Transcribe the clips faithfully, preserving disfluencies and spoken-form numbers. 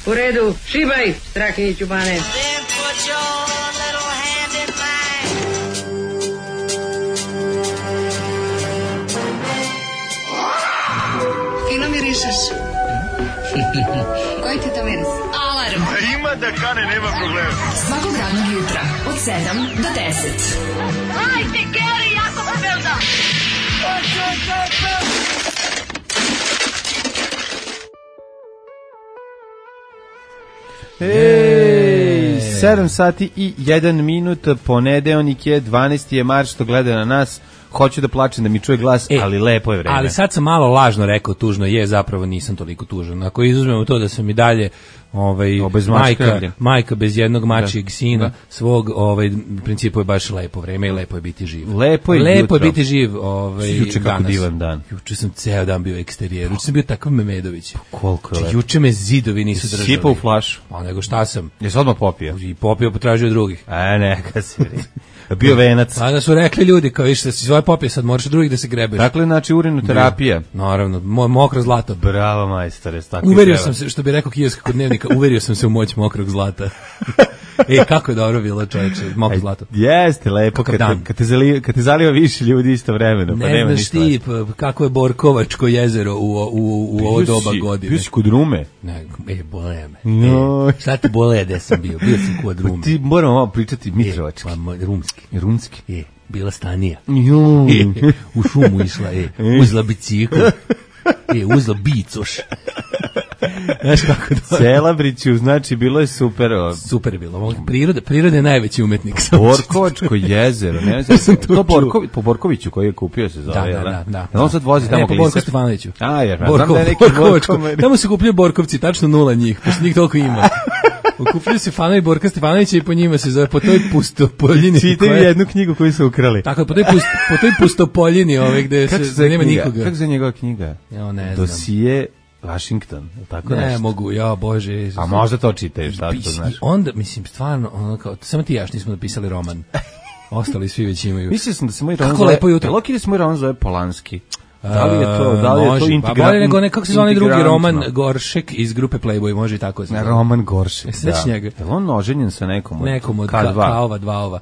U redu, šibaj, Strahinjiću Bane. Fino mirišeš. Koji ti to miris? Alarm. Ima da kane, nema problema. Svakog radnog jutra, od sedam do deset. Hajde, Geri, jako se velda. Ej, sedam sati i jedan minut, ponedeljnik je, dvanaesti je marš, što gleda na nas. Hoću da plačem da mi čuje glas, e, ali lepo je vreme. Ali sad sam malo lažno rekao tužno je, zapravo nisam toliko tužan. Ako izuzmemo to da sam i dalje ovaj, majka, majka bez jednog mačijeg sina, da. svog, ovaj, u principu je baš lepo vreme i lepo je biti živ. Lepo je, lepo je biti živ ovaj, juče kako danas. Divan dan. Juče sam ceo dan bio u eksterijeru, juče sam bio takav Memedović. Pa koliko je lepo. Juče me zidovi nisu držali. Sipao u flašu. Pa nego šta sam? Jesi odmah popio? I popio, potražio drugih. A neka si bio venac. A da su rekli ljudi, kao više, si svoje popije, sad moraš drugih da se grebeš. Dakle, znači urinoterapija. Naravno, mo mokro zlato. Bravo, majstore, tako uverio sam se, što bi rekao kijevski kod dnevnika, uverio sam se u moć mokrog zlata. E, kako je dobro bilo, čoveče, mokro zlato. Jeste, lepo, kad te, kad, te zaliva, kad te zaliva više ljudi istovremeno, pa ne nema znaš ti, kako je Borkovačko jezero u, u, u, u ovo doba godine. Bio si kod Rume? Ne, e, bole me. No. E, šta ti bole gde sam bio? Bio sam kod Rume. Pa ti moramo malo pričati Mitrovački. E, pa, rumski. Rumski. E, bila stanija. Jo. E, u šumu išla, e, uzla bicikl. E, uzla bicoš. Znaš kako to? Celabriću, znači bilo je super. O... Super je bilo. Priroda, priroda je najveći umetnik. Borkovačko jezero. Ne znam, to Borković, po Borkoviću koji je kupio se zove. Da, da, da, da. Da on sad vozi tamo glisat. Borko Stefanoviću. A, jer Borko, znam da je neki Borkovačko. Tamo se kupljaju Borkovci, tačno nula njih, pošto njih toliko ima. Okupljaju se fanovi Borka Stefanovića i po njima se zove, po toj pustopoljini. Čitaju koje... jednu knjigu koju su ukrali. Tako, po toj, pust, po toj pustopoljini ove gde se, se nema knjiga? nikoga. Kako se njegova knjiga? Ja, ne znam. Dosije Washington, tako ne, nešto. Ne mogu, ja, Bože. A možda to čitaš, tako to znaš. I onda, mislim, stvarno, ono kao, samo ti jaš nismo napisali roman. Ostali svi već imaju. Mislio sam da se moj roman Kako zove... lepo jutro. Loki da se moj roman zove Polanski. Da li je to, da li je to integrantno? Pa bolje nego ne, kako se zove drugi roman Goršek iz grupe Playboy, može i tako se zove. Roman Goršek, da. Je on oženjen sa nekom od nekom od K dva? K-ova, dva ova.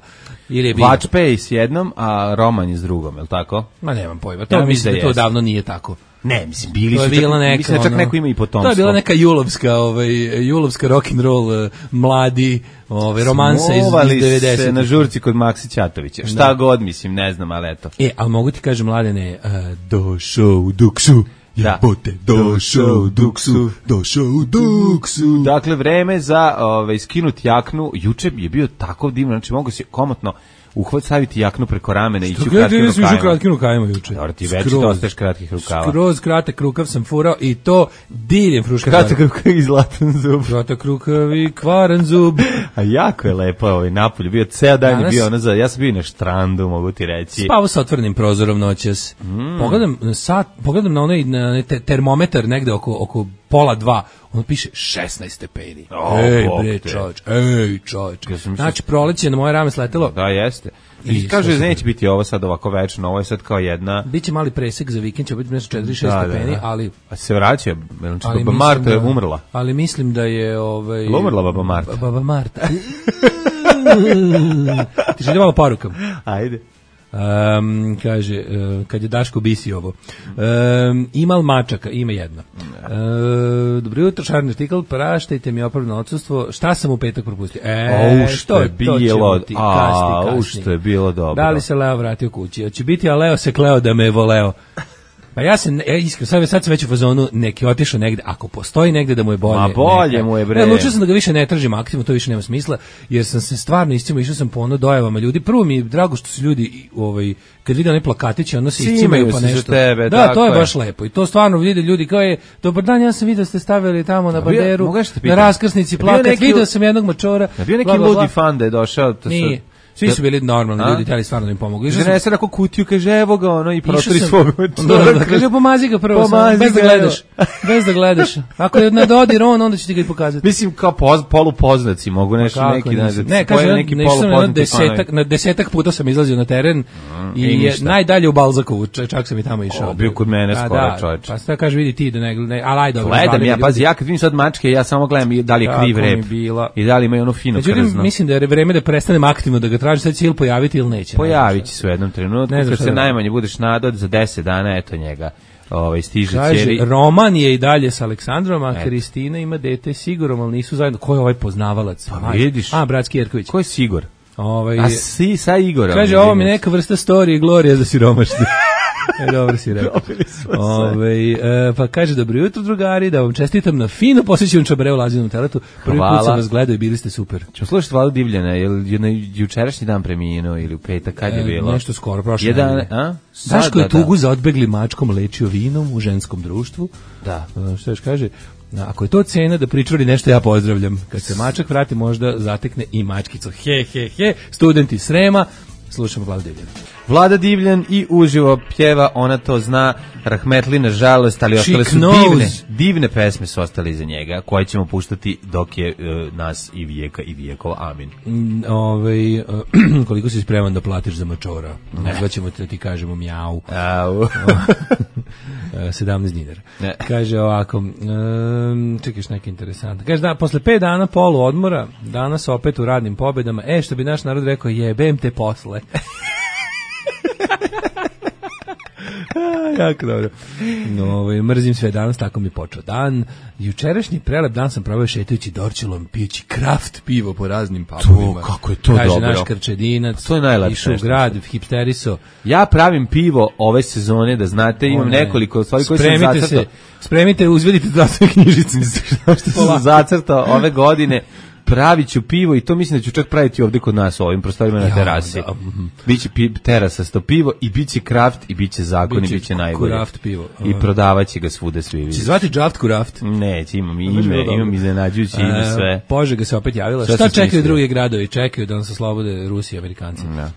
Ili je Vačpej s jednom, a Roman je s drugom, je li tako? Ma nemam pojma, to ja mislim da to davno nije tako. Ne, mislim, bili to su, bila neka, mislim da čak ono, neko ima i potomstvo. To je bila neka julovska, ovaj, julovska rock'n'roll, mladi, ovaj, romansa iz, iz devedesetih. Se na žurci kod Maksi Ćatovića, šta da. god, mislim, ne znam, ali eto. E, ali mogu ti kažem, Mladene, uh, došao u duksu. Jebote, došao u duksu, došao u duksu. Dakle, vreme za ovaj, skinuti jaknu, juče je bio tako divno, znači mogu se komotno uhvat staviti jaknu preko ramena i ići u kratkim rukavima. Što kratkim rukavima juče? Dobro, ti već to ostaješ kratkih rukava. Skroz kratak rukav sam furao i to diljem fruška. Kratak rukav i zlatan zub. Kratak rukav i kvaran zub. A jako je lepo ovaj napolju. Bio ceo dan je bio ono za, ja sam bio na štrandu, mogu ti reći. Spavao sa otvorenim prozorom noćas. Mm. Pogledam sat, pogledam na onaj na te, termometar negde oko oko pola dva. On piše šesnaest stepeni. Oh, ej, bre, čoveč, ej, čoveč. Znači, proleće na moje rame sletelo. Da, jeste. I, I kaže, neće biti ovo sad ovako večno, ovo je sad kao jedna... Biće mali presek za vikend, će biti nešto četiri šest da, stepeni, da, da. ali... A se vraća, baba Marta je umrla. Ali mislim da je... Ovaj, umrla baba Marta. Baba Marta. Ti želi malo porukam. Ajde. Um, kaže, uh, kad je Daško bisi ovo. Um, ima li mačaka? Ima jedna. Uh, dobro jutro, šarni artikl, praštajte mi opravno odsustvo. Šta sam u petak propustio? E, o, što je bilo, a, što je bilo dobro. Da li se Leo vratio kući? Hoće biti, a Leo se kleo da me je voleo. Pa ja se, ja iskreno, sad, sad sam već u fazonu, neki otišao negde, ako postoji negde da mu je bolje. Ma bolje neka, mu je, bre. Ne, odlučio sam da ga više ne tražim aktivno, to više nema smisla, jer sam se stvarno iscimo, išao sam po ono dojavama ljudi. Prvo mi je drago što su ljudi, ovaj, kad vide one plakatiće, ono se iscimaju pa nešto. Tebe, da, to je, je baš lepo. I to stvarno vide ljudi kao je, dobar dan, ja sam vidio ste stavili tamo na banderu, na raskrsnici plakat, neki, vidio sam jednog mačora. Bio neki bla, bla, ludi fan da je došao. To nije. Svi su bili normalni ljudi, htjeli stvarno da im pomogu. Žene se rako kutiju, kaže evo ga ono i protori svog. Kaže pomazi ga prvo, bez da gledaš. Bez da gledaš. Ako je na dodir on, onda će ti ga i pokazati. Mislim kao poz, polupoznaci mogu nešto neki da ne, kaže neki polupoznati. Na desetak puta sam izlazio na teren i najdalje u Balzakovu, čak sam i tamo išao. Bio kod mene skoro, čoveče. Pa šta kaže vidi ti da ne, al aj dobro. Gledam ja, pazi, ja kad vidim sad mačke, ja samo gledam da li je kriv rep i da li ima ono fino krzno. Mislim da je vreme da prestanem aktivno da ga tražim, sad će ili pojaviti ili neće. Pojavit će se u jednom trenutku, kad se najmanje budeš nadao za deset dana, eto njega. Ovaj stiže ćeri. Roman je i dalje sa Aleksandrom, a Kristina ima dete Sigurom, ali nisu zajedno. Ko je ovaj poznavalac? Pa vidiš. A, bratski Jerković. Ko je Sigur? Ovaj, a si sa Igorom. Kaže, ovo mi neka vrsta storije i glorija za siromašne. E, dobro si rekao. Ove, e, pa kaže, dobro jutro drugari, da vam čestitam na fino posjećenom čabareu Lazinom teletu. Prvi Hvala. Put sam vas gledao i bili ste super. Ćemo slušati Vladu Divljana, je li na jučerašnji dan preminuo ili u petak, kad je e, bilo? Nešto skoro, prošle nedelje. Daško je tugu za odbegli mačkom lečio vinom u ženskom društvu. Da. E, što još kaže? Ako je to cena da pričvari nešto, ja pozdravljam. Kad se mačak vrati, možda zatekne i mačkicu. He, he, he, studenti Srema. Slušamo Vladu Divljana. Vlada Divljan i uživo pjeva, ona to zna, rahmetli na žalost, ali ostale su divne, divne pesme su ostale iza njega, koje ćemo puštati dok je uh, nas i vijeka i vijekova, amin. Mm, ovaj, uh, koliko si spreman da platiš za mačora? Nazvaćemo te, ti kažemo mjau. Au. sedamnaest dinara. Ne. Kaže ovako, um, čekaš neke interesantne. Kaže da, posle pet dana polu odmora, danas opet u radnim pobedama, e, što bi naš narod rekao, jebem te posle. Jako dobro. No, ovaj, mrzim sve danas, tako mi je počeo dan. Jučerašnji prelep dan sam proveo šetajući Dorčelom, pijući kraft pivo po raznim pubovima. To, kako je to kaže dobro. Naš Krčedinac, to je najlepše. Išao u grad, hipsteriso. Ja pravim pivo ove sezone, da znate, imam One, nekoliko stvari koje sam zacrtao. Se, spremite, uzvedite zdravstvene knjižice. Što sam zacrtao ove godine. Pravit ću pivo i to mislim da ću čak praviti ovdje kod nas u ovim prostorima na terasi. Da. Biće pi, terasa sto pivo i biće kraft i biće zakon biće i biće najbolje. Kraft pivo. I prodavaće ga svuda svi vidi. Će zvati Draft Kraft? Neće, imam ime, imam iznenađujuće ime sve. Požega se opet javila. Šta, Šta čekaju drugi gradovi? Čekaju da nas oslobode Rusi i Amerikanci. Da.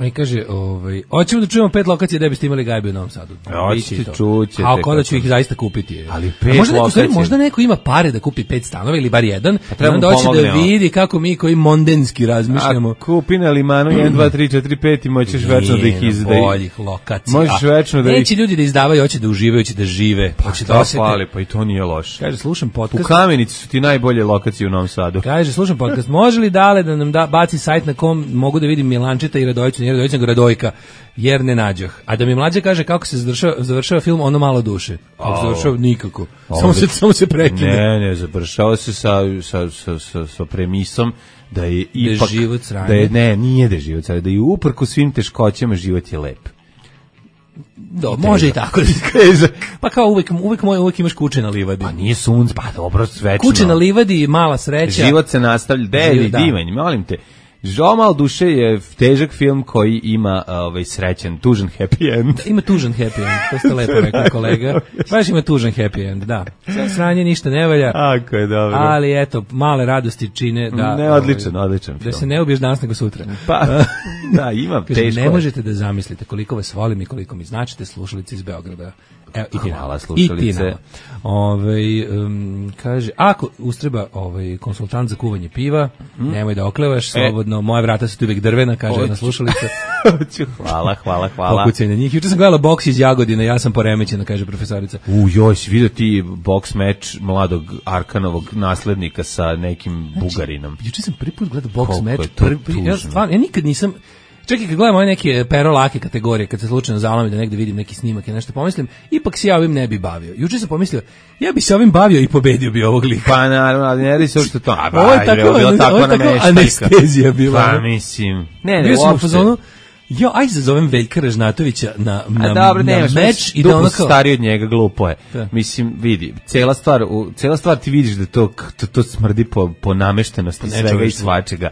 I kaže, ovaj, hoćemo da čujemo pet lokacija da biste imali gajbe u Novom Sadu. Hoćete, čućete. A ako da ću ih zaista kupiti. Ali pet možda neko, lokacija. Možda neko ima pare da kupi pet stanova ili bar jedan, pa onda hoće da vidi kako mi koji mondenski razmišljamo. A kupi na Limanu jedan, dva, tri, četiri, pet i moćeš večno da ih izdaje. Boljih lokacija. Možeš večno da ih... Neće ljudi da izdavaju, hoće da uživaju, hoće da žive. Pa šta hvali, pa i to nije loše. Kaže, slušam podcast. U Kamenici su ti najbolje lokacije u Novom Sadu. Kaže, slušam podcast. Može li Dale da nam da, baci sajt na kom mogu da vidim Milančeta i Radojića, nije Radojića, nego Radojka, jer ne nađoh. A da mi mlađe kaže kako se završava, završava film, ono malo duše. Kako se završava, nikako. Samo se, samo se prekine. Ne, ne, završava se sa, sa, sa, sa, sa premisom da je ipak... Da je život sranje. Da je, ne, nije da je život sranje, da je uprko svim teškoćama život je lep. Do, može i tako da se kaže. Pa kao uvek, uvek, moj, uvek imaš kuće na livadi. Pa nije sunce, pa dobro, svečno. Kuće na livadi, mala sreća. Život se nastavlja, devi, da. Divanj, molim te. Žomal duše je težak film koji ima ovaj srećan, tužan happy end. Da, ima tužan happy end, to ste lepo rekli kolega. Baš ima tužan happy end, da. Sve sranje ništa ne valja. Ako je dobro. Ali eto, male radosti čine da... Ne, odličan, ovaj, odličan film. Da se ne ubiješ danas nego sutra. Pa, da, imam teško. Ne možete da zamislite koliko vas volim i koliko mi značite, slušalice iz Beograda. Evo, i ti hvala, slušalice. Ovaj um, kaže, ako ustreba ovaj konsultant za kuvanje piva, hmm? nemoj da oklevaš, slobodno, e. moja vrata su tu uvijek drvena, kaže jedna slušalica. Hvala, hvala, hvala. Pokucaj na njih. Juče sam gledala boks iz Jagodina, ja sam poremećena, kaže profesorica. U, joj, si vidio ti boks meč mladog Arkanovog naslednika sa nekim Bugarinom. Znači, juče sam prvi put gledao boks meč, prvi, ja, stvarno, ja nikad nisam... Čekaj, kad gledam ove neke pero lake kategorije, kad se slučajno zalomim da negde vidim neki snimak i nešto pomislim, ipak se ja ovim ne bi bavio. Juče sam pomislio, ja bi se ovim bavio i pobedio bi ovog lika. Pa naravno, ali ne radi se što to. A, ovo je tako, ovo je tako, tako anestezija bila. Pa mislim. Ne, ne, bio sam u fazonu, jo, aj zazovem Veljka Ražnatovića na, na, dobro, na nemaš, meč i da ono kao... stariji od njega, glupo je. Da. Mislim, vidi, cela stvar, u, cela stvar ti vidiš da to, to, to smrdi po, po nameštenosti po svega i svačega.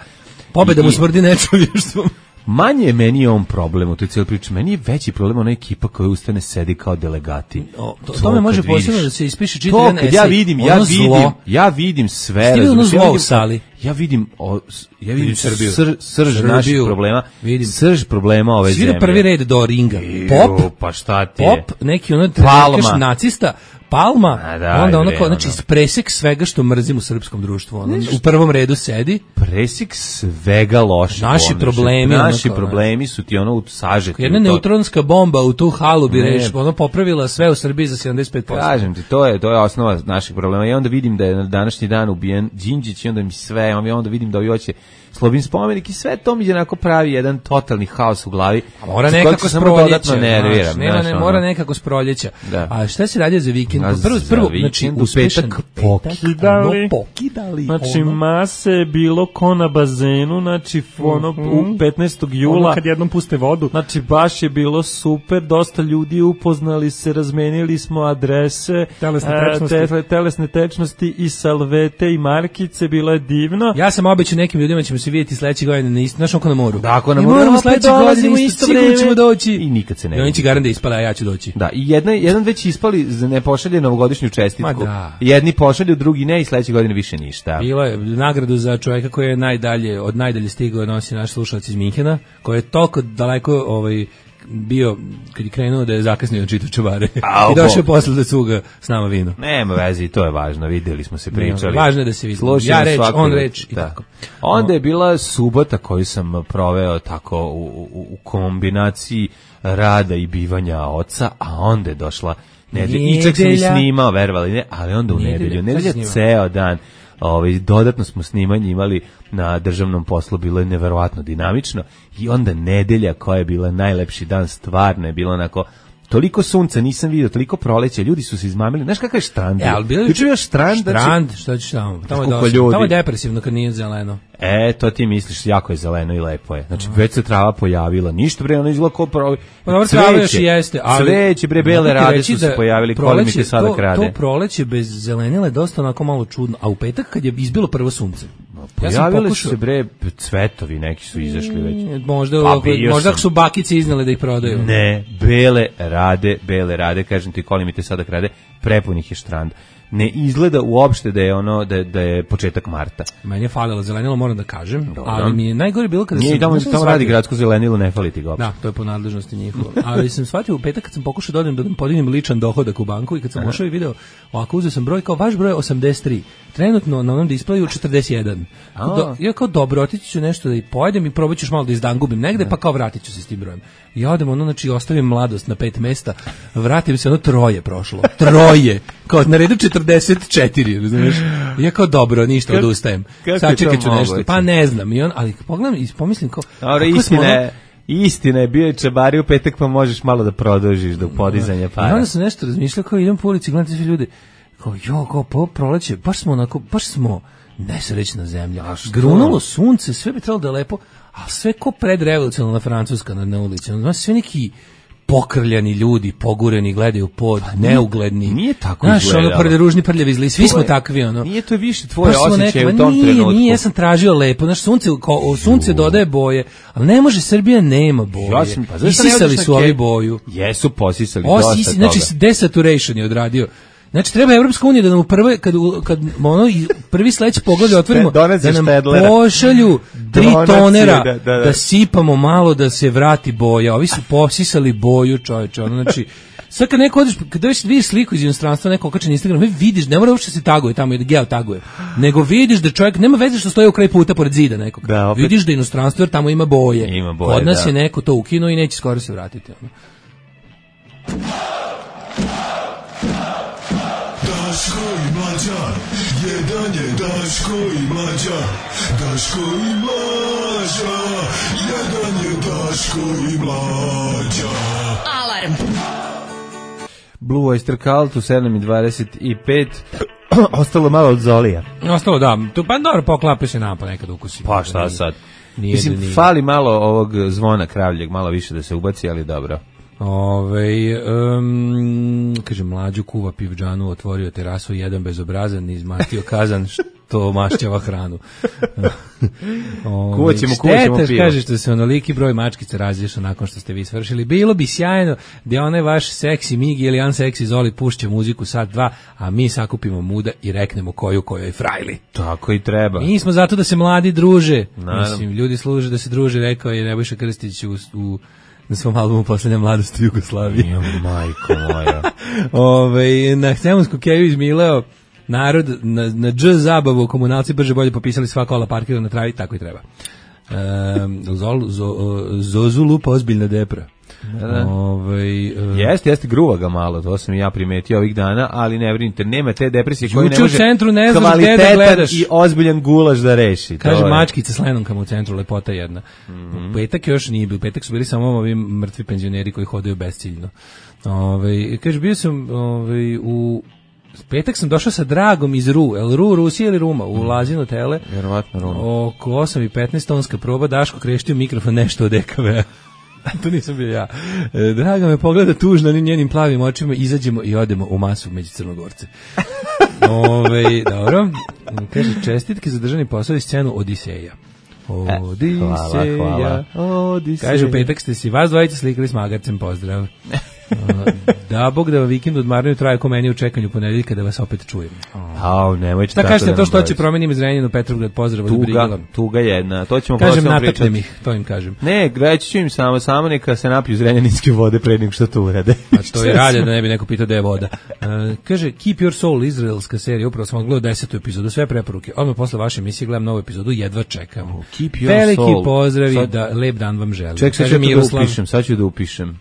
Pobeda mu smrdi nečovještvom. Manje je meni on problem u toj cijeloj priči. Meni je veći problem ona ekipa koja ustane sedi kao delegati. O, to, to, to me može posebno da se ispiše čitav jedan esej. Ja vidim, ja vidim, ja vidim sve. Stivi ono zlo u sali. ja vidim, o, ja vidim, vidim Srbiju. Sr, srž Srbiju. naših problema, vidim. srž problema ove Svi zemlje. prvi red do ringa. Pop, Ju, pa šta ti je? Pop, neki ono trenerkaš nacista, Palma, da, onda ono bre, kao, znači, ono. presek svega što mrzim u srpskom društvu. Ono, u prvom redu sedi. Presek svega loše. Naši ono, problemi. Naši ono, problemi su ti ono u sažeti. Jedna neutronska bomba u tu halu bi reš, ono popravila sve u Srbiji za sedamdeset pet posto. Kažem ti, to je, to je osnova naših problema. I onda vidim da je na današnji dan ubijen Đinđić i onda mi sve, onda vidim da ovi hoće Slobin spomenik i sve to mi je onako pravi jedan totalni haos u glavi. A mora nekako s proljeća. Nerviram, znaš, nema, ne, mora nekako s proljeća. Da. A šta se radio za vikend? A Prvo, za prvo vikend, znači, u petak pokidali. Ono, pokidali. Znači, ono. mase je bilo ko na bazenu, znači, ono, Mm-hmm. u petnaestog jula. Ono kad jednom puste vodu. Znači, baš je bilo super, dosta ljudi upoznali se, razmenili smo adrese, Telesne e, tečnosti. te, telesne tečnosti i salvete i markice, bilo je divno. Ja sam obećao nekim ljudima ćemo se vidjeti sledeće godine na isto, znaš onko na moru. Da, ako na I moru, moramo opet sledeće dolazimo godine isto isto, sigurno vreme. ćemo doći. I nikad se ne I oni vidi. će garant da ispala, a ja ću doći. Da, i jedna, jedan već ispali, ne pošalje novogodišnju čestitku. Ma da. Jedni pošalju, drugi ne i sledeće godine više ništa. Bilo je nagradu za čovjeka koji je najdalje, od najdalje stigao nosi naš slušalac iz Minhena, koji je toliko daleko ovaj, bio, kad je krenuo da je zakasnio da čita čuvare. Au, I došao je posle da cuga s nama vino. Nema veze i to je važno, videli smo se, pričali. Ne, važno je da se vidi. Slušajmo Ja reč, svaku on reč, reč i da. tako. Onda je bila subota koju sam proveo tako u, u, u kombinaciji rada i bivanja oca, a onda je došla nedelja. I čak sam i snimao, verovali ne, ali onda u Nedelja. nedelju. Šta si Nedelja snimao? ceo dan. Ovaj, dodatno smo snimanje imali na državnom poslu, bilo je neverovatno dinamično i onda nedelja koja je bila najlepši dan, stvarno je bilo onako toliko sunca nisam vidio, toliko proleća, ljudi su se izmamili. Znaš kakav je štrand? E, ali bilo je juče bio štrand, štrand, šta ćeš tamo? Tamo je, Koliko dosta, ljudi. tamo je depresivno kad nije zeleno. E, to ti misliš, jako je zeleno i lepo je. Znači, već se trava pojavila, ništa bre, ono izgleda kao pro... Pa dobro, trava još i jeste, ali... Cveće, bre, bele rade su se pojavili, koliko mi te sada to, krade. To proleće bez zelenila je dosta onako malo čudno, a u petak kad je izbilo prvo sunce, ja sam Pojavili pokušao... su se, bre, cvetovi, neki su izašli već. Možda, Pa, ako, bio možda sam. ako su bakice iznale da ih prodaju. Ne, bele rade, bele rade, kažem ti, koliko mi te sada krade, prepunih je štrand. Ne izgleda uopšte da je ono da je, da je početak marta. Meni je falilo zelenilo, moram da kažem, Dobro. ali mi je najgore bilo kada Nije sam... tamo, znaš šta tamo sam radi shvatio? gradsko zelenilo, ne fali ti ga uopšte. Da, to je po nadležnosti njihovo. Ali sam shvatio u petak kad sam pokušao da odem da podignem ličan dohodak u banku i kad sam ušao i video, ovako uzeo sam broj kao vaš broj je osamdeset tri. Trenutno na onom displeju četrdeset jedan. Do, ja kao dobro, otići ću nešto da i pojedem i probat ću još malo da izdangubim negde, pa kao vratit ću se s tim brojem. I ja odem ono, znači ostavim mladost na pet mesta, vratim se, ono troje prošlo. Troje! Kao na redu četrdeset četiri, razumiješ? I ja kao dobro, ništa, Kak, odustajem. Sad čekat ću nešto. moguće? Pa ne znam. I on, ali pogledam i pomislim kao... Dobro, kako smo istina ono- je, istina je, bio je čabari u petak, pa možeš malo da produžiš do podizanja I para. onda sam nešto razmišljao, kao idem po ulici, gledam te sve ljude, kao jo, kao po proleće, baš smo onako, baš smo nesrećna zemlja. Grunulo sunce, sve bi trebalo da je lepo, a sve ko predrevolucionalna Francuska na, na ulici. Ono, znaš, sve neki pokrljani ljudi, pogureni, gledaju pod, neugledni. nije tako znaš, izgledalo. ono, prde ružni, prljavi zli, svi To smo je- takvi, ono. Nije to više tvoje Baš smo osjećaje neki- u ma tom nije, trenutku. Nije, ja sam tražio lepo, znaš, sunce, ko, o, sunce dodaje boje, ali ne može, Srbija nema boje. Ja sam- pa zašto ne Isisali odeš na su ovi ke- boju. Jesu posisali O, dosta si, toga. znači desaturation je odradio. Znači treba Evropska unija da nam u prve kad u- kad ono i prvi sledeći poglavlje otvorimo Donese da nam Štedlera. pošalju tri Donacije, tonera da, da, da. da sipamo malo da se vrati boja. Ovi su posisali boju, čoveče. Ono znači sad kad neko odeš, kad već vidiš sliku iz inostranstva, neko okači na Instagram, vi vidiš, ne mora uopšte se taguje tamo i da geo taguje, nego vidiš da čovjek, nema veze što stoji u kraj puta pored zida nekog. Da, opet. Vidiš da inostranstvo jer tamo ima boje. Ima boje, Kod nas da. je neko to ukinuo i neće skoro se vratiti. Ono. Daško i Mlađa, jedan je Daško i Mlađa, Daško i Mlađa, jedan je Daško i Mlađa. Alarm. Blue Oyster Cult u sedam i dvadeset pet. Ostalo malo od Zolija. Ostalo da, tu pa dobro poklape se nam pa nekad ukusi. Pa šta sad? Nije, Mislim, da nije. fali malo ovog zvona kravljeg, malo više da se ubaci, ali dobro. Ove, um, kaže, mlađu kuva pivdžanu, otvorio terasu, jedan bezobrazan, izmastio kazan. to mašćava hranu. Kuvaćemo, kuvaćemo pivo. Šteta, kaže što se onoliki broj mačkica razliješa nakon što ste vi svršili. Bilo bi sjajno da onaj vaš seksi Migi ili unseksi Zoli pušće muziku sat dva, a mi sakupimo muda i reknemo koju kojoj frajli. Tako i treba. Mi smo zato da se mladi druže. Naravno. Mislim, ljudi služe da se druže, rekao je Nebojša Krstić u, u na svom albumu Poslednja mladost u Jugoslaviji. Jo, majko moja. Ove, na Hcemunsku keju izmileo narod na, na dž zabavu, komunalci brže bolje popisali sva kola parkira na travi, tako i treba. Um, zol, zo, zozu lupa ozbiljna depra. Da. Ove, uh, jeste, jeste gruva ga malo, to sam i ja primetio ovih dana, ali ne brinite, nema te depresije koje ne može u centru ne znaš gde da gledaš i ozbiljan gulaš da reši. Kaže mačkica s lenomkama u centru, lepota jedna. Mm-hmm. Petak još nije bio, petak su bili samo ovi mrtvi penzioneri koji hodaju besciljno. Ove, kaže, bio sam ove, u petak sam došao sa Dragom iz Ru, el Ru, Rusija ili Ruma, u Lazino tele. Vjerovatno Ruma. Oko osam i petnaest tonska proba, Daško kreštio mikrofon nešto od E K V-a. To nisam bio ja. E, Draga me pogleda tužno njenim plavim očima, izađemo i odemo u masu među Crnogorce. Ove, dobro. Kaže, čestitke za državni posao i scenu Odiseja. Odiseja. Hvala, hvala. Odiseja. Kaže, u petak ste si vas dvojica slikali s magarcem, pozdrav. Da, Bog da vikend odmaraju traje ko meni u čekanju ponedeljka da vas opet čujem. Au, nemojte tako. Šta kažete da to što će promenim iz Renjanina u Petrovgrad, pozdrav od Brigala. Tuga jedna, to ćemo kažem, nataknem ih, to im kažem. Ne, reći ću im samo, samo neka se napiju iz renjaninske vode pre nego što to urade. A to je rade da ne bi neko pitao da je voda. Uh, kaže, Keep Your Soul, izraelska serija, upravo sam odgledao desetu epizodu, sve preporuke. Odmah posle vaše emisije gledam novu epizodu, jedva čekam. Oh, keep Your Veliki Soul. pozdravi, sad, da lep dan vam želim. Ček, sad ću da upišem, sad ću da upišem.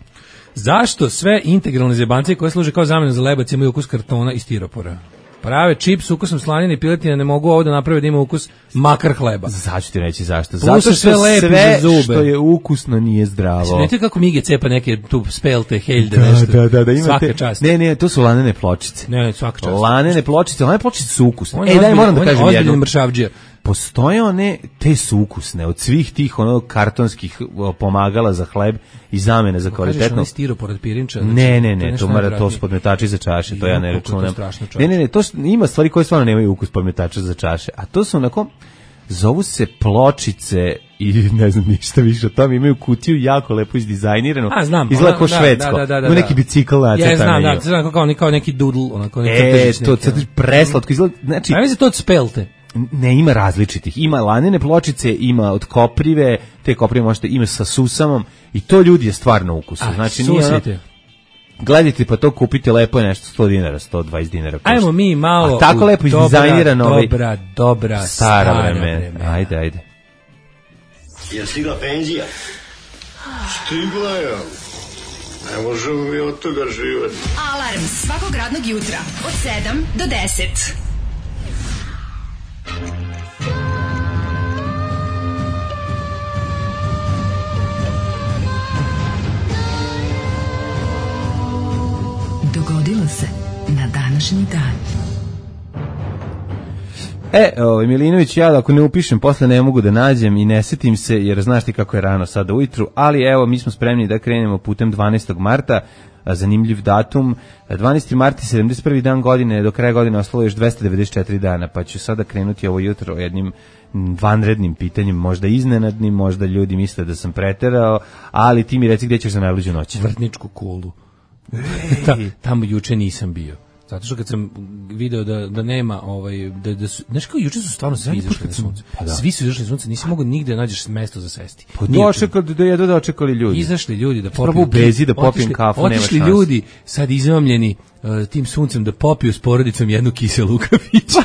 Zašto sve integralne zebancije koje služe kao zamena za lebac imaju ukus kartona i stiropora? Prave čips s ukusom slanine i piletine ne mogu ovo da naprave da ima ukus makar hleba. Zašto ti reći zašto? Zato što sve, sve što je ukusno nije zdravo. Znate kako Mige cepa neke tu spelte, heljde, da, nešto. Da, da, da, imate, svaka čast. Ne, ne, to su lanene pločice. Ne, ne, svaka čast. Lanene pločice, lanene pločice su ukusne. Ej, daj, moram da kažem jedno. Mršavđija. Postoje one, te su ukusne, od svih tih ono kartonskih pomagala za hleb i zamene za kvalitetno. Kažeš onaj stiropor od pirinča? Znači, ne, ne, ne, to, mora, to su podmetači za čaše, to ja ne računam. Ne, ne, ne, to su, ima stvari koje stvarno nemaju ukus podmetača za čaše, a to su onako, zovu se pločice i ne znam ništa više o tom, imaju kutiju jako lepo izdizajniranu, izgleda kao švedsko, da, da, da, da, ima neki bicikl nacrtan. Ja znam, da, znam kao, kao neki doodle, onako neki e, to, to preslatko izgleda, znači... A mislim to od spelte. Ne, ima različitih. Ima lanene pločice, ima od koprive, te koprive možete, ima sa susamom i to ljudi je stvarno ukusno. Znači, nije ono, gledajte pa to kupite, lepo je nešto sto dinara, sto dvadeset dinara. Košta. Ajmo mi malo. A tako lepo izdizajnirano. Dobra, dobra, dobra, stara, stara vremena. vremena. Ajde, ajde. Je stigla penzija? Stigla je. Ne možemo mi od toga živati. Alarm svakog radnog jutra od sedam do deset. Dogodilo se na današnji dan. E, ovaj Milinović, ja ako ne upišem, posle ne mogu da nađem i ne setim se, jer znaš ti kako je rano sada ujutru, ali evo, mi smo spremni da krenemo putem dvanaestog marta, zanimljiv datum, dvanaesti mart je sedamdeset prvi dan godine, do kraja godine ostalo još dvesta devedeset četiri dana, pa ću sada krenuti ovo jutro jednim vanrednim pitanjem, možda iznenadnim, možda ljudi misle da sam preterao, ali ti mi reci gdje ćeš za najluđu noć. Vrtničku kulu. Ta, tamo juče nisam bio. Zato što kad sam video da, da nema, ovaj, da, da su, znaš kao juče su stvarno svi izašli na sunce. Pa da. Svi su izašli na sunce, nisi mogao nigde da nađeš mesto za sesti. Pa dočekali da jedu da očekali ljudi. Izašli ljudi da popiju. Prvo bezi da popijem kafu, nema šanse. Otišli ljudi sad izomljeni uh, tim suncem da popiju s porodicom jednu kiselu u kafiću.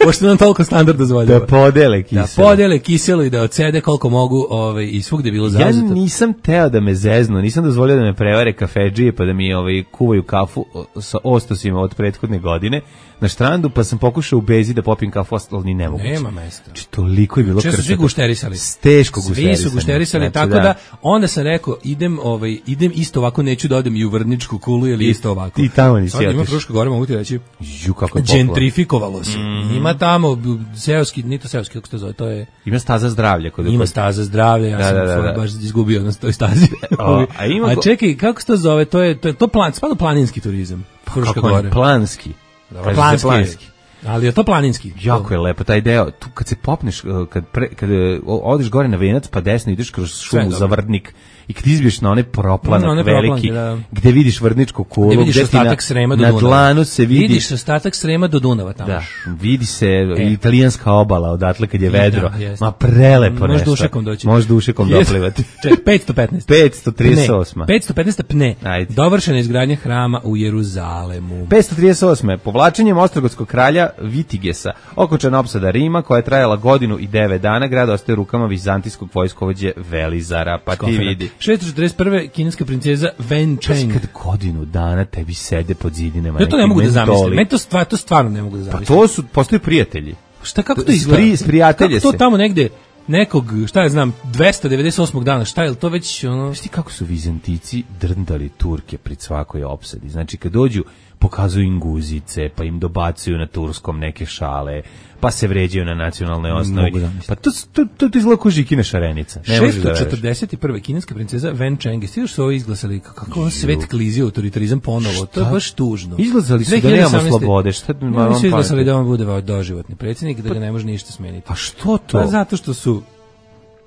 Pošto nam toliko standard dozvoljava. Da podele kiselo. Da podele kiselo i da odsede koliko mogu, ovaj, i svugde je bilo zauzeto. Ja nisam teo da me zeznu, nisam dozvolio da me prevare kafedžije pa da mi ovaj, kuvaju kafu sa ostosima od prethodne godine na štrandu, pa sam pokušao u bezi da popijem kafu, ali ni ne mogu. Nema mesta. Znači, toliko je bilo krčeta. Često svi gušterisali. Teško gušterisali. Svi su gušterisali, znači, tako da. da onda sam rekao, idem, ovaj, idem isto ovako, neću da odem i u Vrtničku kulu, ili isto ovako. I tamo nisi otiš. Ima Fruška Gora, mogu ti reći. Ju, kako je popla. Gentrifikovalo se. Mm. Ima tamo seoski, ni to seoski, kako se to zove, to je... Ima staza zdravlja. Kod ima staza zdravlja, ja da, sam da, da, da. baš izgubio na toj stazi. O, a, ima a čekaj, kako se to zove, to je, to je to plan, spada planinski turizam. Fruška Gora. Planski. Dobro, planski. planski. Ali je to planinski. Jako je lepo taj deo. Tu kad se popneš, kad, pre, kad odeš gore na Venac, pa desno ideš kroz šumu za Vrdnik i kad izbiješ na one proplanak no, one veliki, proplanke, da. Gde vidiš Vrdničku kulu, gde vidiš ostatak Srema do na Dunava. dlanu se vidi... Vidiš ostatak Srema do Dunava tamo. Da, vidi se e. italijanska obala odatle kad je vedro. Da, ma nešto. prelepo nešto. Možeš dušekom doći. Možeš dušekom doplivati. petsto petnaest. petsto trideset osam. petsto petnaest pne. Ajde. Dovršena izgradnja hrama u Jeruzalemu. petsto trideset osam. Povlačenjem ostrogotskog kralja Vitigesa, okončana opsada Rima, koja je trajala godinu i devet dana, grad ostaje u rukama vizantijskog vojskovođe Velizara, pa ti vidi. šesto četrdeset prve kineska princeza Wen Cheng. Kad godinu dana tebi sede pod zidinama. Ja to ne mogu da zamislim. Meni to, stvar, to stvarno ne mogu da zamislim. Pa to su, postoji prijatelji. Šta, kako to izgleda? Spri, sprijatelje kako to tamo negde nekog, šta ja znam, dvesta devedeset osmog dana, šta je to već ono... Znaš ti kako su Vizantici drndali Turke pred svakoj opsadi? Znači kad dođu, pokazuju im guzice, pa im dobacuju na turskom neke šale, pa se vređaju na nacionalnoj osnovi. Pa to, to, to, to izgleda ko Žikina šarenica. šesto četrdeset prve kineska princeza Wen Cheng. Svi još su ovo izglasali, kako on svet klizio autoritarizam ponovo. To je baš tužno. Izglasali su da nemamo slobode. Šta oni su izglasali da on bude doživotni predsjednik, da ga ne može ništa smeniti. Pa što to? Pa zato što su...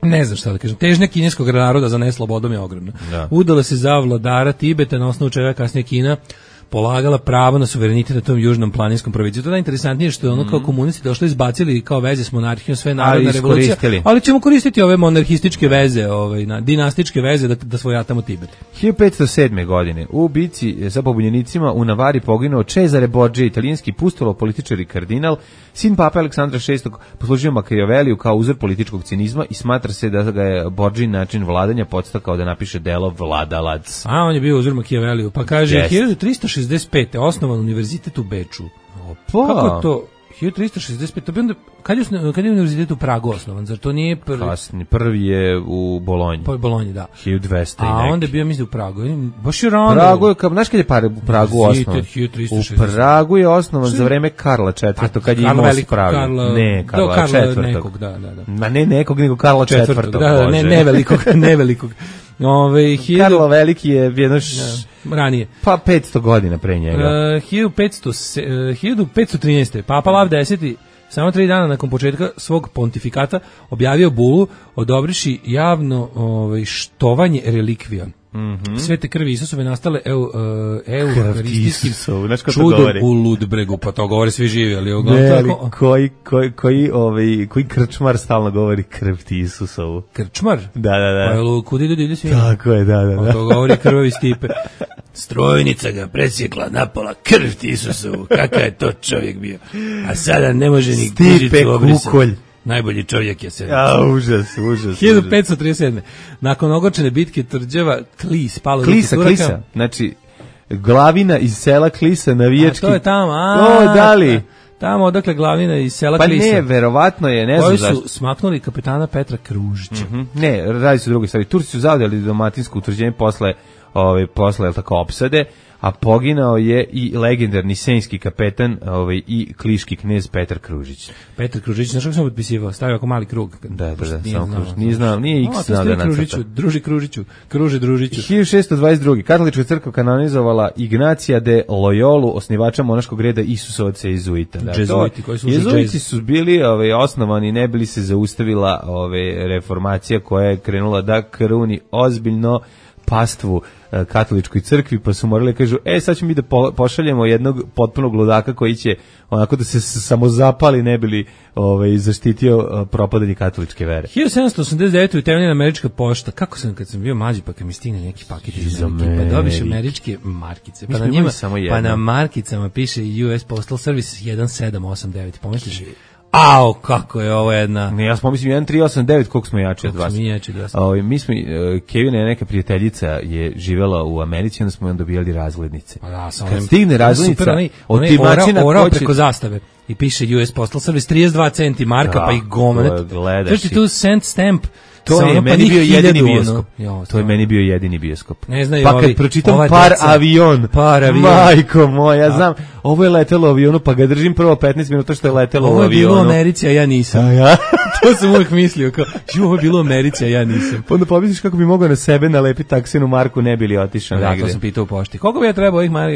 Ne znam šta da kažem. Težnja kineskog naroda za neslobodom je ogromna. Da. Udala se za vladara Tibeta, na osnovu čega kasnije Kina polagala pravo na suverenitet na tom južnom planinskom provinciju. To je najinteresantnije što je ono kao komunisti došli izbacili kao veze s monarhijom, sve narodna revolucija, ali ćemo koristiti ove monarhističke veze, ovaj, na, dinastičke veze da, da svojatamo Tibet. hiljadu petsto sedme. godine u bici sa pobunjenicima u Navari poginuo Cesare Borgia, italijanski pustolo političar i kardinal, sin pape Aleksandra šestog. Poslužio Machiavelliju kao uzor političkog cinizma i smatra se da ga je Borgin način vladanja podstakao da napiše delo Vladalac. A on je bio uzor Machiavelliju, pa kaže yes. hiljadu tristo šezdeset pete. osnovan univerzitet u Beču. Opa. Kako to? hiljadu tristo šezdeset pete. To bi onda, kad je, kad je univerzitet u Pragu osnovan? Zar to nije prvi? Kasni, prvi je u Bolonji. Pa u Bolonji, da. hiljadu dvesta. A onda je bio, mislim, u Pragu. Baš je rano. Pragu je, znaš kad je par, u Pragu osnovan? U Pragu je osnovan za vreme Karla četvrtog. Kad je imao spravio. Karla, ne, Karla, Karla četvrtog. Nekog, da, da, da. Ma ne nekog, nego Karla četvrtog. Da, da, ne, ne velikog, ne velikog. Ove, hiljadu... Karlo Veliki je jedno š... ja, ranije. Pa petsto godina pre njega. Uh, hiljadu petsto trinaeste. Papa Lav deseti samo tri dana nakon početka svog pontifikata objavio bulu odobriši javno ovaj, štovanje relikvija. Mm-hmm. Svete krvi Isusove nastale eu, uh, euharistijskim čudom u Ludbregu, pa to govore svi živi, ali ovo ne, ali koji, koji, koji, ovaj, koji krčmar stalno govori krv ti Isusovu? Krčmar? Da, da, da. Pa je kud idu divlje sviđa? Tako je, da, da, da. To govori krvavi Stipe. Strojnica ga presjekla napola, krv ti Isusovu, kakav je to čovjek bio. A sada ne može ni Stipe Kukolj. Najbolji čovjek je se. Ja, užas, užas. hiljadu petsto trideset sedme. Nakon ogorčene bitke tvrđava Klis, palo Klisa, Klisa. Znači, glavina iz sela Klisa, navijački. A to je tamo, a. O, da li? Tamo odakle glavina iz sela pa Klisa. Pa ne, verovatno je, ne znam koji zašto. Koji su smaknuli kapetana Petra Kružića. Mm-hmm. Ne, radi se o drugoj stvari. Turci su zaudeli dalmatinsko utvrđenje posle, ove, posle, jel tako, opsade, a poginao je i legendarni senjski kapetan ovaj, i kliški knez Petar Kružić. Petar Kružić, znaš kako sam potpisivao? Stavio ako mali krug. Da, da, da, samo Kružić. Nije znao, nije X znao da nacrta. Druži Kružiću, Kruži Družiću. hiljadu šessto dvadeset druge. Katolička crkva kanonizovala Ignacija de Loyolu, osnivača monaškog reda Isusovaca Izuita. Da, Jezuiti, koji su Jezuiti su bili ovaj, osnovani, ne bili se zaustavila ovaj, reformacija koja je krenula da kruni ozbiljno pastvu katoličkoj crkvi, pa su morali kažu, e, sad ćemo mi da po, pošaljemo jednog potpunog ludaka koji će onako da se samo zapali, ne bili ovaj, zaštitio propadanje katoličke vere. hiljadu sedamsto osamdeset devete. utemeljena američka pošta. Kako sam, kad sam bio mlađi, pa kad mi stigne neki paket iz Amerike, pa dobiš američke markice, pa na njima, pa na markicama piše U S Postal Service jedan sedam osam devet, pomisliš? Ao, kako je ovo jedna... Ne, ja sam pomislim jedan tri osam devet, koliko smo jači od vas. Koliko smo jači od vas. O, mi smo, uh, Kevina je neka prijateljica je živjela u Americi, onda smo joj dobijali razglednice. Pa da, sam kad onim, stigne razglednica, super, onaj, od timačina ora, ora će... preko zastave i piše U S Postal Service trideset dva centi marka, da, pa i gomanet. Gledaš tu cent stamp. To je meni bio jedini bioskop. Jo, to je meni bio jedini bioskop. Ne znaju pa ovi, kad pročitam par deca, avion, par avion, majko moja, ja znam, ovo je letelo u avionu, pa ga držim prvo petnaest minuta što je letelo ovo u avionu. Ovo je bilo u Americi, a ja nisam. A ja? To sam uvijek mislio, kao, ju, ovo je bilo u Americi, a ja nisam. Onda pomisliš kako bi mogao na sebe nalepiti taksinu marku, ne bi li otišao da, negde. To sam pitao u pošti. Koliko bi ja trebao ovih mar,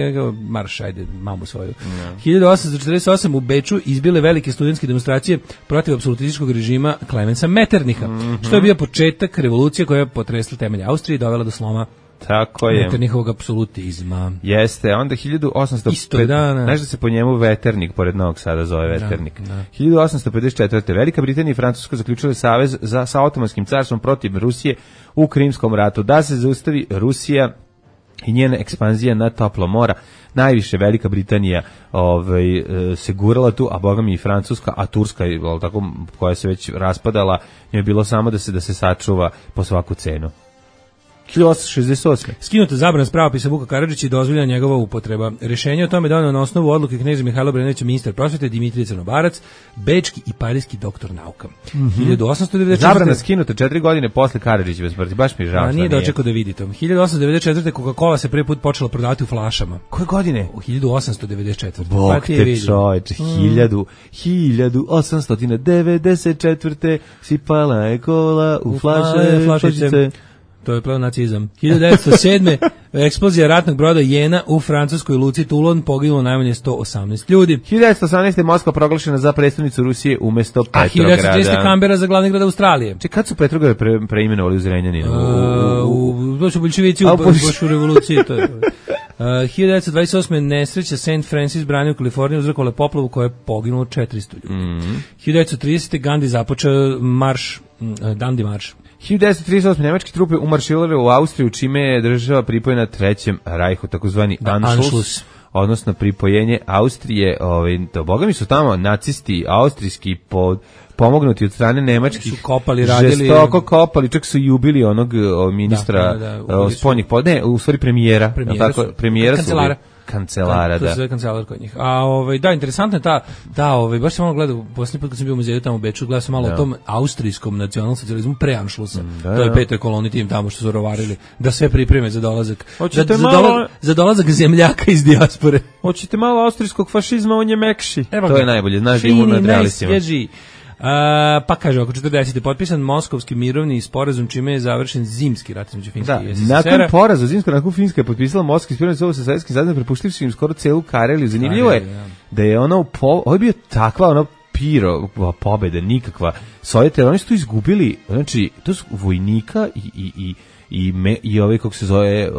marš, ajde, mamu svoju. No. hiljadu osamsto četrdeset osam u Beču izbile velike studentske demonstracije protiv apsolutističkog režima Klemensa Metternicha, mm-hmm. što je bio početak revolucije koja je potresla temelje Austrije i dovela do sloma tako je. Metternichovog apsolutizma. Jeste, onda hiljadu osamsto Isto dana. Znaš da se po njemu Veternik, pored Novog Sada zove Veternik. Da, da. hiljadu osamsto pedeset četvrte Velika Britanija i Francuska zaključile savez za, sa Otomanskim carstvom protiv Rusije u Krimskom ratu. Da se zaustavi Rusija i njena ekspanzija na toplo mora. Najviše Velika Britanija ovaj, se gurala tu, a boga mi i Francuska, a Turska, tako, koja se već raspadala, njoj je bilo samo da se, da se sačuva po svaku cenu. hiljadu osamsto šezdeset osme Skinuta zabrana s pravopisa Vuka Karadžića i dozvoljena njegova upotreba. Rešenje o tome doneo na osnovu odluke kneza Mihajla Obrenovića, ministar prosvete, Dimitrije Crnobarac, bečki i parijski doktor nauka. Mm-hmm. hiljadu osamsto devedeset četvrte Zabrana skinuta četiri godine posle Karadžićeve smrti, baš mi je žao. A nije dočekao da vidi to. hiljadu osamsto devedeset četvrte Coca-Cola se prvi put počela prodavati u flašama. Koje godine? U hiljadu osamsto devedeset četvrte Bog pa te čovječe, hiljadu, hiljadu osamsto devedeset četvrte sipala je kola u, u flaše, flašice. To je pleonacizam. hiljadu devetsto sedme eksplozija ratnog broda Jena u francuskoj luci Toulon, poginulo najmanje sto osamnaest ljudi. hiljadu devetsto osamnaeste Moskva proglašena za prestonicu Rusije umesto Petrograda. A hiljadu devetsto trinaeste Kambera za glavni grad Australije. Če kad su Petrograd pre, preimenovali u Zrenjaninu? Uh, to su bolševici u bošu revoluciji. To je. Uh, hiljadu devetsto dvadeset osme nesreća Saint Francis brani u Kaliforniji uzrokovala poplavu koja je poginulo četiristo ljudi. Mm-hmm. hiljadu devetsto tridesete Gandhi započeo marš, uh, Dandi marš. hiljadu devetsto trideset osme nemačke trupe umarširale u Austriju, čime je država pripojena Trećem rajhu, takozvani Anschluss, Anschluss, odnosno pripojenje Austrije. Ovaj, to, boga mi su tamo nacisti austrijski pod pomognuti od strane nemačkih, su kopali, radili, žestoko kopali, čak su i ubili onog o, ministra da, da, da, spoljnih pod, ne, u stvari premijera, premijera, tako, premijera kancelara. Su kancelara, da. To je sve kancelar kod njih. A ovaj da, interesantno je ta da, ovaj baš sam malo gledao poslednji put kad sam bio u muzeju tamo u Beču, gledao sam malo da. O tom austrijskom nacionalsocijalizmu pre Anšlusa. Da, to je petoj koloni tim tamo što su rovarili da sve pripreme za dolazak. Hoćete za, malo za, dolazak, za dolazak zemljaka iz dijaspore. Hoćete malo austrijskog fašizma, on je mekši. Evo, to je najbolje, znaš da imamo nad realistima. Uh, pa kaže, oko četrdesete potpisan Moskovski mirovni sporazum, čime je završen zimski rat između Finske da, i es es er a. Nakon poraza zimskog, nakon Finska je potpisala Moskovski sporazum sa Sovjetskim zajednom, prepuštivši im skoro celu Kareliju. Zanimljivo je ja. Da je ono, po, ovo je bio takva ono piro, pobeda, nikakva. Sovjeti, oni su tu izgubili, znači, to su vojnika i, i, i i me, i ove kako se zove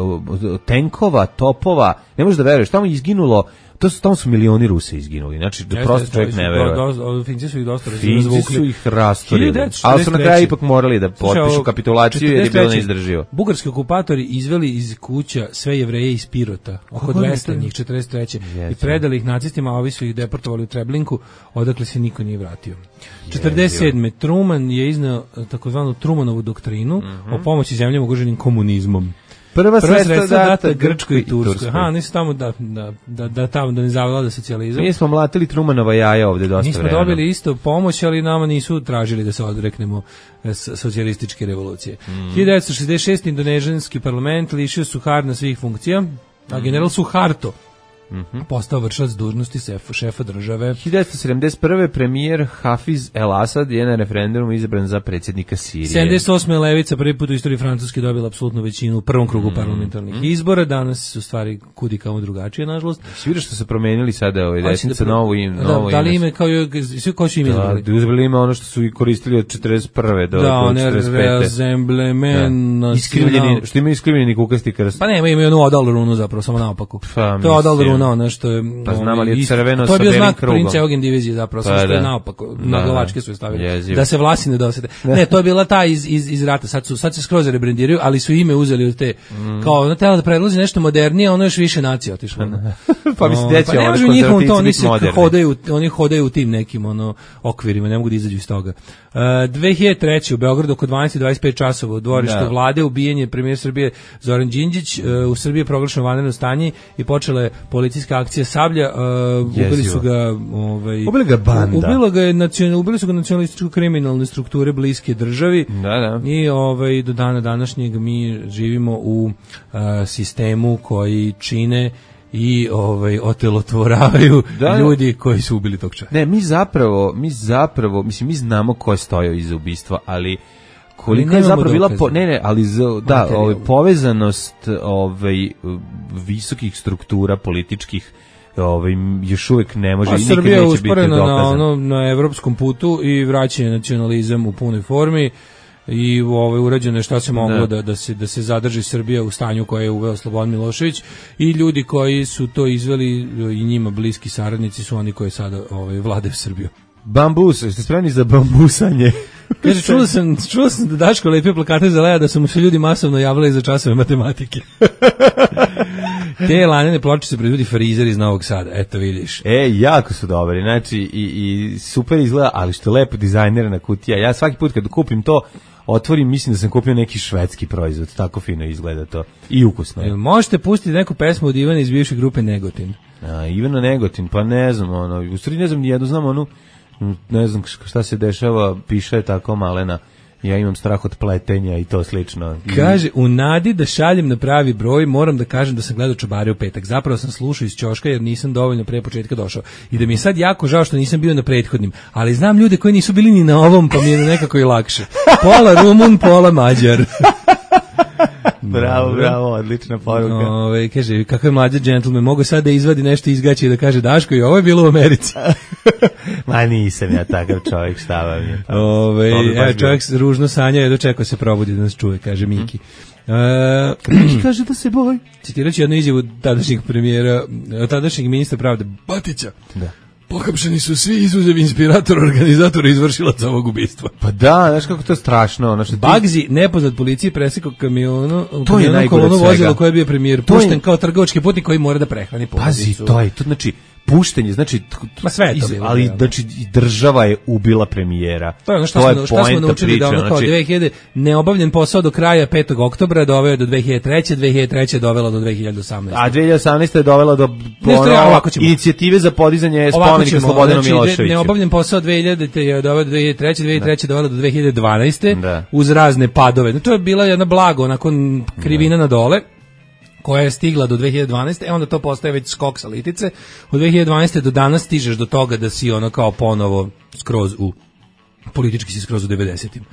tenkova, topova, ne možeš da veruješ, tamo je izginulo. To su, tamo su milioni Rusa izginuli, znači da prosto čovjek ne veruje. Finci su ih dosta razvukli. Finci su ih rastorili, ali su na kraju ipak morali da potpišu kapitulaciju jer je bilo neizdrživo. Bugarski okupatori izveli iz kuća sve Jevreje iz Pirota, oko dvesta njih, četrdeset treće i predali ih nacistima, a ovi su ih deportovali u Treblinku, odakle se niko nije vratio. četrdeset sedme Truman je izneo takozvanu Trumanovu doktrinu mm-hmm. o pomoći zemljama ugroženim komunizmom. Prva, Prva sredstva data Grčkoj i Turskoj. Aha, nisu tamo da, da, da, da tamo da ne zavlada socijalizam. Mi smo mlatili Trumanova jaja ovde dosta vremena. Mi smo dobili isto pomoć, ali nama nisu tražili da se odreknemo socijalističke revolucije. Mm. hiljadu devetsto šezdeset šeste Indonežanski parlament lišio Suharto svih funkcija, a general Suharto Mm-hmm. postao vršilac dužnosti šefa, šefa države. hiljadu devetsto sedamdeset prve premijer Hafiz El Asad je na referendumu izabran za predsjednika Sirije. sedamdeset osme Levica prvi put u istoriji Francuske dobila apsolutnu većinu u prvom krugu mm-hmm. parlamentarnih izbora. Danas su stvari kudi kao drugačije, nažalost. Svi vidiš što se promenili sada ovaj desnica da novo ime, novo da, da li ime kao svi koji su im izabrali. Da, uzeli ime ono što su i koristili od četrdeset prve do da, četrdeset pete. Da, Resemblement da. Iskrivljeni, što ima iskrivljeni kukasti krst. Pa ne, ima onu odal runu zapravo, samo naopako. Pa, to je odal runa, ono što je pa znam ali je crveno to je bio sa znak krugom. Prince Eugen divizije zapravo, pa, što je naopako, da, na glavačke su je stavili, jeziv. Da se vlasi ne dosete. Ne, to je bila ta iz, iz, iz rata, sad, su, sad se skroz rebrendiraju, ali su ime uzeli od te, mm. kao, ono tela da predloži nešto modernije, ono još više nacije otišlo. Pa mislim, gdje će pa ono konzervativci biti moderni. Hodaju, oni hodaju u tim nekim ono, okvirima, ne mogu da izađu iz toga. Uh, dve hiljade treće u Beogradu oko dvanaest i dvadeset pet časova u dvorištu da. Vlade ubijen je premijer Srbije Zoran Đinđić, uh, u Srbiji je proglašeno vanredno stanje i počela je policijska akcija Sablja. Uh, ubili su ga ovaj ubili ga banda. Ubilo ga je nacional, ubili su ga nacionalističko kriminalne strukture bliske državi. Da, da. I ovaj do dana današnjeg mi živimo u uh, sistemu koji čine i ovaj otelotvoravaju da, ljudi koji su ubili tog čovjeka. Ne, mi zapravo, mi zapravo, mislim mi znamo ko je stojao iza ubistva, ali koliko je zapravo bila po, ne ne, ali z, da, ovaj povezanost ovaj visokih struktura političkih ovaj još uvijek ne može i nikad neće biti dokazano. Na ono na evropskom putu i vraćanje nacionalizam u punoj formi. I ovaj urađeno je šta se moglo da. Da, da se da se zadrži Srbija u stanju koje je uveo Slobodan Milošević i ljudi koji su to izveli i njima bliski saradnici su oni koji sada ovaj vladaju Srbiju. Bambus, jeste spremni za bambusanje? Kaže, čuo sam, čuo sam da Daško lepio plakate za Lea da su mu se ljudi masovno javljali za časove matematike. Te lanene ploče se proizvodi frizer iz Novog Sada, eto vidiš. E, jako su dobri, znači i, i super izgleda, ali što je lepo dizajnerna kutija. Ja svaki put kad kupim to, otvorim, mislim da sam kupio neki švedski proizvod, tako fino izgleda to i ukusno. E, možete pustiti neku pesmu od Ivana iz bivše grupe Negotin. A, Ivana Negotin, pa ne znam, ono, u stvari ne znam nijedno, znam onu, ne znam šta se dešava, piše je tako malena, ja imam strah od pletenja i to slično. Kaže, u nadi da šaljem na pravi broj, moram da kažem da sam gledao Čobare u petak. Zapravo sam slušao iz ćoška jer nisam dovoljno pre početka došao. I da mi je sad jako žao što nisam bio na prethodnim. Ali znam ljude koji nisu bili ni na ovom, pa mi je nekako i lakše. Pola Rumun, pola Mađar. Bravo, bravo, odlična poruka. Ove, kaže, kakav je mlađe džentlmen, mogu sad da izvadi nešto iz gaća i da kaže Daško i ovo je bilo u Americi. Ma nisam ja takav čovjek, šta vam je. Pa, Ove, evo, čovjek ružno sanja i dočekao se probudi da nas čuje, kaže Miki. Hmm. Uh, Miki kaže da se boj. Citiraću jednu izjavu tadašnjeg premijera, tadašnjeg ministra pravde Batića. Da. Pohapšeni su svi izuzev inspiratora, organizatora i izvršilaca ovog ubistva. Pa da, znaš kako to je strašno. Ono što ti... Bagzi, nepoznat policiji, presekao kamionu, to je najgore od svega. Koje je bio premijer, pušten je... kao trgovački putnik koji mora da prehrani porodicu. Pazi, to je, to znači, puštenje, znači, ma sve je to bilo, ali znači, država je ubila premijera. To je ono što, to smo, šta smo naučili priča, da ono kao znači... dve hiljade neobavljen posao do kraja petog oktobra doveo do dve hiljade treće, dve hiljade treće dovela do dve hiljade osamnaeste. A dve hiljade osamnaeste je dovela do ono, inicijative za podizanje spomenika Slobodanu znači, Miloševiću. Neobavljen posao dve hiljade je doveo do dve hiljade treće, dve hiljade treće dovela do dve hiljade dvanaeste da. Uz razne padove. No, to je bila jedna blago, onako krivina da. Na dole, koja je stigla do dve hiljade dvanaeste, e onda to postaje već skok sa litice. Od dve hiljade dvanaeste do danas stižeš do toga da si ono kao ponovo skroz u, politički si skroz u devedesetim.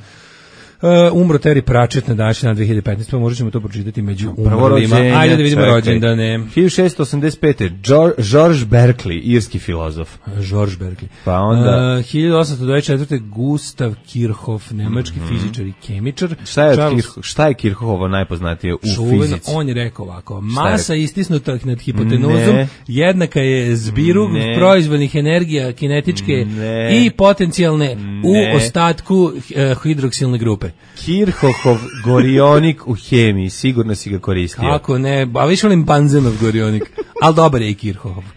Uh, umro Terry Pratchett na današnji dan dve hiljade petnaeste, pa možda ćemo to pročitati među umrlima. Ajde da vidimo rođendane. hiljadu šessto osamdeset pete. George Berkeley, irski filozof. George Berkeley. Pa onda... Uh, hiljadu osamsto dvadeset četvrte. Gustav Kirchhoff, nemački mm-hmm. fizičar i kemičar. Šta je, Charles... Kirch, šta je Kirchhoffovo najpoznatije u Čuven, fizici? On je rekao ovako, masa istisnuta nad hipotenuzom ne. Jednaka je zbiru ne. Proizvodnih energija kinetičke ne. I potencijalne ne. U ostatku uh, hidroksilne grupe. Kirchhoffov gorionik u hemiji, sigurno si ga koristio. Kako ne, a više volim Banzenov gorionik, ali dobar je i Kirchhoff.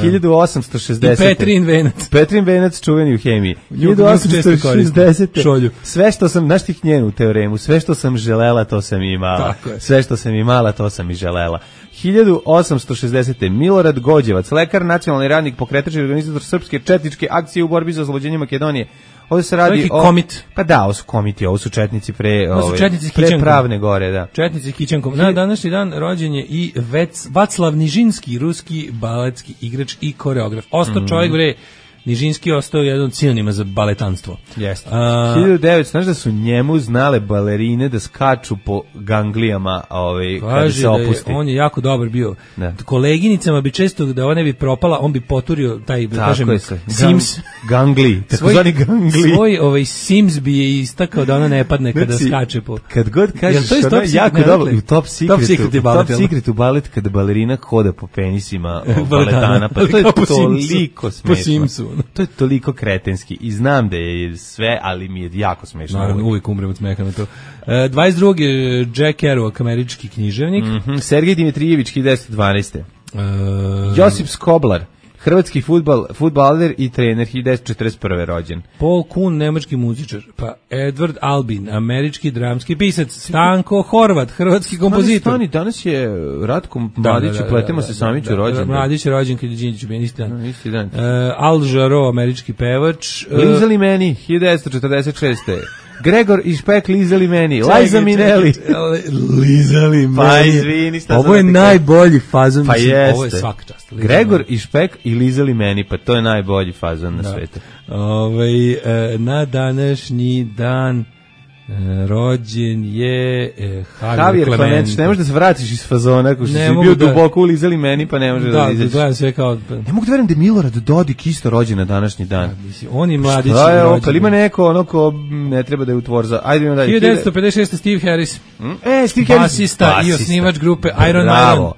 hiljadu osamsto šezdesete. I Petrin venac. Petrin venac čuveni u hemiji. hiljadu osamsto šezdesete. Sve što sam, znaš ti njenu teoremu, sve što sam želela, to sam i imala. Sve što sam imala, to sam i želela. hiljadu osamsto šezdesete. Milorad Gođevac, lekar, nacionalni radnik, pokretač i organizator srpske četničke akcije u borbi za oslobođenje Makedonije. Ovdje se radi o... komit. Pa da, ovo su komiti, ovo su četnici pre... Ovo su četnici pre pravne gore, da. Četnici Kićankom. Na današnji dan rođen je i Vec, Vaclav Nižinski, ruski baletski igrač i koreograf. Ostao mm. čovjek, bre, Nižinski ostao jedan od sinonima za baletanstvo. Jeste. hiljadu devetsto. Znaš da su njemu znale balerine da skaču po ganglijama ovaj, kada se opusti? Je, on je jako dobar bio. Da. Koleginicama bi često, da ona bi propala, on bi poturio taj, da kažem, Sims. Gangli, takozvani gangli. Svoj ovaj, Sims bi je istakao da ona ne padne kada znači, skače po... Kad god kažeš, ono je jako dobro. U Top Secretu, top secret u balet, top secretu balet kada balerina hoda po penisima baletana. Pa to je toliko smešno. Po Simsu. To je toliko kretenski i znam da je sve, ali mi je jako smešno. Naravno, uvijek umrem od smeha na to. E, dvadeset drugi. Jack Kerouac, američki književnik. Mm-hmm. Sergej Dimitrijević, hiljadu devetsto dvanaeste. E... Josip Skoblar, hrvatski fudbal, fudbaler i trener, hiljadu devetsto četrdeset prve rođen. Paul Kuhn, nemački muzičar. Pa Edward Albin, američki dramski pisac. Stanko Horvat, hrvatski kompozitor. Stani, danas je Ratko Mladić, da, da, pletemo da, da, se Samiću rođen. Mladić je rođen kad je Đinđić bio isti dan. No, isti dan. Uh, Al Jarreau, američki pevač. Uh, Lizali meni, hiljadu devetsto četrdeset šeste. Gregor i Špek lizali meni. Liza Minnelli. Lizali meni. Pa izvini, šta ovo je najbolji fazon. Pa jeste. Ovo je svaka čast. Gregor i Špek i lizali meni, pa to je najbolji fazon na svetu. Ovaj e, na današnji dan e, rođen je e, Javier Clemente. Ne možeš da se vratiš iz fazona, ako što si bio da... duboko ulizali meni, pa ne može da, da izađeš. Da, sve kao... Ne mogu da verujem da je Milorad Dodik isto rođen na današnji dan. Ja, on i mladić. Šta je ovo, kad ima neko ono ko ne treba da je u tvorza. Ajde imamo dalje. hiljadu devetsto pedeset šeste. Steve Harris. Hmm? E, Steve Harris. Basista, basista i osnivač grupe Iron Maiden.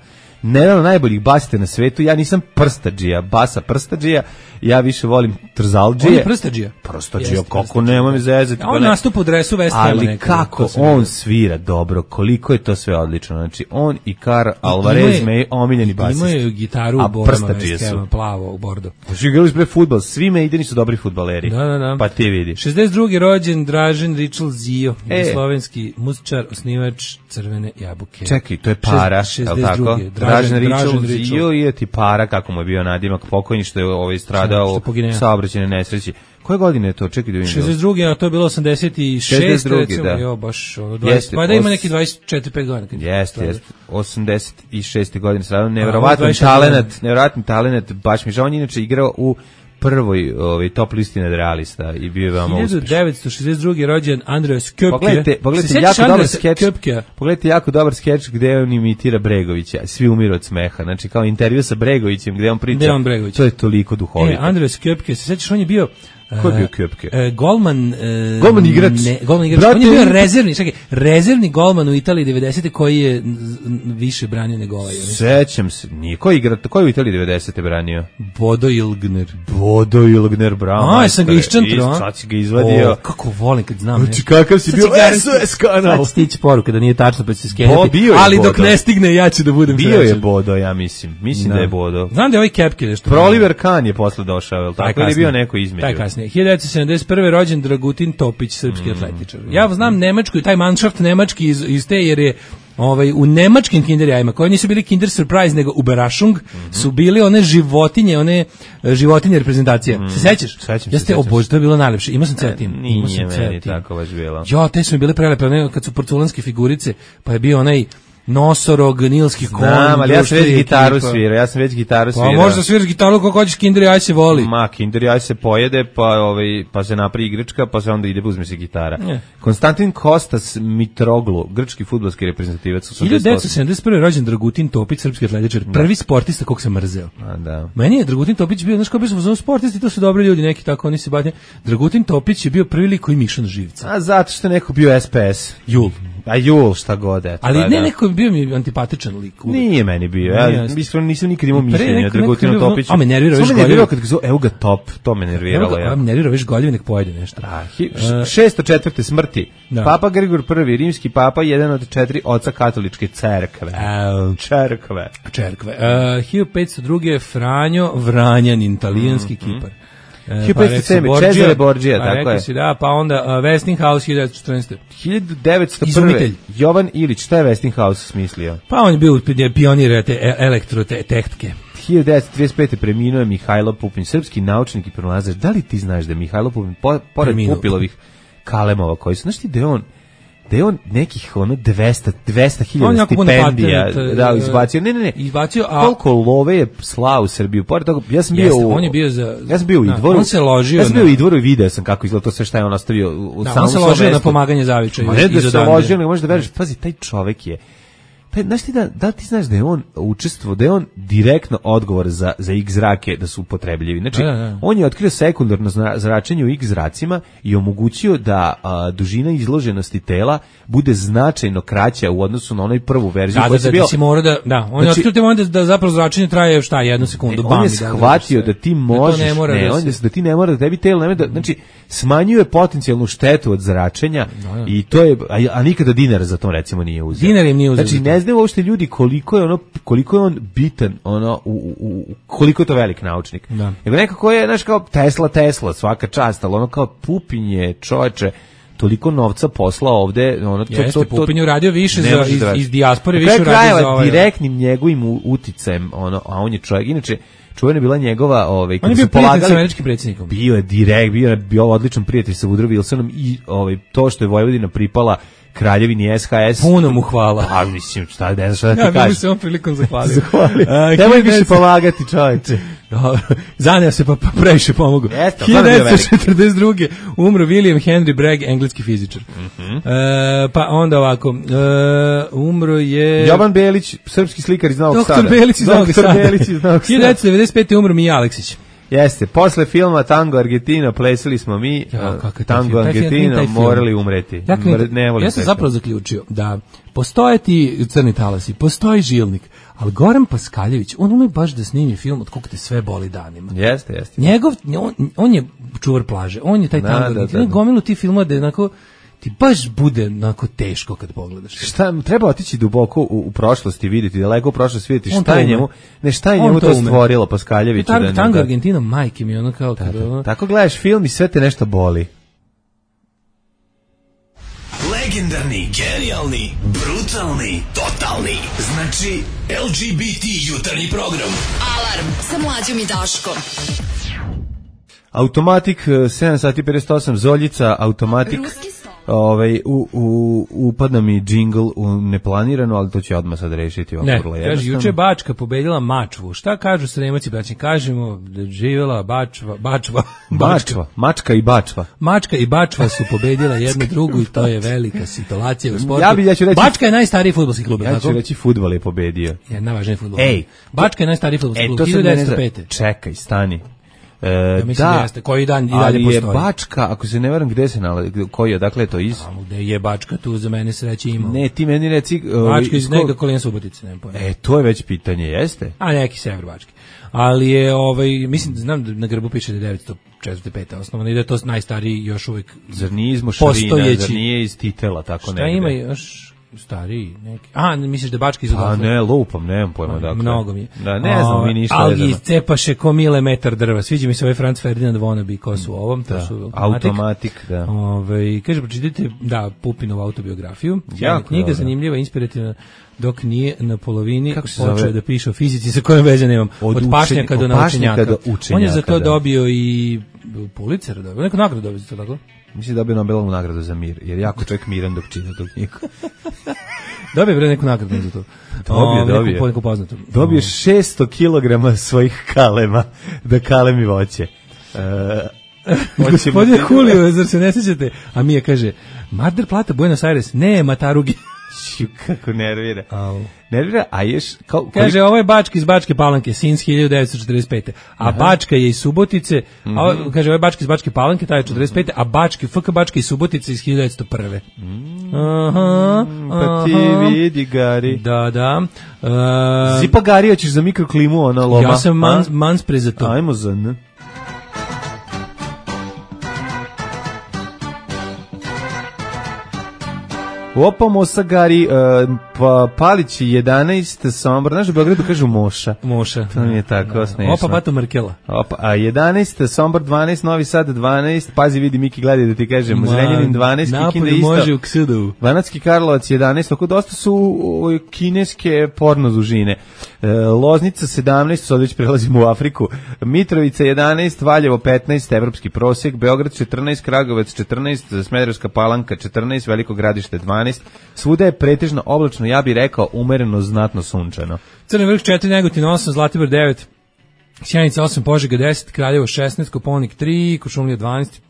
Jedan od najboljih basista na svetu, ja nisam prstadžija, basa prstadžija, ja više volim trzaldžije. On je prstadžija? Prstadžija, kako nema mi zezati. On nastupa u dresu West Hama. Ali kako on svira dobro, koliko je to sve odlično. Znači, on i Karl Alvarez, me omiljeni basist. Imaju gitaru u borama West Hama, plavo u bordo. Znači, igrali pre fudbal, svi Maideni su dobri fudbaleri. Da, da, da. Pa ti vidi. šezdeset drugi rođen Dražen Ričel Zio, e. slovenski muzičar, osnivač Crvene jabuke. Čekaj, to je para, je li tako? Dražen Ričel Zio i ti para, kako mu je bio nadimak pokojni, što je ovaj stradao u saobraćajnoj nesreći. Koje godine je to? Čekaj da vidim. šezdeset drugi, a to je bilo osamdeset šeste recimo, da. Jo, baš ono dvadeset, pa da ima neki dvadeset četiri pet godina. Jeste, jeste. osamdeset šeste godine stradao, neverovatan talenat, neverovatan talenat, baš mi žao, on je inače igrao u prvoj ovaj top listi nadrealista i bio je veoma uspešan. hiljadu devetsto šezdeset drugi rođen Andreas Köpke. Pogledajte, pogledajte jako dobar skeč. Pogledajte jako dobar skeč gde on imitira Bregovića. Svi umiru od smeha. Znači kao intervju sa Bregovićem gde on priča. On to je toliko duhovito. E, Andreas Köpke, se sećaš, on je bio Ko je bio Köpke? Uh, golman, uh, golman igrač. Ne, golman igrač. Brate, on je bio rezervni, čekaj, rezervni golman u Italiji devedesete koji je više branio nego ovaj. Sećam se. Nije ko igra, ko je u Italiji devedesete branio? Bodo Ilgner. Bodo Ilgner, bravo. A, sam ga iščantro. Sad si ga izvadio. O, kako volim kad znam. Znači, kakav si bio S O S kanal. Sad stići poruka da nije tačno, pa će se skenjati. Ali dok ne stigne, ja ću da budem bio srećan. Bio je Bodo, ja mislim. Mislim da, da je Bodo. Znam da je ovaj Kepke nešto. Proliver Kahn je posle došao, je tako? Ili je bio neko između? Taj kasnije. hiljadu devetsto sedamdeset prve rođen Dragutin Topić, srpski mm, atletičar. Ja znam nemačku i taj manschaft nemački iz, iz te, jer je ovaj, u nemačkim kinderjajima, koji nisu bili Kinder Surprise, nego Überraschung, mm-hmm. su bili one životinje, one životinje reprezentacije. Mm, se sećaš? Sećam ja ste, o Bože, to je bilo najlepše. Imao sam ceo tim. Nije meni tako baš bilo. Jo, te su mi bile prelepe, one kad su porculanske figurice, pa je bio onaj nosorog, nilski konj. Znam, ali ja sam već gitaru svirao, ja sam već gitaru svirao. Pa možda sviraš gitaru kako hoćeš, Kinder Jaj se voli. Ma, Kinder Jaj se pojede, pa, ovaj, pa se napravi igračka, pa se onda ide, uzme se gitara. Ne. Konstantin Kostas Mitroglu, grčki fudbalski reprezentativac. hiljadu devetsto sedamdeset prve rođen Dragutin Topić, srpski atletičar, prvi sportista kog sam mrzeo. A, da. Meni je Dragutin Topić bio, znaš kao bio sam sportisti, to su dobri ljudi, neki tako, oni se batnje. Dragutin Topić je bio prvi lik koji miša na živca. A zato što je neko bio S P S. Jul. A Jul, šta god, eto. Ali ne, da. neko bio mi antipatičan lik. Uvijek. Nije meni bio, ja mislim, nisam nikad imao mišljenja o Dragutinu Topiću. A me nervira, viš Samo me nervirao kad ga zove, evo ga Top, to me nerviralo. Ja. A me nervirao, viš goljevi, nek pojede nešto. Da, šesto četvrte smrti. Da. Papa Grigor prvi, rimski papa, jedan od četiri oca katoličke cerkve. Uh, Čerkve. Čerkve. Uh, hiljadu petsto druge Franjo Vranjanin, talijanski mm, Kipar. hiljadu petsto sedam Cesare Borgia, pa tako je. Si, da, pa onda uh, Westinghouse hiljadu devetsto četrnaeste hiljadu devetsto prve Jovan Ilić, šta je Westinghouse smislio? Pa on je bio pionir te elektrotehnike. hiljadu devetsto trideset pete preminuo je Mihajlo Pupin, srpski naučnik i pronalazač. Da li ti znaš da je Mihajlo Pupin, po, pored Preminuo. Pupilovih kalemova koji su, znaš ti da je on da je on nekih ono dvesta hiljada stipendija patent, da, izbacio, ne, ne, ne, izbacio, a koliko love je slao u Srbiju, pored toga, ja sam bio jeste, u, on je bio za, ja sam bio u Idvoru, on se ložio ja sam bio u Idvoru i video sam kako izgleda to sve šta je on ostavio u da, samom on se ložio na pomaganje Zavičaju. Ne da se ložio, nego možeš da veriš, pazi, taj čovek je, taj, znaš ti da, da ti znaš da je on učestvovao, da je on direktno odgovor za, za X zrake da su upotrebljivi. Znači, da, da. on je otkrio sekundarno zračenje u X zracima i omogućio da a, dužina izloženosti tela bude značajno kraća u odnosu na onaj prvu verziju. Da, da, da, bio, ti mora da, da, on znači, je otkrio te da, da zapravo zračenje traje šta, jednu sekundu. Ne, on je shvatio da, da ti možeš, da, ne mora ne, da, on je, da ti ne mora da tebi telo, ne, da, znači, smanjuje potencijalnu štetu od zračenja da, da. I to je, a, a nikada dinar za to recimo nije uzeo. Dinar im nije uzeo. Znači, ne znaju uopšte ljudi koliko je ono, koliko je on bitan, ono, u, u, u, koliko je to velik naučnik. Da. Nego nekako je, znaš, kao Tesla, Tesla, svaka čast, ali ono kao Pupin je, čoveče, toliko novca poslao ovde, ono to Jeste, to to Pupin je uradio više za iz, iz dijaspore, više uradio za ovaj direktnim njegovim uticajem, ono, a on je čovjek, inače čuvena je bila njegova, ovaj, on je bio prijatelj sa američkim predsjednikom. Bio je direkt, bio je bio odličan prijatelj sa Woodrow Wilsonom i ovaj, to što je Vojvodina pripala Kraljevini S H S. Puno mu hvala. A mislim, šta, ne znam šta da ti ja, kažem. Ja bih se on prilikom zahvalio. Zahvalio. Nemoj više pomagati, čovječe. Zaneo se pa, pa previše pomogu. hiljadu devetsto četrdeset druge umro William Henry Bragg, engleski fizičar. Mm-hmm. E, pa onda ovako, e, umro je... Jovan Belić, srpski slikar iz Novog Sada. Doktor Belić iz Novog Sada. Belić iz Novog Sada. hiljadu devetsto devedeset pete umro Mija Aleksić. Jeste, posle filma Tango Argentina plesali smo mi, ja, Tango Argentina morali umreti. Ja, ne ja sam zapravo zaključio da postoje ti crni talasi, postoji Žilnik, ali Goran Paskaljević, on ume baš da snimi film od kog te sve boli danima. Jeste, jeste. Njegov, on, on je čuvar plaže, on je taj Tango Argentina, da, da, da. Gomilu ti filma da je onako ti baš bude onako teško kad pogledaš. Šta, treba otići duboko u, u prošlosti, vidjeti, daleko u prošlosti vidjeti šta je njemu, ne šta je njemu to, to stvorilo Paskaljević. Tango, da, Tango da, Argentina, majke mi, ono kao... Da, da. Tako gledaš film i sve te nešto boli. Legendarni, genijalni, brutalni, totalni. Znači, L G B T jutarnji program. Alarm sa Mlađom i Daškom. Automatik, sedam sati pedeset osam, Zoljica, Automatik. Ovaj, u, u, upadna mi džingl u neplanirano, ali to će odmah sad rešiti. Ne, kaže, juče Bačka pobedila Mačvu. Šta kažu Sremaci, braći? Kažemo da živjela Bačva, Bačva, Bačva, Mačka i Bačva. Mačka i Bačva su pobedila jednu drugu i to je velika situacija u sportu. Ja bi, ja ću reći, Bačka je najstariji fudbalski klub. Ja ću tako? reći fudbal je pobedio. Je najvažniji fudbal. Ej, Bačka je najstariji fudbalski klub, hiljadu devetsto pete. Čekaj, stani. E, ja mislim da, da jeste, koji dan i dalje postoji. Ali je Bačka, ako se ne varam, gde se nalazi, koji je, dakle je to iz? A gde je Bačka, tu za mene sreće ima. Ne, ti meni reci... Bačka iz neka Kolina Subotice, ne pojma. E, to je već pitanje, jeste? A neki sever Bačke. Ali je, ovaj, mislim, znam da na grbu piše da je devetsto četrdeset pete osnovno i da je to najstariji još uvijek zar nije iz Mošarina, zar nije iz Titela, tako negde? Šta ima još... stariji neki. A, misliš da Bački iz odatle? A ne, lupam, nemam pojma dakle. Mnogo mi je. Da, ne znam, mi ništa vezano. Ali cepaše ko milimetar drva. Sviđa mi se ovaj Franz Ferdinand Wannabe, ko su ovom, to da, su automatik. automatik da. Ove, kaže, pročitajte, da, Pupinovu autobiografiju. Jako knjiga, dobro. Zanimljiva, inspirativna, dok nije na polovini počeo da piše o fizici sa kojom veze nemam. Od, od pašnjaka do naučenjaka. Do učenjaka. On je za to da. dobio i Pulitzer, dobio, neku nagradu dobio za to, tako? Mislim da dobio Nobelovu nagradu za mir, jer jako čovjek miran dok čita tu knjigu. Dobije bre neku nagradu za to. Dobije, dobije. Neku, neku poznatu. Dobije šesto kilograma svojih kalema, da kalemi voće. Uh, Gospodine Julio, zar se ne sjećate? A Mija kaže, Mar Plata, Buenos Aires, ne, Matarugi. Kako nervira. Au. Nervira, a ješ... Kao, kaže, koliko... ovo je Bačka iz Bačke Palanke, since hiljadu devetsto četrdeset pete. A aha. Bačka je iz Subotice, mm-hmm. a, kaže, ovo je Bačka iz Bačke Palanke, taj je četrdeset pete, a Bački, F K Bačka iz Subotice iz hiljadu devetsto prve. Mm. Aha, pa ti vidi, Gari. Da, da. Uh, Zipa Gari, hoćeš za mikroklimu, ona loma? Ja sam mans, manspre za to. Ajmo za ne. Opa, Mosa Gari, uh, pa Palić jedanaest, Sombor, znaš u Beogradu kažu Moša. Moša. To mi je tako no. smešno. Opa, Bato Markela. Opa, a jedanaest, Sombor dvanaest, Novi Sad dvanaest, pazi vidi Miki gledaj da ti kažem, Zrenjanin dvanaest, Kikinda isto. Može u Ksudu. Banatski Karlovac jedanaest, oko dosta su o, kineske porno dužine. E, Loznica sedamnaest, sad već prelazimo u Afriku. Mitrovica jedanaest, Valjevo petnaest, evropski prosjek, Beograd četrnaest, Kragujevac četrnaest, Smederevska Palanka četrnaest, Veliko Gradište dvanaest. Svuda je pretežno oblačno, ja bih rekao umereno, znatno sunčano. Crni vrh četiri, Negotin osam, Zlatibor devet, Sjenica osam, Požega deset, Kraljevo šesnaest, Koponik tri, Kočumlija dvanaest,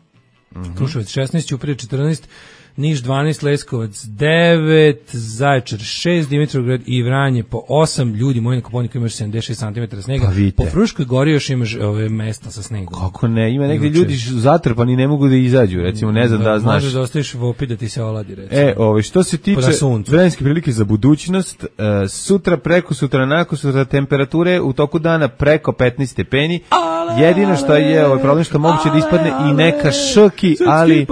mm-hmm. Kruševac šesnaest, Ćuprija četrnaest, Niš dvanaest, Leskovac devet, Zaječar šest, Dimitrovgrad i Vranje po osam, ljudi moji na Koponiku imaš sedamdeset šest centimetara snega, pa po Fruškoj gori još imaš ove mesta sa snegom. Kako ne, ima negdje ljudi zatrpani ne mogu da izađu, recimo, ne znam da, da znaš. Možeš da ostaviš vopi da ti se oladi, recimo. E, ove, što se tiče vremenske prilike za budućnost, uh, sutra, preko sutra, nakon sutra, temperature u toku dana preko petnaest stepeni, ale, jedino što je ovaj problem što moguće ale, da ispadne ale, i neka šoki, ali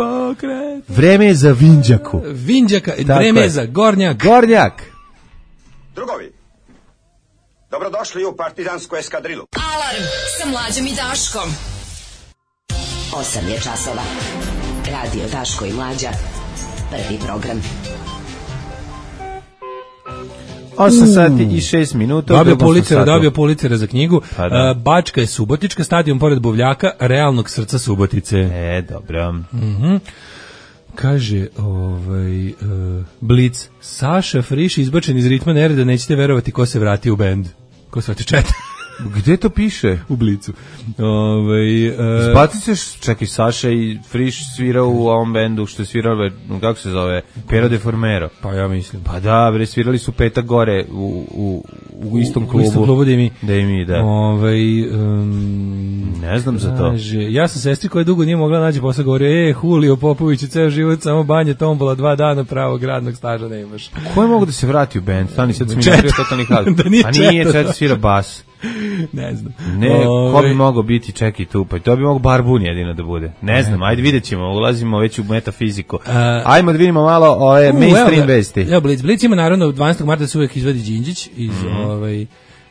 vreme je za Vinđaku. Vinđaka, vreme za Gornjak. Gornjak. Drugovi, dobrodošli u partizansku eskadrilu. Alarm sa Mlađom i Daškom. osam je časova. Radio Daško i Mlađa. Prvi program. osam sati i šest minuta. Dobio Pulitzera, dobio Pulitzera za knjigu. Pa da. Uh, Bačka je Subotička, stadion pored Buvljaka, realnog srca Subotice. E, dobro. Mhm. Kaže, ovaj, uh, Blic, Saša Friš izbačen iz ritma nereda, nećete verovati ko se vrati u bend. Ko se vrati četa? Gde to piše? U Blicu. Ovaj uh, Zbacit ćeš, čekaj, Saša i Friš svirao u ovom bendu što je svirao, kako se zove, Pero de Formero. Pa ja mislim. Pa da, bre, svirali su petak gore u, u, u istom klubu. U istom klubu da i mi. Da i mi, da. Ovaj um, ne znam za to. Kaže, ja sam sestri koja dugo nije mogla naći posao, govorio, e, Julio Popović, ceo život samo banje, tombola, dva dana pravog radnog staža ne imaš. Ko je mogu da se vrati u bend? Stani, sad sam mi napravio totalni hal. Da nije A nije, četa svira bas. Ne znam. Ne, Ove... ko bi mogao biti, čekaj tu, pa to bi mogao Barbun jedino da bude. Ne, ne znam, ajde vidjet ćemo, ulazimo već u metafiziku. Uh, Ajmo da vidimo malo ove mainstream vesti. Evo, Blic, Blic ima naravno dvanaestog marta se uvijek izvadi Đinđić iz, mm. ovaj,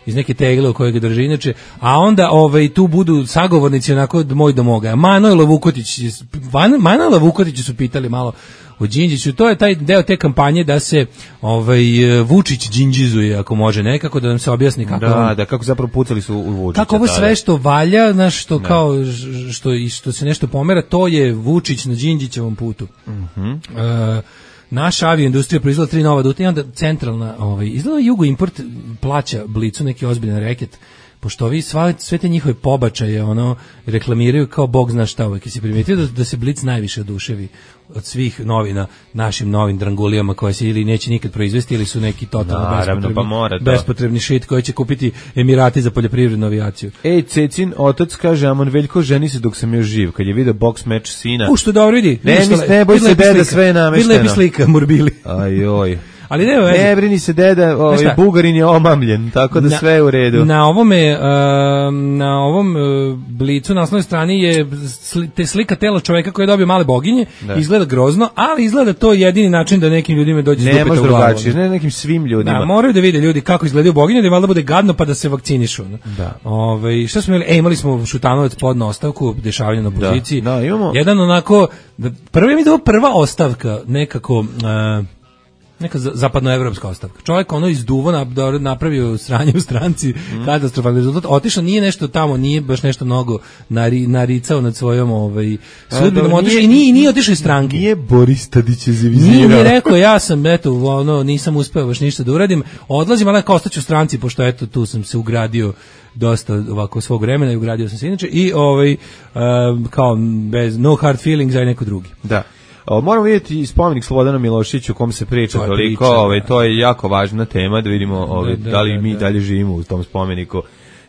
iz neke tegle u kojoj ga drži inače, a onda ovaj, tu budu sagovornici onako moj do moga. Manojlo Vukotić, Manojlo Vukotić su pitali malo o Đinđiću, to je taj deo te kampanje da se ovaj Vučić đinđizuje ako može nekako, da nam se objasni kako da, on, da kako zapravo pucali su u Vučića. Kako ovo sve što valja, znaš, što da. kao što i što se nešto pomera, to je Vučić na Đinđićevom putu. Mhm. Mm e, naša avioindustrija proizvela tri nova duta i onda centralna, ovaj izgleda Jugo Import plaća Blicu neki ozbiljan reket. Pošto ovi sva, sve te njihove pobačaje ono reklamiraju kao bog zna šta, uvijek si primetio da, da se Blic najviše oduševi od svih novina našim novim drangulijama koje se ili neće nikad proizvesti ili su neki totalno bespotrebni, pa mora bespotrebni šit koji će kupiti Emirati za poljoprivrednu avijaciju. Ej, Cecin otac kaže, Amon Veljko ženi se dok sam još živ, kad je video boks meč sina. U, što dobro, vidi. Ne, mis, ne boj se deda, sve je namešteno. Vidi lepi slika, Murbili. Ajoj. Ali ne, ne brini se deda, ovaj Bugarin je omamljen, tako da na, sve je u redu. Na ovome uh, na ovom uh, Blicu na naslovnoj strani je sli, te slika tela čovjeka koji je dobio male boginje, da. Izgleda grozno, ali izgleda to jedini način da nekim ljudima dođe ne može drugačije, ne nekim svim ljudima. Da, moraju da vide ljudi kako izgledaju boginje, da valjda bude gadno pa da se vakcinišu. Da. Ovaj šta smo imali? E, imali smo Šutanovac podno ostavku, dešavanje na opoziciji. Da, da, imamo. Jedan onako da, prvi mi da prva ostavka nekako uh, neka zapadnoevropska ostavka. Čovjek ono izduvo napravio sranje u stranci, mm. katastrofalni rezultat. Otišao, nije nešto tamo, nije baš nešto mnogo nari, naricao nad svojom ovaj sudbinom, otišao i nije, nije otišao iz stranke. Nije Boris Tadić zavizirao. Nije mi rekao, ja sam, eto, ono, nisam uspeo baš ništa da uradim. Odlazim, ali ako ostaću u stranci, pošto eto, tu sam se ugradio dosta ovako svog vremena i ugradio sam se inače i ovaj, um, kao bez no hard feelings, aj neko drugi. Da. O, moramo vidjeti spomenik Slobodanu Miloševiću o kom se priča to toliko, priča, ovaj, to je jako važna tema, da vidimo ovaj, da, da, da li da, mi da. dalje živimo u tom spomeniku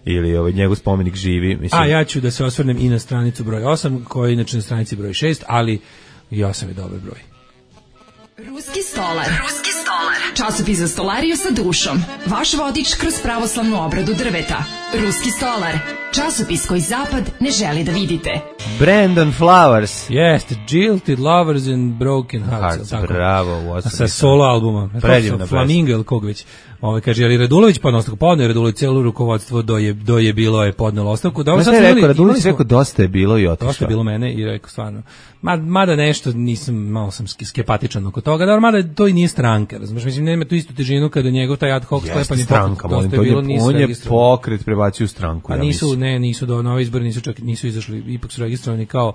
ili ovaj, njegov spomenik živi. Mislim. A ja ću da se osvrnem i na stranicu broj osam, koja je inače na stranici broj šest, ali i osam je dobar broj. Ruski stolar. Ruski stolar. Časopis za stolariju sa dušom. Vaš vodič kroz pravoslavnu obradu drveta. Ruski stolar. Časopis koji zapad ne želi da vidite. Brandon Flowers. Jeste, Jilted Lovers and Broken Hearts. Hearts bravo. U sa solo albuma. Predivna Flamingo ili kog već. Ove, kaže, ali Radulović podno ostavku, podno je Radulović, cijelo rukovodstvo do je, do je bilo je podnelo ostavku. Dobro, sad je rekao, Radulović rekao, dosta je bilo i otišao. Dosta je bilo mene i rekao, stvarno, mada nešto nisam, malo sam skepatičan oko toga, dobro, mada to i nije stranka, razumiješ, mislim, nema tu istu težinu kada njegov taj ad hoc sklepani stranka, dosta je bilo, nisu on je pokret prebacio u stranku. A ja nisu, mislim. ne, nisu do na ove izbore, nisu čak, nisu izašli, ipak su registrovani kao,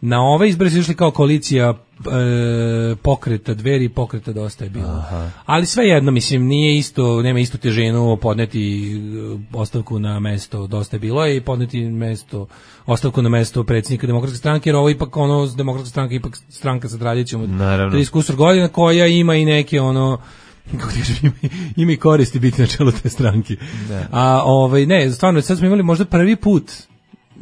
na ove izbore su išli kao koalicija e, pokreta Dveri, pokreta Dosta je bilo. Aha. Ali sve jedno, mislim, nije isto, nema istu težinu podneti ostavku na mesto Dosta je bilo i podneti mesto, ostavku na mesto predsjednika Demokratske stranke, jer ovo ipak ono, Demokratska stranka ipak stranka sa tradicijom od trideset kusur godina koja ima i neke ono, kako ti kažem, ima, ima i koristi biti na čelu te stranke. Da. A ovaj, ne, stvarno, sad smo imali možda prvi put,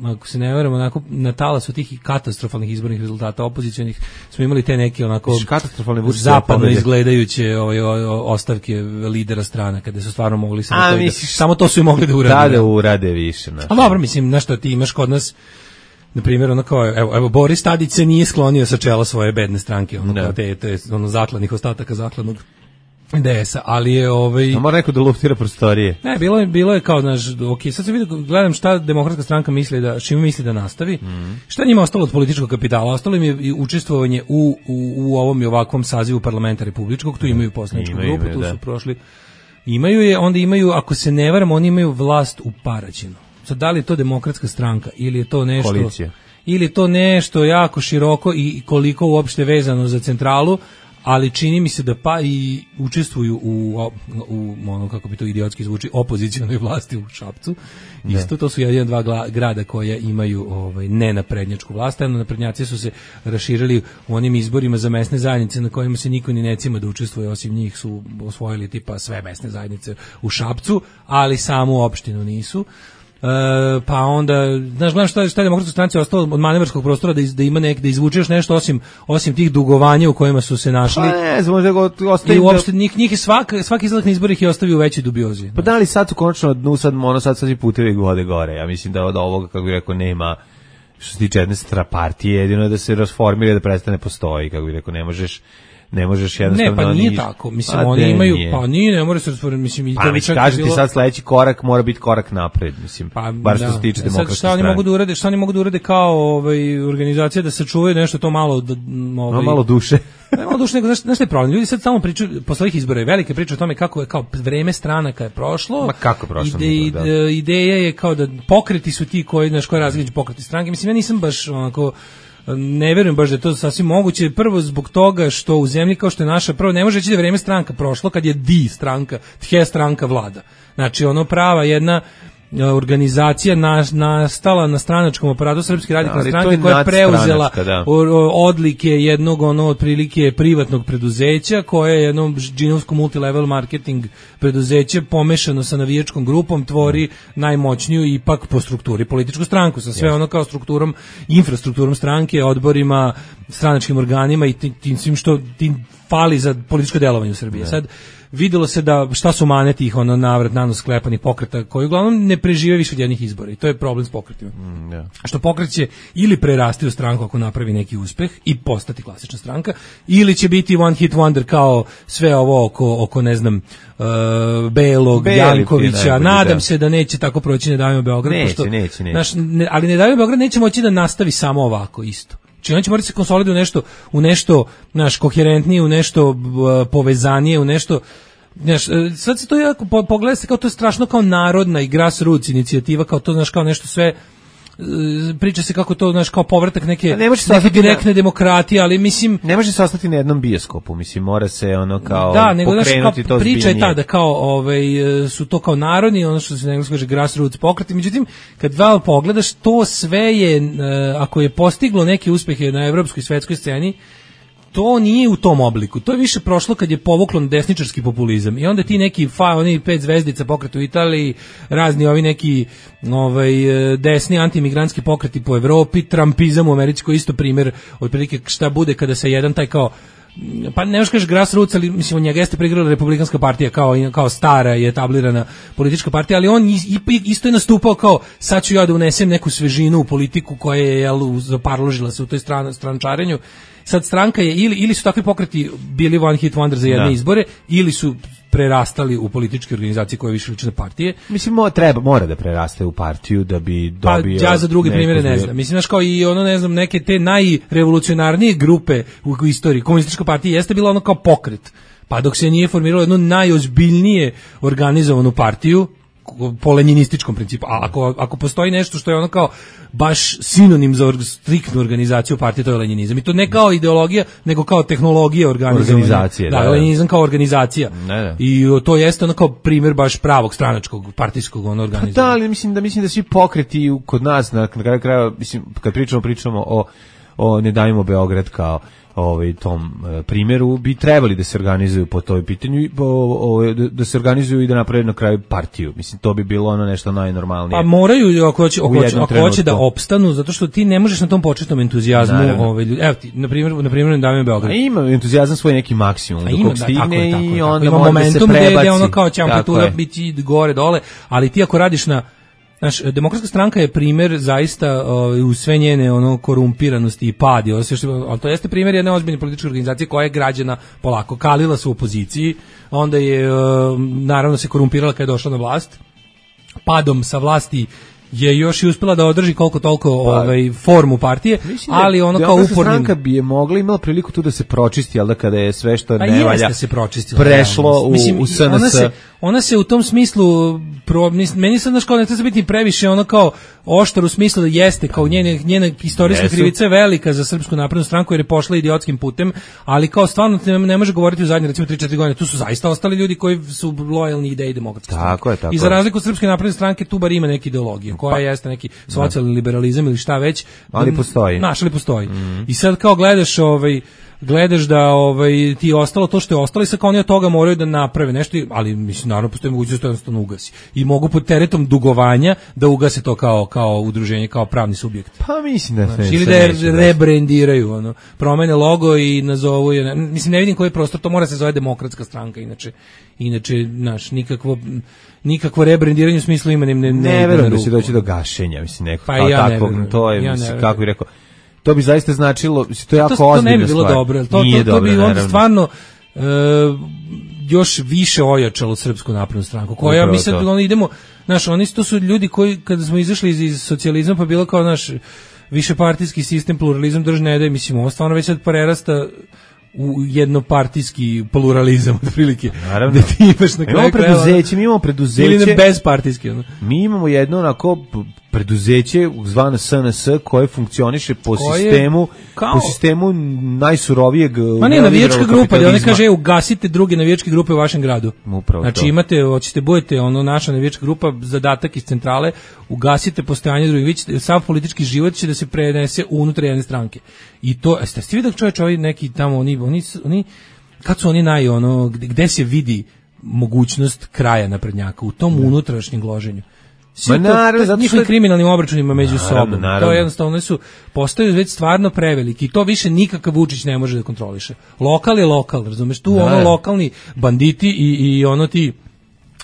ako se ne veramo, onako na talasu tih katastrofalnih izbornih rezultata opozicionih smo imali te neke onako zapadno izgledajuće ovaj, ostavke lidera strana kada su stvarno mogli samo, A, to, misliš, da, samo to su i mogli da urade. Da, da urade više. Znači. A dobro, mislim, znaš što ti imaš kod nas, na primjer, ono kao, evo, evo Boris Tadić se nije sklonio sa čela svoje bedne stranke, ono, kao te, te ono, zakladnih ostataka zakladnog D S-a, ali je ovaj... A mora neko da luftira prostorije. Ne, bilo je, bilo je kao, znaš, ok, sad se vidim, gledam šta Demokratska stranka misli da, čime misli da nastavi, mm. šta njima ostalo od političkog kapitala, ostalo im je i učestvovanje u, u, u ovom i ovakvom sazivu parlamenta republičkog, tu imaju poslaničku grupu, tu da. su prošli Imaju je, onda imaju, ako se ne varam, oni imaju vlast u Paraćinu. Sad, da li je to Demokratska stranka ili je to nešto... Koalicija. Ili je to nešto jako široko i koliko uopšte vezano za centralu, ali čini mi se da pa i učestvuju u, u ono, kako bi to idiotski zvuči, opozicionoj vlasti u Šapcu. Isto, to su jedan, dva gla, grada koje imaju ovaj, nenaprednjačku vlast, a naprednjaci su se raširili u onim izborima za mesne zajednice na kojima se niko ni ne cima da učestvuje, osim njih su osvojili tipa sve mesne zajednice u Šapcu, ali samu opštinu nisu. Uh, pa onda, znaš, gledam šta, šta je Demokratskoj stranci ostalo od manevarskog prostora da, iz, da ima nek, da izvučeš nešto osim, osim tih dugovanja u kojima su se našli. Pa ne, znam, možda ostaje... I uopšte njih, njih je svak, svaki izlazak na izbor ih je ostavio u većoj dubiozi. Pa da li sad su konačno na dnu, sad, ono, sad sad i putevi gode gore. Ja mislim da od ovoga, kako bih rekao, nema, što se tiče jedne strapartije, jedino je da se rasformira, da prestane postoji, kako bih rekao, ne možeš... Ne možeš jednostavno... Ne, pa nije niš... tako. Mislim, a oni imaju... Nije. Pa nije, ne mora se rasformirati. Mislim, i pa već kažem bilo... ti sad sledeći korak mora biti korak napred, mislim. Pa, bar što da. se tiče Demokratske šta oni mogu da urade, šta oni mogu da urade kao ovaj, organizacija da se čuvaju nešto to malo... Da, ovaj, no, malo duše. Ne malo duše, nego znaš, znaš šta je problem? Ljudi sad samo pričaju, posle ovih izbora je velike priče o tome kako je kao vreme stranaka je prošlo. Ma kako je prošlo? Ide, da. Ideja je kao da pokreti su ti koji, znaš, koji različiti pokreti stranke. Mislim, ja nisam baš onako... Ne verujem baš da je to sasvim moguće, prvo zbog toga što u zemlji kao što je naša, prvo ne može reći da je vreme stranka prošlo kad je di stranka, tje stranka vlada. Znači ono prava jedna organizacija na, nastala na stranačkom aparatu Srpske radikalne stranke koja je preuzela da. odlike jednog ono otprilike privatnog preduzeća koje je jedno džinovsko multilevel marketing preduzeće pomešano sa navijačkom grupom tvori najmoćniju ipak po strukturi političku stranku sa sve yes. ono kao strukturom, infrastrukturom stranke, odborima, stranačkim organima i tim svim što tim fali za političko delovanje u Srbiji. Yeah. Sad videlo se da šta su mane tih ono navrat nanos sklepanih pokreta koji uglavnom ne prežive više od jednih izbora i to je problem s pokretima. Mm, yeah. Što pokret će ili prerasti u stranku ako napravi neki uspeh i postati klasična stranka, ili će biti one hit wonder kao sve ovo oko, oko ne znam, uh, Belog, Beli, Jankovića. Najbolji, nadam da. se da neće tako proći Ne davimo Beograd. Neće, pošto, neće, neće. Naš, ne, ali Ne davimo Beograd neće moći da nastavi samo ovako isto. Znači on će morati se konsolidovati u nešto, u nešto, znaš, koherentnije, u nešto uh, povezanije, u nešto, znaš, sad se to jako po, pogleda se kao to je strašno kao narodna i grassroots inicijativa, kao to, znaš, kao nešto sve, uh, priča se kako to, znaš, kao povratak neke, ne neke direktne na, demokratije, ali mislim... Ne može se ostati na jednom bioskopu, mislim, mora se ono kao da, nego, pokrenuti znaš, kao, to priča zbiljnije. Je ta da kao ovaj, su to kao narodni, ono što se na engleskom kaže grassroots pokreti, međutim, kad val pogledaš, to sve je, ako je postiglo neke uspehe na evropskoj i svetskoj sceni, to nije u tom obliku. To je više prošlo kad je povuklo na desničarski populizam. I onda ti neki fa, oni pet zvezdica pokret u Italiji, razni ovi neki ovaj, desni antimigrantski pokreti po Evropi, trumpizam u Americi koji isto primjer otprilike šta bude kada se jedan taj kao pa ne možeš kažeš grassroots, ali mislim od njega jeste prigrala Republikanska partija kao, kao stara i etablirana politička partija, ali on isto je nastupao kao sad ću ja da unesem neku svežinu u politiku koja je jel, zaparložila se u toj stran, strančarenju. Sad stranka je ili, ili su takvi pokreti bili one hit wonder za jedne da. izbore ili su prerastali u političke organizacije koje više liče na partije. Mislim, mo, treba, mora da preraste u partiju da bi dobio... Pa ja za druge primjere ne znam. Mislim, znaš, kao i ono, ne znam, neke te najrevolucionarnije grupe u, u istoriji. Komunistička partija jeste bila ono kao pokret. Pa dok se nije formiralo jedno najozbiljnije organizovanu partiju, po lenjinističkom principu. A ako, ako postoji nešto što je ono kao baš sinonim za or, striktnu organizaciju partije, to je lenjinizam. I to ne kao ideologija, nego kao tehnologija organizacije. Da, da, lenjinizam kao organizacija. Ne, ne. I to jeste ono kao primjer baš pravog stranačkog, partijskog ono organizovanja. Pa da, ali mislim da, mislim da svi pokreti kod nas, na kraju kraja, mislim, kad pričamo, pričamo o, o Ne davimo Beograd kao ovaj tom e, primjeru bi trebali da se organizuju po toj pitanju i po, o, da, da se organizuju i da naprave na kraju partiju. Mislim, to bi bilo ono nešto najnormalnije. Pa moraju ako hoće, ako hoće, ako hoće da opstanu, zato što ti ne možeš na tom početnom entuzijazmu ovaj ljudi. Evo ti, na primjer, na primjer, Ne davimo Beograd. A ima entuzijazam svoj neki maksimum dok ima, stigne da, tako je, tako je, i onda ima može da se prebaci. Gde ono kao će amplituda biti gore dole, ali ti ako radiš na Znaš, Demokratska stranka je primjer zaista uh, u sve njene ono korumpiranosti i padi, ali to jeste primjer jedne ozbiljne političke organizacije koja je građana polako kalila se u opoziciji, onda je uh, naravno se korumpirala kad je došla na vlast, padom sa vlasti je još i uspela da održi koliko toliko pa, ovaj formu partije, ali ono kao upornim stranka bi je mogla imala priliku tu da se pročisti, al da kada je sve što ne valja se prešlo u, mislim, u S N S. Ona se, ona se u tom smislu pro, meni sad znaš kao ne treba biti previše ono kao oštar u smislu da jeste kao njene, njena istorijska Jesu. krivica je velika za Srpsku naprednu stranku jer je pošla idiotskim putem, ali kao stvarno ne, ne može govoriti u zadnje recimo tri četiri godine, tu su zaista ostali ljudi koji su lojalni ideji demokratske stranke. Tako je, tako I za razliku od Srpske napredne stranke tu bar ima neka ideologija koja pa, jeste neki socijalni liberalizam ili šta već. Ali postoji. Naš, ali postoji. Mm. I sad kao gledaš ovaj gledaš da ovaj ti ostalo to što je ostalo i sad kao oni od toga moraju da naprave nešto, ali mislim naravno postoji mogućnost da jednostavno ugasi. I mogu pod teretom dugovanja da ugase to kao kao udruženje, kao pravni subjekt. Pa mislim da znači, ili da je rebrandiraju, ono, promene logo i nazovu je, mislim ne vidim koji je prostor, to mora se zove Demokratska stranka inače. Inače naš nikakvo nikakvo rebrandiranje u smislu imenim ne ne, ne verujem da će doći do gašenja, mislim neko pa ja tako to je ja mislim kako bih rekao. To bi zaista značilo, to je jako to, ozbiljno. To ne bi bilo dobro, to, to, to, to bi onda naravno. Stvarno e, još više ojačalo Srpsku naprednu stranku. Koja ja mislim da ono idemo, znaš, oni to su ljudi koji kada smo izašli iz, iz socijalizma pa bilo kao naš višepartijski sistem, pluralizam drž ne da, mislim, ovo stvarno već sad prerasta u jednopartijski pluralizam otprilike. Naravno. Da ti imaš na kraju preduzeće, mi imamo preduzeće. Ili na bezpartijski, ono. Mi imamo jedno onako preduzeće zvano S N S koje funkcioniše po koje sistemu kao... po sistemu najsurovijeg. Ma ne, navijačka grupa, da oni kaže ugasite druge navijačke grupe u vašem gradu. Upravo znači to. Imate, hoćete budete ono naša navijačka grupa, zadatak iz centrale, ugasite postojanje drugih, vi ćete, sav politički život će da se prenese unutar jedne stranke. I to, jeste ste vidjeli čovječ, ovi neki tamo, oni, oni, oni, kad su oni naj, ono, gde, gde se vidi mogućnost kraja naprednjaka, u tom ne. unutrašnjem gloženju. Sve Ma naravno, zato njihovim kriminalnim obračunima među naravno, sobom. Naravno. To je jednostavno, su postaju već stvarno preveliki i to više nikakav Vučić ne može da kontroliše. Lokal je lokal, razumeš, tu da, ono lokalni banditi i, i ono ti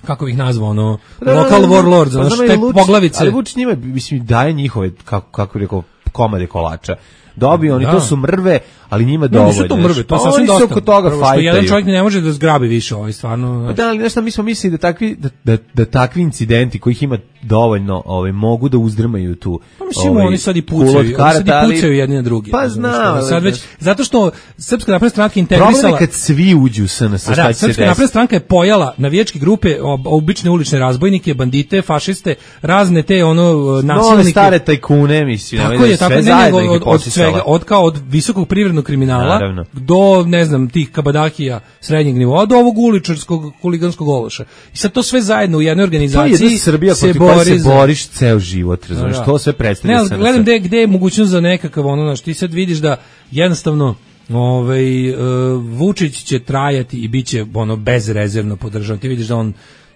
kako bih nazvao, ono, da, local warlords, pa ono što te poglavice. Ali Vučić njima, mislim, daje njihove, kako, kako rekao, komade kolača. Dobiju oni, da. To su mrve, ali njima dovoljno. Nisu to mrve, to pa sasvim dosta. Oko toga Prvo, što jedan čovjek ne može da zgrabi više, ovaj stvarno. Pa da, ali nešto mi smo mislili da takvi da, da, da takvi incidenti kojih ima dovoljno, ovaj mogu da uzdrmaju tu. Pa mislim ovaj, oni sad i pucaju, oni sad i pucaju jedni na drugi. Pa znam, sad već zato što Srpska napredna stranka integrisala. Problem je kad svi uđu u S N S, šta da, će se Srpska napredna stranka je pojala navijačke grupe, obične ulične razbojnike, bandite, fašiste, razne te ono nasilnike. Nove stare tajkune, mislim, tako je, tako ne, od, od svega, od kao od visokog privrednog kriminala naravno. Do, ne znam, tih kabadahija srednjeg nivoa, do ovog uličarskog huliganskog ološa. I sad to sve zajedno u jednoj organizaciji to je jedna Srbija se bori se boriš za... ceo život, razumiješ, da, da. To sve predstavlja. Ne, gledam gde, gde je mogućnost za nekakav ono, znaš, ti sad vidiš da jednostavno ovaj, uh, Vučić će trajati i bit će ono, bezrezervno podržan. Ti vidiš da on,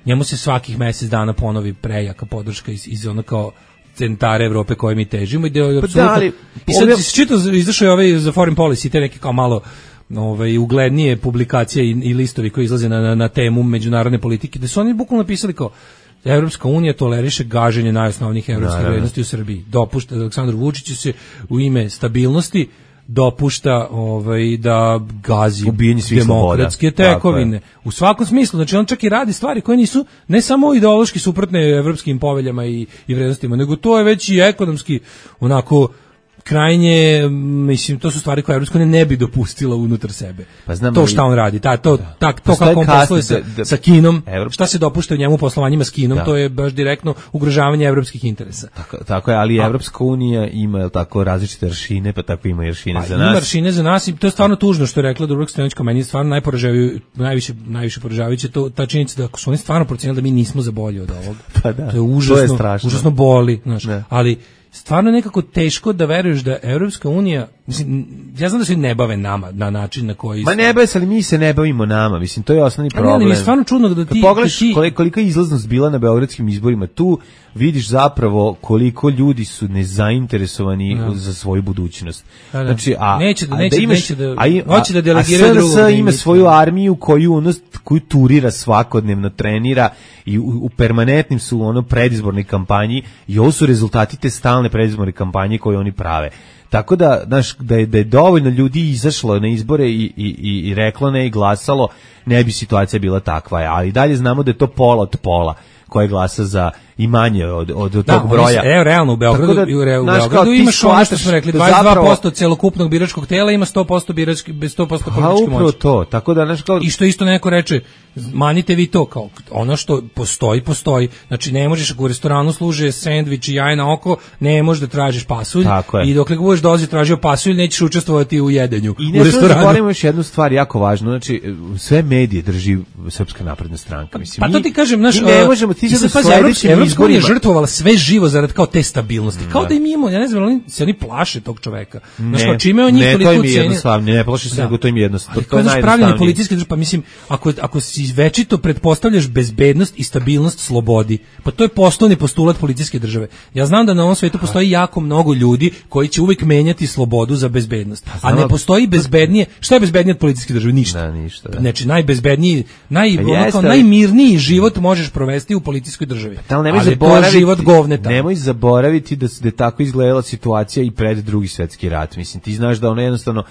njemu se svakih mjesec dana ponovi prejaka podrška iz, iz ono kao centara Evrope koje mi težimo i da je apsolutno. Pa i sad ovdje... čito izašao je ovaj za foreign policy, te neke kao malo ovaj uglednije publikacije i, i listovi koji izlaze na, na, na temu međunarodne politike, da su oni bukvalno napisali kao Evropska unija toleriše gaženje najosnovnijih evropskih vrednosti u Srbiji. Dopušta Aleksandru Vučiću se u ime stabilnosti dopušta ovaj da gazi demokratske tekovine u svakom smislu. Znači on čak i radi stvari koje nisu ne samo ideološki suprotne evropskim poveljama i, i vrednostima, nego to je već i ekonomski onako krajnje, mislim, to su stvari koje Evropska unija ne bi dopustila unutar sebe. Pa znam, to šta on radi, ta, to, da. ta, to kako on posluje sa, da, sa Kinom, Evrop... šta se dopušta u njemu poslovanjima s Kinom, da. To je baš direktno ugrožavanje evropskih interesa. Tako, tako je, ali Evropska unija ima je tako različite aršine, pa tako ima i aršine pa, za nas. Ima aršine za nas i to je stvarno tužno što je rekla Dubravka Stojanović, meni je stvarno najporažavajuće, najviše, najviše poražavajuće to, ta činjenica da su oni stvarno procenili da mi nismo za bolje od ovog. Pa da, to je užasno, to je užasno boli, znaš, ali stvarno nekako teško da veruješ da Evropska unija, mislim, ja znam da se ne bave nama na način na koji... Ma ne bave se, ali mi se ne bavimo nama, mislim, to je osnovni problem. Ne, ali mi je stvarno čudno da ti... Kad pogledaš ti... kolika je izlaznost bila na beogradskim izborima, tu vidiš zapravo koliko ljudi su nezainteresovani ja. za svoju budućnost. Da, da. Znači, a, neće da, a neće, da imaš, neće da, a, a, hoće da delegiraju drugog. A S N S ima svoju armiju koju, ono, koju turira svakodnevno, trenira i u, u permanentnim su ono predizbornoj kampanji i ovo su rezultati te stalne predizborne kampanje koje oni prave. Tako da, znaš, da je, da je dovoljno ljudi izašlo na izbore i, i, i, i reklo ne i glasalo, ne bi situacija bila takva. Ali dalje znamo da je to pola od pola koje glasa za i manje od, od, od da, tog broja. Evo, realno u Beogradu, da, u, u Beogradu imaš ono što smo rekli, dvadeset dva posto zapravo, celokupnog biračkog tela ima sto posto birački, bez sto posto političke moći. Upravo to, tako da, znaš, kao... I što isto neko reče, manite vi to, kao ono što postoji, postoji. Znači, ne možeš, ako u restoranu služe sendvič i jaje na oko, ne možeš da tražiš pasulj. I dokle budeš dozi tražio pasulj, nećeš učestvovati u jedenju I u restoranu. I ne zaboravimo još jednu stvar jako važnu, znači, sve medije drži Srpska napredna stranka. Mislim, pa to ti kažem, naš, ne možemo, ti sad pazi, Evropska unija žrtvovala sve živo zarad kao te stabilnosti. Kao da, da im imamo, ja ne znam, oni se oni plaše tog čoveka. Znaš, kao čime on njih toliko cijeni. Ne, ne plaše se, nego to im je jednostavno. To je najjednostavnije. Policijske države, pa mislim, ako, ako si večito pretpostavljaš bezbednost i stabilnost slobodi, pa to je poslovni postulat policijske države. Ja znam da na ovom svetu postoji jako mnogo ljudi koji će uvijek menjati slobodu za bezbednost. A ne postoji bezbednije, šta je bezbednije od policijske države? Ništa. Da, ništa. Da. Znači, najbezbedniji, naj, onako, najmirniji život možeš provesti u policijskoj državi. Pa, ali nemoj zaboraviti, život govneta. Nemoj zaboraviti da se da tako izgledala situacija i pred Drugi svjetski rat. Mislim, ti znaš da ono jednostavno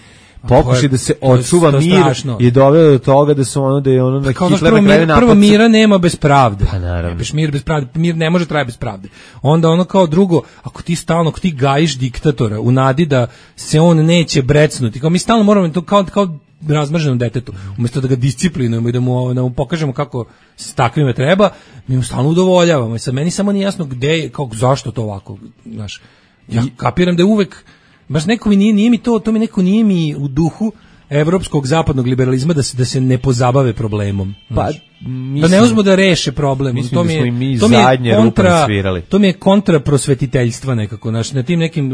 pokušaj da se očuva mir je doveo do toga da su ono da je ono na Hitler na kraju napad. Prvo mira nema bez pravde. Pa naravno. Nemaš mir bez pravde, mir ne može trajati bez pravde. Onda ono kao drugo, ako ti stalno, ako ti gajiš diktatora u nadi da se on neće brecnuti, kao mi stalno moramo to kao kao razmrženom detetu, umjesto da ga disciplinujemo i da mu, da mu pokažemo kako s takvime treba, mi mu stalno udovoljavamo. I sad meni samo nije jasno gde je, kao, zašto to ovako, znaš. Ja kapiram da je uvek, baš neko mi nije, nije mi to, to mi neko nije mi u duhu evropskog zapadnog liberalizma da se da se ne pozabave problemom. Pa mislim, da ne uzmu da reše problem. Mislim to mi je, da mi to mi je kontra, to mi je kontra prosvetiteljstva nekako. Znači, na tim nekim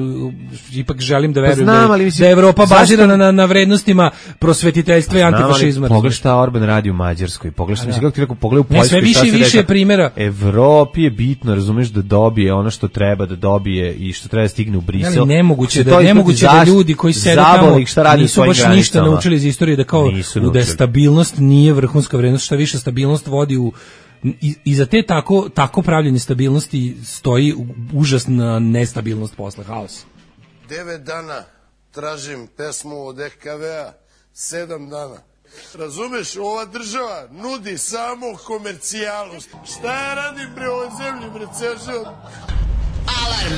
ipak želim da verujem pa znam, da, mislim, da je Evropa bazirana na, na vrednostima prosvetiteljstva pa i antifašizma. Pogledaj šta Orban radi u Mađarskoj. Pogledaj šta, mislim, kako ti rekao, pogledaj u Poljskoj. Sve više i više primjera. Evropi je bitno, razumeš, da dobije ono što treba da dobije i što treba da stigne u Brisel. Ali nemoguće da, nemoguće da ljudi koji sede tamo nisu baš ništa naučili iz istorije da kao da stabilnost nije vrhunska vrednost, šta više stabilnost vodi u i, i za te tako tako pravljenje stabilnosti stoji užasna nestabilnost posle, haos. Devet dana tražim pesmu od E K V-a, sedam dana. Razumeš, ova država nudi samo komercijalu. Šta ja radim pre ovoj zemlji, bre, ceo život? Alarm.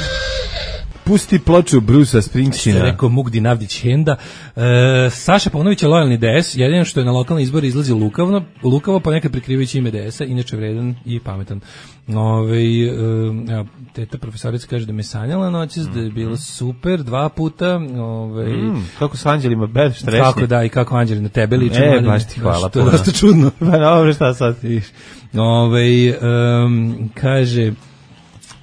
Pusti ploču Brusa Springsteena. Što je rekao Mugdi Navdić Henda. E, Saša Paunović je lojalni D S, jedino što je na lokalne izbore izlazi lukavno, lukavo, pa nekad prikrivajući ime D S-a, inače vredan i pametan. Ove, e, evo, teta profesorica kaže da me sanjala noćas, mm. da je bilo super, dva puta. Ove, mm, kako s anđelima, bez štresnje. Kako da, i kako anđeli na tebe liče. E, baš ti hvala. To je dosta čudno. Pa dobro, šta sad ti viš. Ove, um, kaže...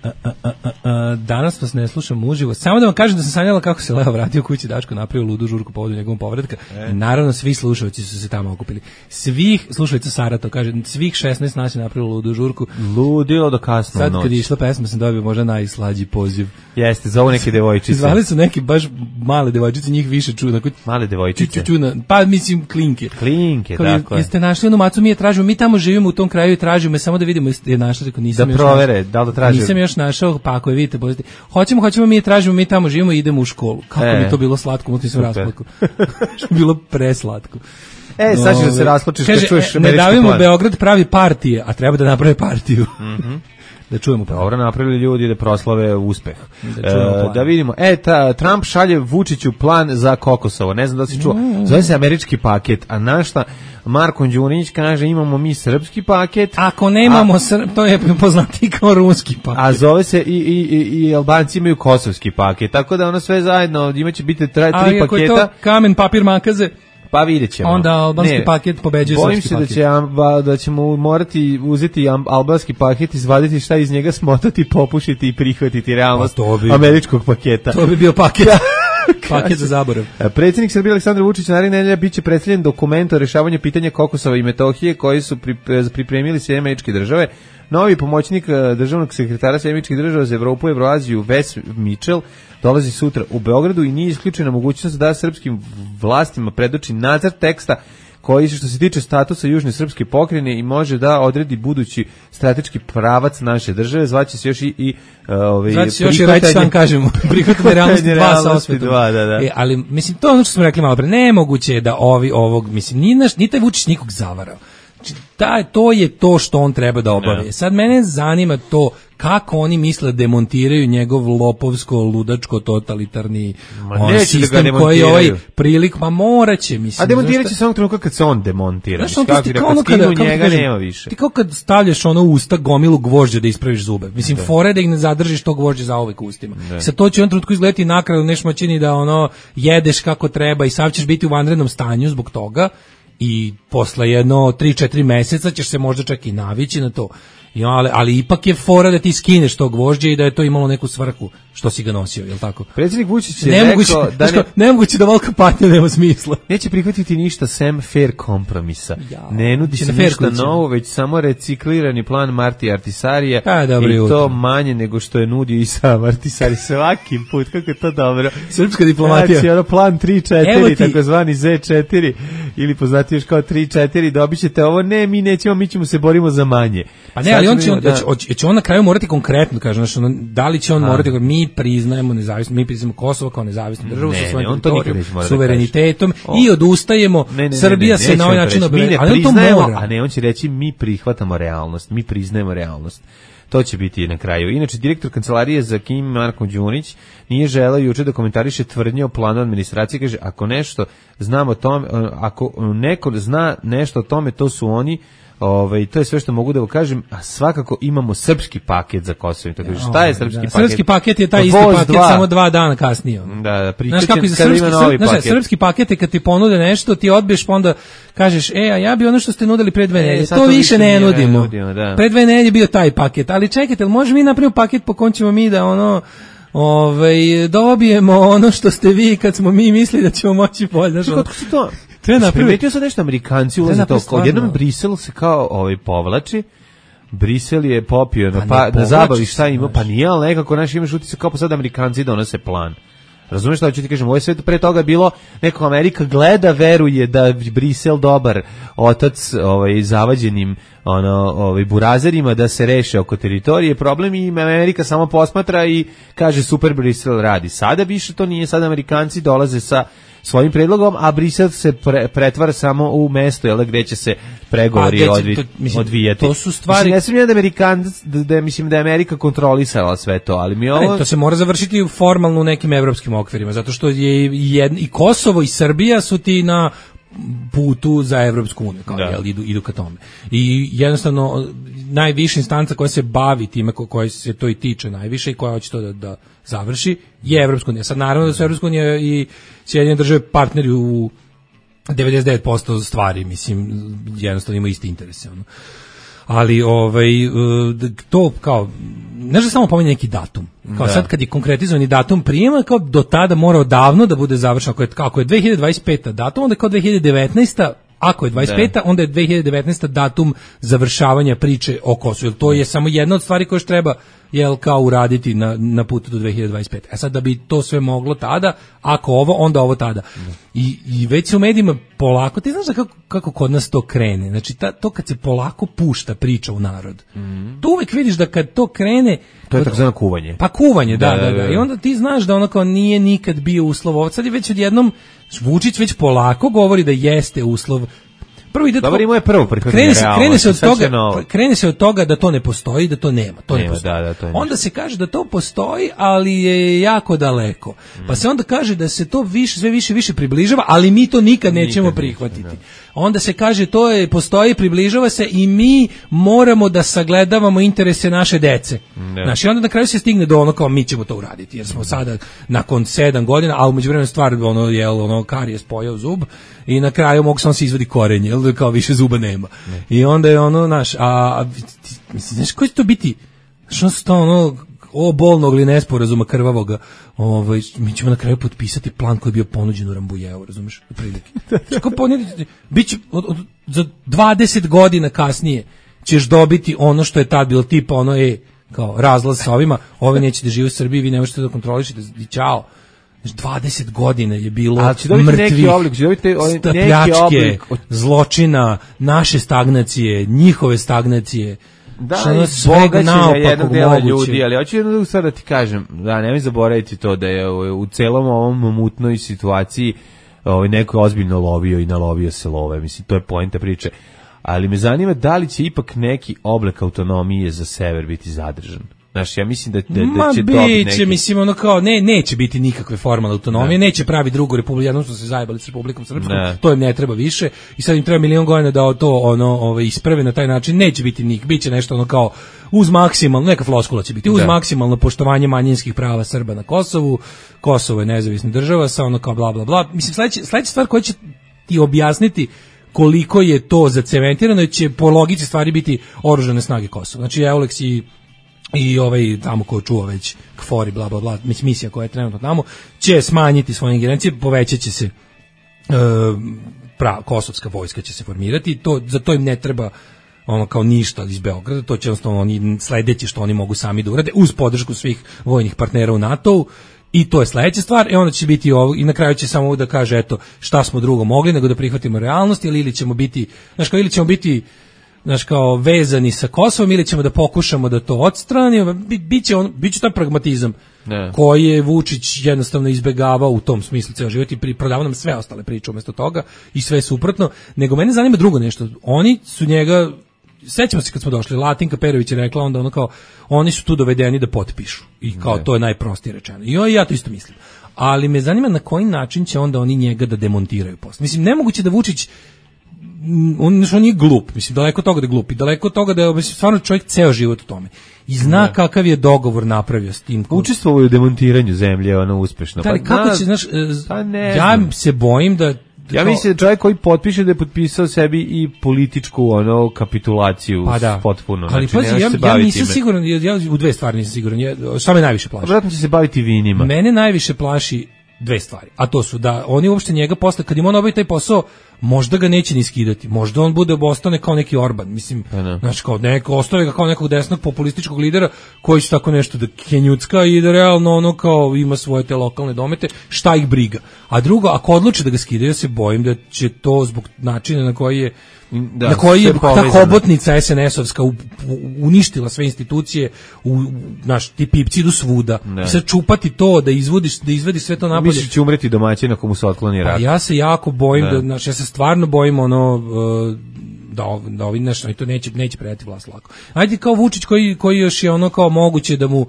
A, a, a, a, danas vas ne slušam uživo. Samo da vam kažem da sam sanjala kako se Leo vratio kući, Daško napravio ludu žurku povodom njegovom povratka. E. Naravno, svi slušalci su se tamo okupili. Svih, slušalica Sara to kaže, svih šesnaest nas je napravilo ludu žurku. Ludilo do kasno Sad noć. kad je išla pesma sam dobio možda najslađi poziv. Jeste, zovu neke devojčice. Zvali su neki baš male devojčice, njih više čuna. Male devojčice? Čuna, pa mislim klinke. Klinke, tako je. Jeste našli onu macu, mi je tražimo, mi tamo živimo u tom kraju i tražimo me samo da vidimo je našli, rekao nisam da provere, da li da tražimo. Nisam još našao, pa ako je vidite, bolesti. Hoćemo, hoćemo, mi je tražimo, mi tamo živimo i idemo u školu. Kako e, bi to bilo slatko, mutim se u rasplatku. Bilo preslatko. E, sad ćeš da se rasplačiš kad čuješ ne davimo plan. Beograd pravi partije, a treba da naprave partiju. Mhm. Da čujemo plan. Dobro napravili ljudi da proslave uspeh. Da, e, da vidimo. E, ta, Trump šalje Vučiću plan za Kokosovo. Ne znam da si čuo. Mm. Zove se američki paket, a našta Marko Đurić kaže imamo mi srpski paket. Ako nemamo a, srp, to je poznati kao ruski paket. A zove se i, i, i, i Albanci imaju kosovski paket. Tako da ono sve zajedno imaće biti tri paketa. Ali ako je to kamen, papir, makaze... Pa vidjet ćemo. Onda albanski ne, paket pobeđuje srpski paket. Bojim se da, će, da ćemo morati uzeti albanski paket, izvaditi šta iz njega, smotati, popušiti i prihvatiti realnost bi, američkog paketa. To bi bio paket. Paket za zaborav. Predsjednik Srbije Aleksandar Vučić naredne nedelje biće predstavljen dokument o rešavanju pitanja Kokosova i Metohije koji su pripremili Sjedinjene Američke Države. Novi pomoćnik državnog sekretara Sjedinjenih Američkih Država za Evropu i Evroaziju Wes Mitchell dolazi sutra u Beogradu i nije isključena mogućnost da srpskim vlastima predoči nacrt teksta koji što se tiče statusa Južne srpske pokrajine i može da odredi budući strateški pravac naše države. Zvaće se još i, i ovaj Zvaće se još i reći sam kažemo prihvatanje realnosti dva sa osvetom. Dva, da, da. E, ali mislim to ono što smo rekli malo pre, nemoguće je da ovi ovog mislim ni naš ni taj Vučić nikog zavarao. Da, to je to što on treba da obavi. Sad mene zanima to kako oni misle da demontiraju njegov lopovsko, ludačko, totalitarni on sistem da koji je ovaj prilik, ma moraće, mislim. A demontirat će samo trenutka kad se on demontira. Znaš, kako ti kao ono kada, njega kažem, nema više. Ti kao kad stavljaš ono u usta gomilu gvožđa da ispraviš zube. Mislim, da. Fore da ih ne zadržiš to gvožđe za uvek u ustima. Da. Sad to će on trenutku izgledati nakradu nešmaćini da ono jedeš kako treba i sav ćeš biti u vanrednom stanju zbog toga i posle jedno tri četiri meseca ćeš se možda čak i navići na to. Ja, ali, ali ipak je fora da ti skineš to gvožđe i da je to imalo neku svrhu što si ga nosio, je li tako? Predsjednik Vučić je nemoguće, rekao da ne... nemoguće da volka patnja nema smisla. Neće prihvatiti ništa sem fair kompromisa. Ja, ne nudi se ništa novo, već samo reciklirani plan Marti Artisarija A, dobro, i jutro. To manje nego što je nudio i sam Artisari svaki put, kako je to dobro. Srpska diplomatija. Znači, ono plan tri četiri, takozvani Z četiri, ili poznati još kao tri četiri, dobit ćete ovo, ne, mi nećemo, mi ćemo se borimo za manje. Pa ne, ali on će, on, da. će, će on na kraju morati konkretno, kaže, znači, ono, da li će on A. morati, mi priznajemo nezavisno, mi priznajemo Kosovo kao nezavisnu državu sa svojim teritorijom, suverenitetom da i odustajemo, ne, ne, ne, Srbija ne, ne, se na ovaj način obreže, ali on to mora. A ne, on će reći, mi prihvatamo realnost, mi priznajemo realnost. To će biti na kraju. Inače, direktor kancelarije za Kim, Marko Đunić, nije želeo juče da komentariše tvrdnje o planu administracije. Kaže, ako nešto znamo o tome, ako neko zna nešto o tome, to su oni. Ovaj, to je sve što mogu da vam kažem, a svakako imamo srpski paket za Kosovo. Tako da, šta je srpski da, paket? Srpski paket je taj isti paket dva. Samo dva dana kasnije. Da, da, znaš kako je srpski, znaš, srpski paket je kad ti ponude nešto, ti odbiješ pa onda kažeš, e, a ja bi ono što ste nudili pre dve nedelje, e, to, to više ne nudimo. nudimo da. Pre dve nedelje je bio taj paket, ali čekajte, ali može mi napravimo paket po kom ćemo mi da ono ovaj, dobijemo ono što ste vi kad smo mi mislili da ćemo moći bolje. Znaš, kako se to... Primetio sam nešto, Amerikanci ulaze to, odjednom Brisel se kao ovaj povlači, Brisel je popio na, pa, na zabavi šta ima, pa nije, ali nekako naš imaš utisak kao pa sad Amerikanci donose plan. Razumeš šta ću ti kažem, ovo je sve pre toga bilo, neko Amerika gleda, veruje da Brisel dobar otac ovaj, zavađenim ono, ovaj, burazerima da se reše oko teritorije, problem i Amerika samo posmatra i kaže super Brisel radi. Sada više to nije, sada Amerikanci dolaze sa svojim predlogom, a Brisel se pre, pretvara samo u mesto, jel, gde će se pregovori pa, odvi, to, mislim, odvijeti. To su stvari... Mislim, ne smijem da, Amerikan, da, da, mislim da je Amerika kontrolisala sve to, ali mi ovo... Ne, to se mora završiti formalno u nekim evropskim okvirima, zato što je jedno, i Kosovo i Srbija su ti na putu za Evropsku uniju, kao, jel, idu, idu ka tome. I jednostavno, najviša instanca koja se bavi time, ko, koja se to i tiče najviše i koja hoće to da, da završi, je Evropska unija. Sad, naravno da su Evropska unija i Sjedinjene države partneri u devedeset devet posto stvari, mislim, jednostavno ima isti interese. Ono. Ali, ovaj, to kao, ne da samo pominje neki datum. Kao da. Sad kad je konkretizovani datum prijema, kao do tada mora odavno da bude završeno. Ako je, ako je dve hiljade dvadeset peta datum, onda je kao dve hiljade devetnaesta Ako je dvadeset peta onda je dve hiljade devetnaesta datum završavanja priče o Kosovu. To je samo jedna od stvari koje treba jel, kao uraditi na, na putu do dve hiljade dvadeset pete. E sad da bi to sve moglo tada, ako ovo, onda ovo tada. I, i već se u medijima polako, ti znaš da kako, kako kod nas to krene. Znači ta, to kad se polako pušta priča u narod. Mm. Tu uvek vidiš da kad to krene... To je tako zvano kuvanje. Pa kuvanje, da, da, da, da, da. I onda ti znaš da ono kao nije nikad bio uslov. Sad je već odjednom Vučić već polako govori da jeste uslov. Prvo ide Dobar, je prvo krene se, krene se od toga, krene se od toga da to ne postoji, da to nema, to nema, ne postoji. Da, da, to onda se kaže da to postoji, ali je jako daleko. Mm. Pa se onda kaže da se to više sve više više približava, ali mi to nikad nećemo nikad prihvatiti. Ne. Onda se kaže to je postoji, približava se i mi moramo da sagledavamo interese naše dece. Ne. Znači onda na kraju se stigne do ono kao mi ćemo to uraditi, jer smo sada nakon sedam godina, a u međuvremenu stvar ono jel ono karijes pojeo zub i na kraju mogu samo se izvadi korenje, jel, kao više zuba nema. Ne. I onda je ono, naš, a, a mislim, znaš, koji će to biti? Znaš, ono su to ono, o bolnog ili nesporazuma krvavoga, ovaj, mi ćemo na kraju potpisati plan koji je bio ponuđen u Rambujeu, razumiješ, u prilike. Kako ponuditi, bit će, od, od, za dvadeset godina kasnije ćeš dobiti ono što je tad bilo tipa ono, e, kao razlaz sa ovima, ovi nećete živjeti u Srbiji, vi ne možete da kontrolišete, i čao. dvadeset godina je bilo mrtvih, pljačke, zločina, naše stagnacije, njihove stagnacije. Da, i bogaćenja jednog dela ljudi, ali hoću jednu sad da ti kažem, da nemoj zaboraviti to da je u celom ovom mutnoj situaciji ovaj, neko je ozbiljno lovio i nalovio se love, mislim, to je poenta priče. Ali me zanima da li će ipak neki oblik autonomije za sever biti zadržan. Znaš, ja mislim da, da, Ma da će dobiti neki... biće, mislim, ono kao, ne, neće biti nikakve formalne autonomije, ne. neće pravi drugu republiku, jednom što se zajebali s Republikom Srpskom, ne. to im ne treba više, i sad im treba milion godina da to, ono, ove, isprave na taj način, neće biti nik, bit će nešto ono kao, uz maksimalno, neka floskula će biti, uz da. maksimalno poštovanje manjinskih prava Srba na Kosovu, Kosovo je nezavisna država, sa ono kao bla, bla, bla, mislim, sledeća, sledeća stvar koja će ti objasniti koliko je to zacementirano, će po logici stvari biti oružane snage Kosova. Znači, Euleks i, i ovaj tamo ko čuva već Kfori, bla, bla, bla, misija koja je trenutno tamo, će smanjiti svoje ingerencije, povećat će se e, pra, kosovska vojska će se formirati, to, za to im ne treba ono kao ništa iz Beograda, to će jednostavno oni sledeće što oni mogu sami da urade, uz podršku svih vojnih partnera u NATO-u. I to je sledeća stvar, e onda će biti ovo, i na kraju će samo da kaže, eto, šta smo drugo mogli, nego da prihvatimo realnost, ili, ili ćemo biti, znaš kao, ili ćemo biti, znaš kao, vezani sa Kosovom, ili ćemo da pokušamo da to odstranimo, biće on, biće taj pragmatizam, ne. koji je Vučić jednostavno izbegavao u tom smislu ceo život i prodavao nam sve ostale priče umesto toga, i sve suprotno, nego mene zanima drugo nešto, oni su njega, sećamo se kad smo došli, Latinka Perović je rekla onda ono kao, oni su tu dovedeni da potpišu i kao ne. to je najprostije rečeno. I ja to isto mislim. Ali me zanima na koji način će onda oni njega da demontiraju posle. Mislim, nemoguće da Vučić, on, on nije glup, mislim, daleko od toga da je glup i daleko od toga da je, mislim, stvarno čovjek ceo život u tome. I zna ne. kakav je dogovor napravio s tim. Učestvovao u demontiranju zemlje, ono uspešno. Da, ali pa, kako na, će, znaš, pa ja se bojim da Ja mislim da čovjek koji potpiše da je potpisao sebi i političku ono kapitulaciju pa da. potpuno. Ali znači, pazi, ja, ja nisam time. siguran, ja u dve stvari nisam siguran. Ja, šta me najviše plaši? Vjerojatno će se baviti vinima. Mene najviše plaši dve stvari, a to su da oni uopšte njega posle, kad im on obavi taj posao, možda ga neće ni skidati, možda on bude ostane kao neki Orban, mislim, znači kao neko, ostave ga kao nekog desnog populističkog lidera koji će tako nešto da kenjucka i da realno ono kao ima svoje te lokalne domete, šta ih briga. A drugo, ako odluče da ga skidaju, ja se bojim da će to zbog načina na koji je Da, na koji je ta hobotnica es en es-ovska uništila sve institucije, u, naš, ti pipci idu svuda. I sad čupati to, da izvodiš, da izvedi sve to napolje. Misliš će umreti domaćin ako mu se otkloni rak? Pa ja se jako bojim, da, znaš, ja se stvarno bojim ono, da, da ovi nešto, i to neće, neće predati vlast lako. Ajde kao Vučić koji, koji još je ono kao moguće da mu,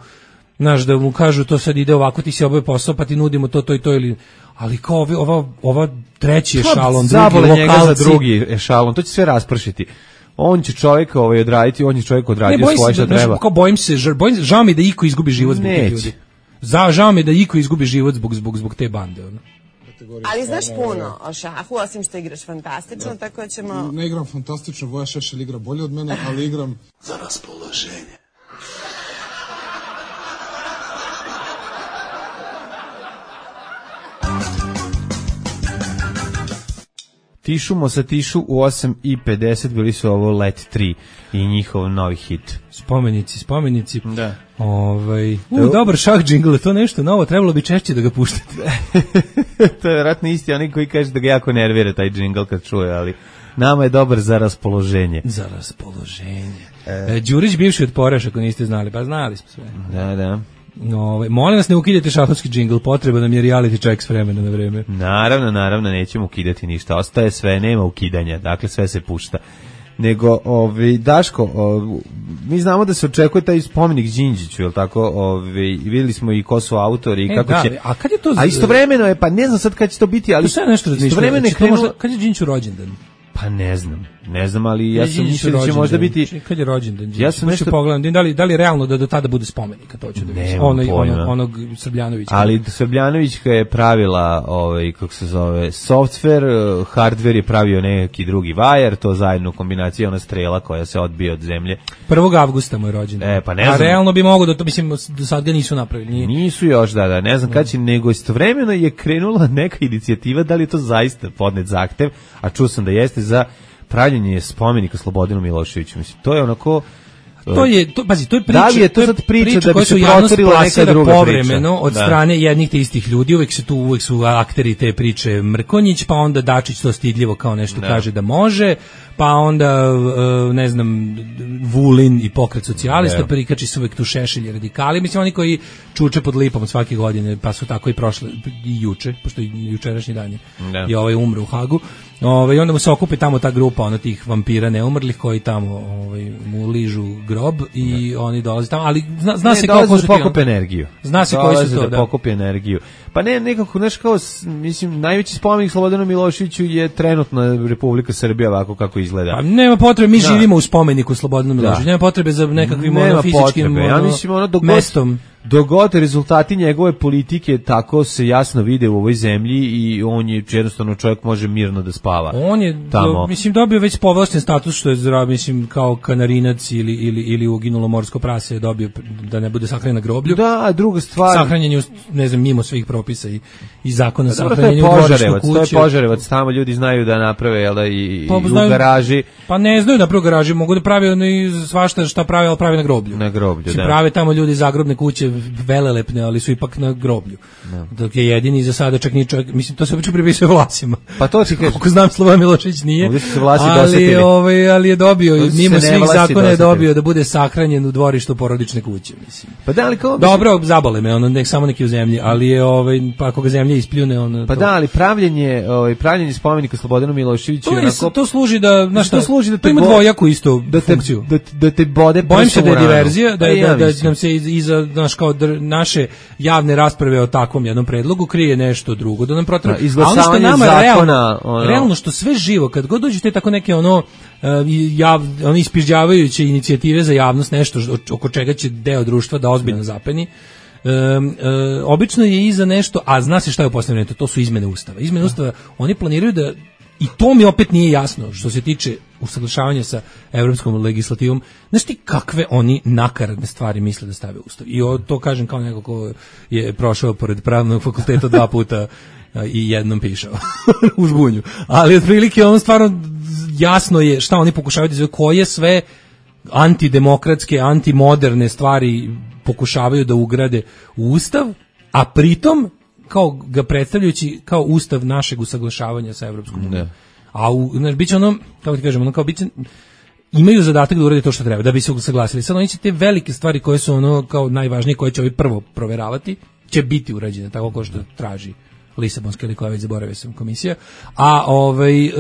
znaš, da mu kažu to sad ide ovako, ti si obave posao, pa ti nudimo to, to i to, ili... Ali kao ovi, ova, ova treći ešalon, drugi lokalci. Za drugi ešalon, to će sve raspršiti. On će čovjek ovaj odraditi, on će čovjek odradio svoje što da, treba. Kao bojim se, žar, bojim, žao mi da iko izgubi život zbog tih ljudi. Za, žao mi da iko izgubi život zbog, zbog, zbog te bande. Ono. Ali znaš puno o šahu, osim što igraš fantastično, da. tako ćemo... Ne igram fantastično, Voja Šešelj igra bolje od mene, ali igram za raspoloženje. Tišumo sa Tišu u osam i pedeset, bili su ovo Let tri i njihov novi hit. Spomenici, spomenici. Da. Ovaj, u, dobar šah džingl, to nešto novo, trebalo bi češće da ga puštate. To je vjerojatno isti oni koji kaže da ga jako nervira taj džingl kad čuje, ali nama je dobar za raspoloženje. Za raspoloženje. E, Đurić bivši otporaš, ako niste znali, pa znali smo sve. Da, da. No, molim vas ne ukidajte šahovski džingl, potreba nam je reality check s vremena na vreme. Naravno, naravno, nećemo ukidati ništa, ostaje sve, nema ukidanja, dakle sve se pušta. Nego, ovi, Daško, ovi, mi znamo da se očekuje taj spomenik Đinđiću, jel tako, ovi, vidjeli smo i ko su autori i e, kako da, će... A kad je to... A istovremeno je, pa ne znam sad kad će to biti, ali... To sve nešto istovremeno je krenulo... Možda, kad je Đinđiću rođendan? Pa ne znam, ne znam, ali ja sam mislio da će možda biti... Kad je rođendan? Ja sam nešto pogledam, da li, da li realno da do tada bude spomenika, to ću da vidim. Onaj, onog, onog Srbljanovića. Ali Srbljanovićka je pravila, ovaj, kako se zove, software, hardware je pravio neki drugi vajar, to zajedno u kombinaciji ona strela koja se odbija od zemlje. prvog avgusta mu je rođendan. E, pa ne znam. A realno bi mogo da to, mislim, do sad ga nisu napravili. Nije. Nisu još, da, da, ne znam kad će, nego istovremeno je krenula neka inicijativa, da li je to zaista podnet zahtev, a čuo sam da jeste, za pravljenje spomenika Slobodanu Miloševiću. Mislim, to je onako... To je, to, pazi, to je priča, da li je to, to je sad priča, priča da bi se protorila neka druga povremeno priča? Od da. strane jednih te istih ljudi, uvek se tu, uvek su akteri te priče Mrkonjić, pa onda Dačić to stidljivo kao nešto da. kaže da može, pa onda, ne znam, Vulin i Pokret socijalista, da. prikači su uvek tu Šešelj i radikali, mislim, oni koji čuče pod lipom svake godine, pa su tako i prošle, i juče, pošto i jučerašnji dan je, da. i ovaj umre u Hagu. Ovaj onda mu se okupi tamo ta grupa ona tih vampira neumrlih koji tamo ovaj mu ližu grob i ne. Oni dolaze tamo, ali zna, zna ne, se kako da pokupe energiju. Zna se koji su to, da, da pokupe energiju. Pa ne, nekako, znaš, kao, mislim, najveći spomenik Slobodanu Miloševiću je trenutno Republika Srbija, ovako kako izgleda. Pa nema potrebe, mi da. živimo u spomeniku Slobodanu Miloševiću, nema potrebe za nekakvim ono, fizičkim ono, ja mislim, ono, dogod, mestom. Dogod rezultati njegove politike tako se jasno vide u ovoj zemlji i on je jednostavno čovjek može mirno da spava. On je, do, mislim, dobio već povlašten status, što je zdrav, mislim, kao kanarinac ili, ili, ili uginulo morsko prase je dobio da ne bude sahranjen na groblju. Da, druga stvar. Sahranjen je, ne znam, mimo svih propisa i, i zakona sahranjenja u dvorištu kuće. To je Požarevac, tamo ljudi znaju da naprave, jel da, i, pa, i znaju, u garaži. Pa ne znaju da naprave u garaži, mogu da pravi ono i svašta šta pravi, ali pravi na groblju. Na groblju, mislim, da. Prave tamo ljudi zagrobne kuće velelepne, ali su ipak na groblju. No. Dok je jedini za sada čak ni čovjek, mislim, to se obično pripisuje Vlasima. Pa to ti kažeš. Koliko znam, Slobodan Milošević nije. Ovdje su se Vlasi ali, dosetili. Ovaj, ali je dobio, mimo svih zakona je dobio da bude sahranjen u dvorištu porodične kuće, mislim. Pa da, ali kao... Dobro, zabole me, ono, nek samo neki u zemlji, ali je, ovaj, pa ako ga zemlja ispljune, ono... Pa to... da, ali pravljenje, ovaj, pravljenje spomenika Slobodanu Miloševiću... To, onako... to služi da, znaš šta, to služi da to ima dvojaku isto da te, funkciju. Da, da te bode prsom. Bojim se da je diverzija, da, da, da, da nam se iza, znaš, kao dr, naše javne rasprave o takvom jednom predlogu krije nešto drugo, da nam protiv. Izglasavanje nama zakona, realno, ono. realno što sve živo, kad god dođete tako neke ono uh, jav, oni ispižđavajuće inicijative za javnost, nešto oko čega će deo društva da ozbiljno zapeni. Um, uh, obično je iza nešto, a zna se šta je u posljednjem vremenom, to su izmene ustava. Izmene ustava, oni planiraju da, i to mi opet nije jasno što se tiče usaglašavanja sa evropskom legislativom, znaš ti kakve oni nakaradne stvari misle da stave u ustav. I o, to kažem kao neko ko je prošao pored pravnog fakulteta dva puta i jednom pišao u žbunju. Ali otprilike on stvarno jasno je šta oni pokušavaju da izvedu, koje sve antidemokratske, antimoderne stvari pokušavaju da ugrade u ustav, a pritom kao ga predstavljajući kao ustav našeg usaglašavanja sa Evropskom unijom. A u, znaš, biće ono, kako ti kažemo, ono kao biće, imaju zadatak da urade to što treba, da bi se usaglasili. Sad oni će te velike stvari koje su ono kao najvažnije, koje će ovi prvo proveravati, će biti urađene, tako kao što traži Lisabonska ili koja već zaboravio sam komisija, a ovaj e,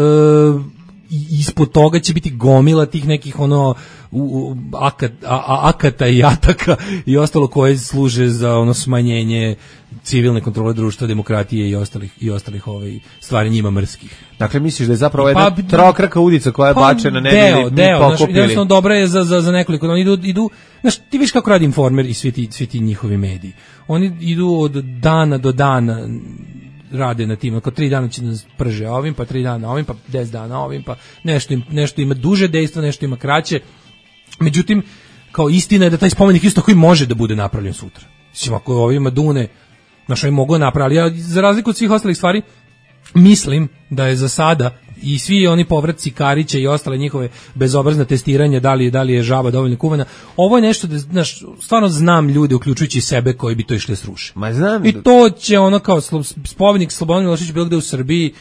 ispod toga će biti gomila tih nekih ono u, u, akat, a, a, akata i ataka i ostalo koje služe za ono smanjenje civilne kontrole društva, demokratije i ostalih i ostalih ovaj stvari njima mrskih. Dakle misliš da je zapravo jedna pa, trokraka udica koja je pa, bačena ne deo, deo, pokupili. Jednostavno dobra je za za za nekoliko, oni idu idu, znaš, ti vidiš kako radi Informer i svi ti svi ti njihovi mediji. Oni idu od dana do dana rade na tim, oko tri dana će nas prže ovim, pa tri dana ovim, pa deset dana ovim, pa nešto, im, nešto ima duže dejstvo, nešto ima kraće. Međutim, kao istina je da taj spomenik isto koji može da bude napravljen sutra. Mislim, ako ovima dune, znaš, oni mogu napraviti, ja za razliku od svih ostalih stvari, mislim da je za sada i svi oni povratci Karića i ostale njihove bezobrazna testiranja, da li, da li je žaba dovoljno kuvana, ovo je nešto da, znaš, stvarno znam ljude, uključujući sebe, koji bi to išli sruše. Ma znam. I to će ono kao spomenik Slobodan Milošević bilo gde u Srbiji,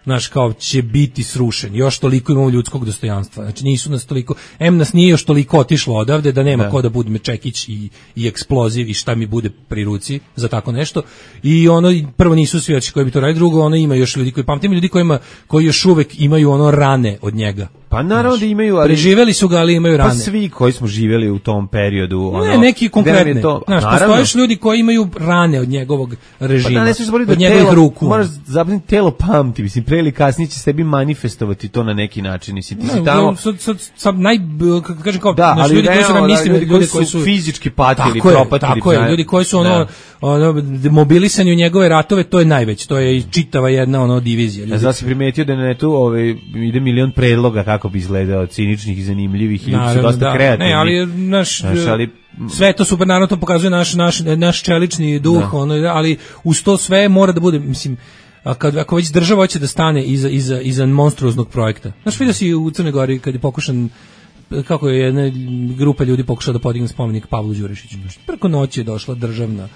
znaš, kao će biti srušen. Još toliko imamo ljudskog dostojanstva. Znači nisu nas toliko, em nas nije još toliko otišlo odavde da nema da. Ko da bude čekić i, i eksploziv i šta mi bude pri ruci za tako nešto. I ono, prvo nisu svi koji bi to radili, drugo, ono ima još ljudi koji pamtim, ljudi kojima, koji još uvek imaju ono rane od njega. Pa naravno da imaju, ali preživeli su ga, ali imaju rane. Pa svi koji smo živjeli u tom periodu, ono. Ne, neki konkretne. Znaš, postojiš ljudi koji imaju rane od njegovog režima. Pa da, ne od njegovih ruku. Moraš zapravo telo pamti, mislim, pre ili kasnije će sebi manifestovati to na neki način, mislim, ti si tamo. Sad sad sad naj kako kažem kao da, naši ljudi koji su nam mislili, ljudi, ljudi koji su fizički patili, propatili. Tako je, ljudi koji su ono, ono mobilisani u njegove ratove, to je najveće, to je i čitava jedna ono divizija. Ja znači primetio da na netu ovaj ide milion predloga kako bi izgledao, ciničnih i zanimljivih, ljudi su dosta da. kreativni. Ne, ali naš, naš ali, sve to super, naravno to pokazuje naš, naš, naš čelični duh, da. ono, ali uz to sve mora da bude, mislim, a kad, ako već država hoće da stane iza, iza, iza monstruoznog projekta. Znaš, vidio si u Crnoj Gori kad je pokušan, kako je jedna grupa ljudi pokušala da podigne spomenik Pavlu Đurišiću. Preko noći je došla državna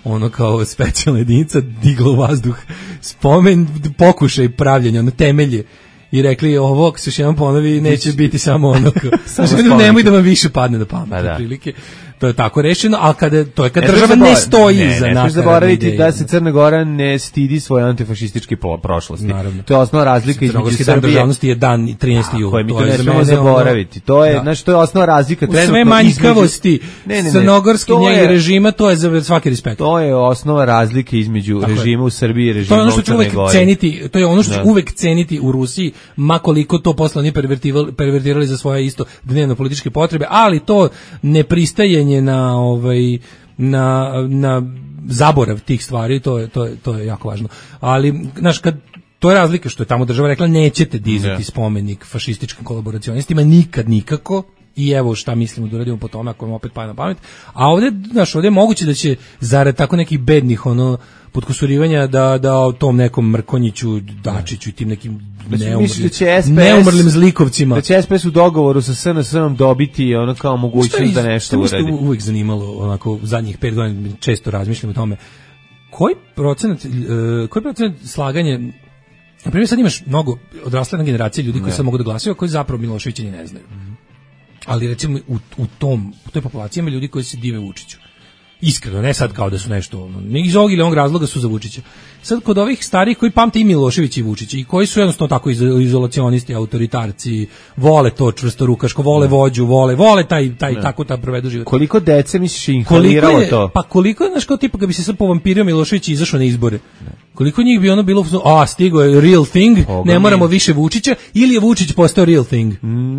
ono kao specijalna jedinica, digla u vazduh spomen, pokušaj pravljenja, ono temelje. I rekli, ovo, ako se još jedan ponovi, neće biti samo ono, nemoj da vam više padne na pamet, pa da. Prilike. to je tako rešeno, ali kada to je kad država ne stoji ne, iza ne, nakaradne zaboraviti ideje. da se Crna Gora ne stidi svoje antifašističke prošlosti. Naravno. To je osnovna razlika između Crnogorski Srbije. dan državnosti je dan trinaesti jula. Koje mi to, to ne smemo zaboraviti. To je, znači, to je osnovna razlika trenutno. Sve manjkavosti crnogorski njeg režima, to je za svaki respekt. To je osnova razlike između tako režima je. U Srbiji i režima u Crnoj Gori. To je ono što ću uvek ceniti, to je ono što ću uvek ceniti u Rusiji, ma koliko to posle oni pervertirali za svoje isto dnevno političke potrebe, ali to nepristajanje na ovaj na na zaborav tih stvari, to je to je to je jako važno. Ali znaš, kad to je razlika što je tamo država rekla nećete dizati ne. spomenik fašističkim kolaboracionistima nikad nikako. I evo šta mislimo da uradimo po tome ako vam opet paje na pamet. A ovdje, znaš, ovdje je moguće da će zarad tako nekih bednih ono podkusurivanja da da o tom nekom Mrkonjiću, Dačiću i tim nekim neumrlim, neumrlim zlikovcima. Da će S P S u dogovoru sa S N S-om dobiti ono kao mogućnost da nešto uradi. Što je uvijek zanimalo, onako, zadnjih pet godina često razmišljam o tome. Koji procenat, uh, koji procenat slaganje, na primjer sad imaš mnogo odrasle generacije ljudi koji ne. sad mogu da glasaju, koji zapravo Miloševića ni ne znaju. Mm. Ali recimo u, u tom u toj populaciji ima ljudi koji se dive Vučiću. Iskreno, ne sad kao da su nešto, ono, ne iz ovog ili onog razloga su za Vučića. Sad kod ovih starih koji pamte i Miloševića i Vučića i koji su jednostavno tako izolacionisti, autoritarci, vole to čvrstorukaško, vole vođu, vole, vole taj taj ne. tako ta provedu život. Koliko dece misliš inhaliralo to? Pa koliko je, znaš, kao tipa kad bi se sad povampirio Milošević i izašao na izbore. Ne. Koliko njih bi ono bilo, a stigo je real thing, Koga ne moramo mi? više Vučića, ili je Vučić postao real thing?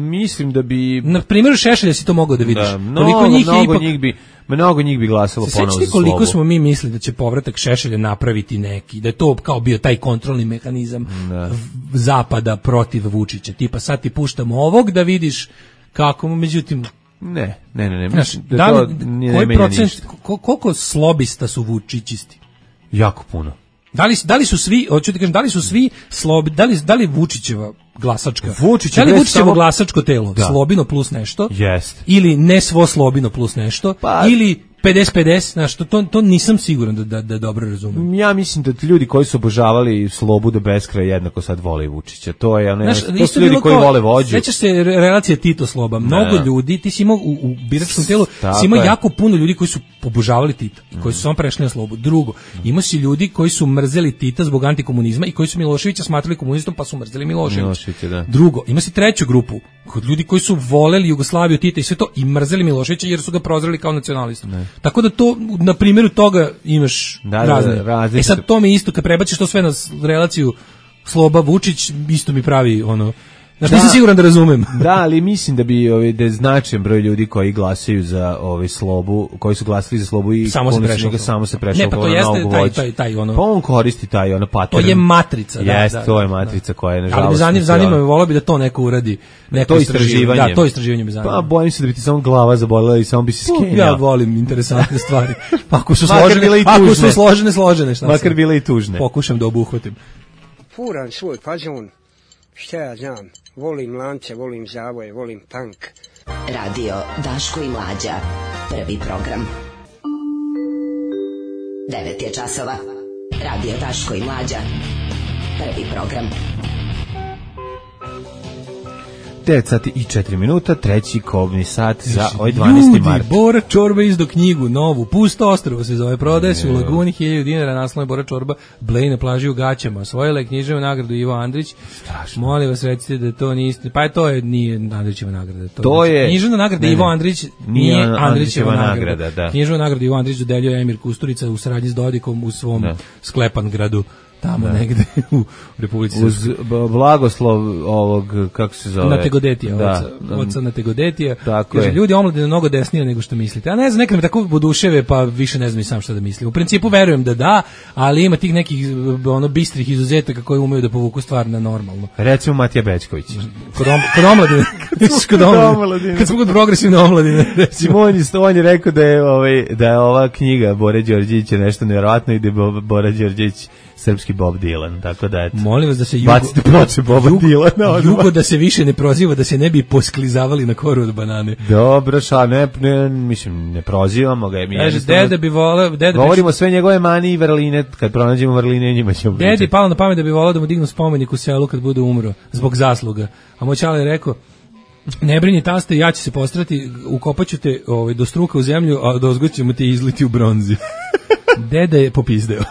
Mislim da bi... Na primjer Šešelja si to mogao da vidiš. Da, mnogo, koliko njih mnogo ipak... njih bi... Mnogo njih bi glasalo ponovo za slobu. Koliko smo mi mislili da će povratak Šešelja napraviti neki, da je to kao bio taj kontrolni mehanizam da. zapada protiv Vučića. Tipa sad ti puštamo ovog da vidiš kako, međutim... Ne, ne, ne. ne. Znaš, da, da li, koji procent, koliko slobista su Vučićisti? Jako puno. Da li, da li su svi, hoću ti kažem, da li su svi slobi, da li, da li Vučićeva glasačka, Vučić da li Vučićevo samo... glasačko telo, da. slobino plus nešto, jest. ili ne svo slobino plus nešto, pa... ili pedeset pedeset, znaš, to, to, to nisam siguran da, da, da dobro razumem. Ja mislim da ljudi koji su obožavali slobu do beskraja jednako sad vole Vučića. To je, ne, znaš, to su ljudi koji kao, vole vođu. Sećaš se relacije Tito Sloba. Mnogo ne. ljudi, ti si imao u, u biračkom telu, si imao jako puno ljudi koji su obožavali Tita i koji su samo prešli na slobu. Drugo, imao si ljudi koji su mrzeli Tita zbog antikomunizma i koji su Miloševića smatrali komunistom pa su mrzeli Miloševića. Da. Drugo, ima si treću grupu, kod ljudi koji su voleli Jugoslaviju, Tita i sve to i mrzeli Miloševića jer su ga prozreli kao nacionalistu. Ne. Tako da to na primjeru toga imaš da, razne. Da, da, e sad to mi isto kad prebaciš to sve na relaciju Sloba Vučić isto mi pravi ono. Znači da, nisam siguran da razumem. Da, ali mislim da bi ovaj da je značajan broj ljudi koji glasaju za ovaj slobu, koji su glasali za slobu i samo se prešao, samo se prešao. Ne, pa to jeste taj, taj taj ono. Pa on koristi taj ono pattern. To je matrica, da. Jeste, da, to je da, matrica da. koja je nažalost. Ali zanima, zanima me, voleo bi da to neko uradi, neko to istraživanje. Da, to istraživanje me zanima. Pa bojim se da bi ti samo glava zabolila i samo bi se skenjao. Ja volim interesantne stvari. Ako su složene, ako su složene, složene, šta? Makar bile i tužne. Pokušam da obuhvatim. Furan svoj fazon. Šta ja znam, volim lance, volim zavoje, volim tank. Radio Daško i Mlađa, prvi program. Devet je časova. Radio Daško i Mlađa, prvi program. devet sati i četiri minuta, treći kobni sat za ovaj dvanaesti mart. Ljudi, Bora Čorba izdo knjigu, novu, Pusto ostrvo se zove, prodaje se u Laguni, hiljadu dinara, naslov je Bora Čorba, Blej na plaži u gaćama, osvojila je književu nagradu Ivo Andrić. Strašno. Molim vas, recite da to niste, pa je to je, nije Andrićeva nagrada. To, to je... Književna nagrada ne, Ivo Andrić nije Andrićeva, Andrićeva nagrada. nagrada da. Književna nagrada Ivo Andrić dodeljuje Emir Kusturica u saradnji s Dodikom u svom da. Sklepan gradu. Tamo da. negde u Republici Srpskoj. Uz blagoslov ovog, kako se zove? Nategodetija, da. oca, oca Nategodetija. Tako kaže, je. ljudi omladine mnogo desnije nego što mislite. A ne znam, nekad me tako oduševe, pa više ne znam i sam šta da mislim. U principu verujem da da, ali ima tih nekih ono bistrih izuzetaka koji umeju da povuku stvar na normalno. Recimo Matija Bećković. Kod, om, kod omladine. kod omladine. Kad smo kod progresivne omladine. Simon je, on je rekao da je, ovaj, da je ova knjiga Bore Đorđevića nešto nevjerovatno i da je Bora Đorđević srpski Bob Dylan, tako da eto. Molim vas da se jugo, bacite ploče Boba jugo, Dylana. Jugo da se više ne proziva, da se ne bi posklizavali na koru od banane. Dobro, ša, ne, ne, mislim, ne prozivamo ga. Mi Kaže, deda bi voleo... Deda govorimo sve njegove mani i vrline, kad pronađemo vrline, njima ćemo pričati. Dedi palo na pamet da bi voleo da mu dignu spomenik u selu kad bude umro, zbog zasluga. A moj čale je rekao, Ne brini taste, ja ću se postrati, ukopaću te ovaj, do struka u zemlju, a do ozgo ćemo te izliti u bronzi. Deda je popizdeo.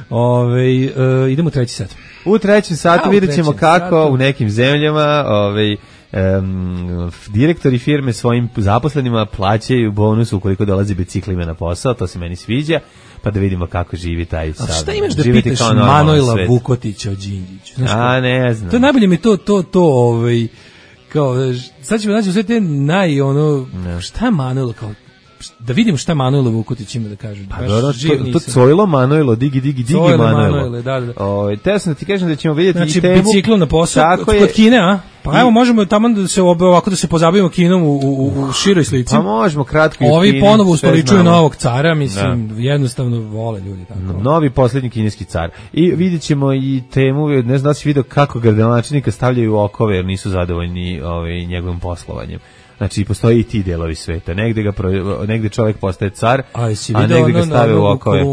Ove, uh, idemo u treći sat. U trećem satu A, vidjet ćemo kako satu. u nekim zemljama ovaj, um, direktori firme svojim zaposlenima plaćaju bonus ukoliko dolazi biciklima na posao, to se meni sviđa, pa da vidimo kako živi taj sad. A šta imaš da pitaš Manojla Vukotića o Đinđiću? A, ne znam. To najbolje mi to, to, to, ovaj, kao, sad ćemo naći sve te naj, ono, ne. Šta je Manojla, kao, da vidimo šta Manojlo Vukotić ima da kaže. Pa dobro, to, to Cojlo Manojlo, digi, digi, digi Cojlo Manojlo. Manojlo da, da. O, teo sam da ti kažem da ćemo vidjeti znači, i temu. Znači, biciklom na posao, kod je, Kine, a? Pa i, evo, možemo tamo da se ovako da se pozabavimo Kinom u, u, u široj slici. Pa možemo kratko i Ovi Kini, ponovo ustoličuju novog cara, mislim, da. Jednostavno vole ljudi tako. Novi posljednji kineski car. I vidjet ćemo i temu, ne znam da si vidio kako gradonačelnika stavljaju u okove jer nisu zadovoljni ovaj, njegovim poslovanjem. Znači, postoji i ti delovi sveta. Negde, ga pro, negde čovjek postaje car, a, a negde ga stave u okove.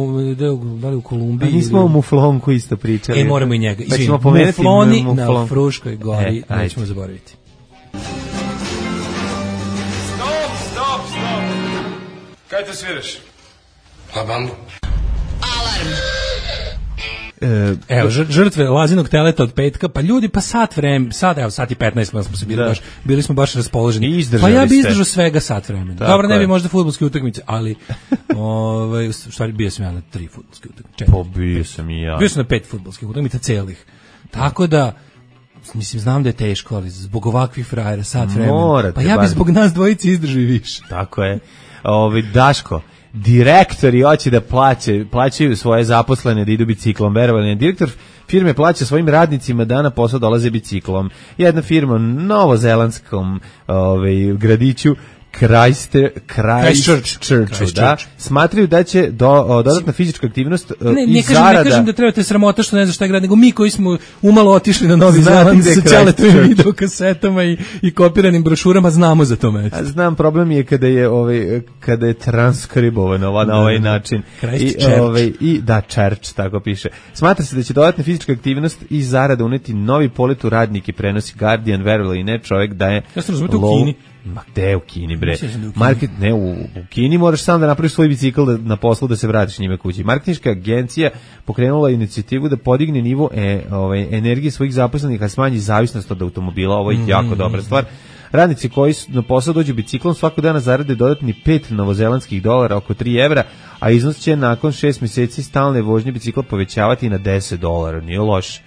Da li u Kolumbiji? A nismo o Muflonku isto pričali. E, moramo i njega. Pa ćemo pomenuti Mufloni na Fruškoj gori, e, nećemo zaboraviti. Stop, stop, stop. Kaj te sviraš? La bambu. Alarm. Evo, žrtve Lazinog teleta od petka, pa ljudi, pa sat vremena, sad, evo, sat i petnaest smo se bili, da. baš, bili smo baš raspoloženi. Pa ja bi izdržao svega sat vremena. Tako Dobro, ne bi možda fudbalske utakmice, ali, ovaj, u stvari, bio sam ja na tri fudbalske utakmice. Po, bio sam i ja. Bio sam na pet fudbalskih utakmica celih. Tako da, mislim, znam da je teško, ali zbog ovakvih frajera, sat vremena. Morate, pa ja bi zbog nas dvojici izdržao i više. Tako je. Ovi, Daško, direktori hoće da plaće, plaćaju svoje zaposlene da idu biciklom, verovali. Direktor firme plaća svojim radnicima da na posao dolaze biciklom. Jedna firma u novozelandskom ovaj, gradiću Christchurch, Christchurch, da, smatraju da će do, o, dodatna fizička aktivnost ne, ne i kažem, zarada... Ne kažem da trebate sramota što ne znaš šta je grad, nego mi koji smo umalo otišli na Novi Zeland sa ćaletovim videokasetama i, i kopiranim brošurama znamo za to mesto. A znam, problem je kada je, ovaj, kada je transkribovano na ovaj način. I, ovaj, i, da, Church, tako piše. Smatra se da će dodatna fizička aktivnost i zarada uneti novi polet u radnike, prenosi Guardian, verovali i ne, čovjek da je... Ja sam razumio u Kini. Ma gde u Kini, bre? Market, ne, u, u Kini moraš sam da napraviš svoj bicikl da, na poslu da se vratiš njime kući. Marketinška agencija pokrenula inicijativu da podigne nivo e, ovaj, energije svojih zaposlenih, a smanji zavisnost od automobila. Ovo je mm. jako dobra stvar. Radnici koji na posao dođu biciklom svakog dana zarade dodatni pet novozelandskih dolara, oko tri evra, a iznos će nakon šest mjeseci stalne vožnje bicikla povećavati na deset dolara. Nije loš.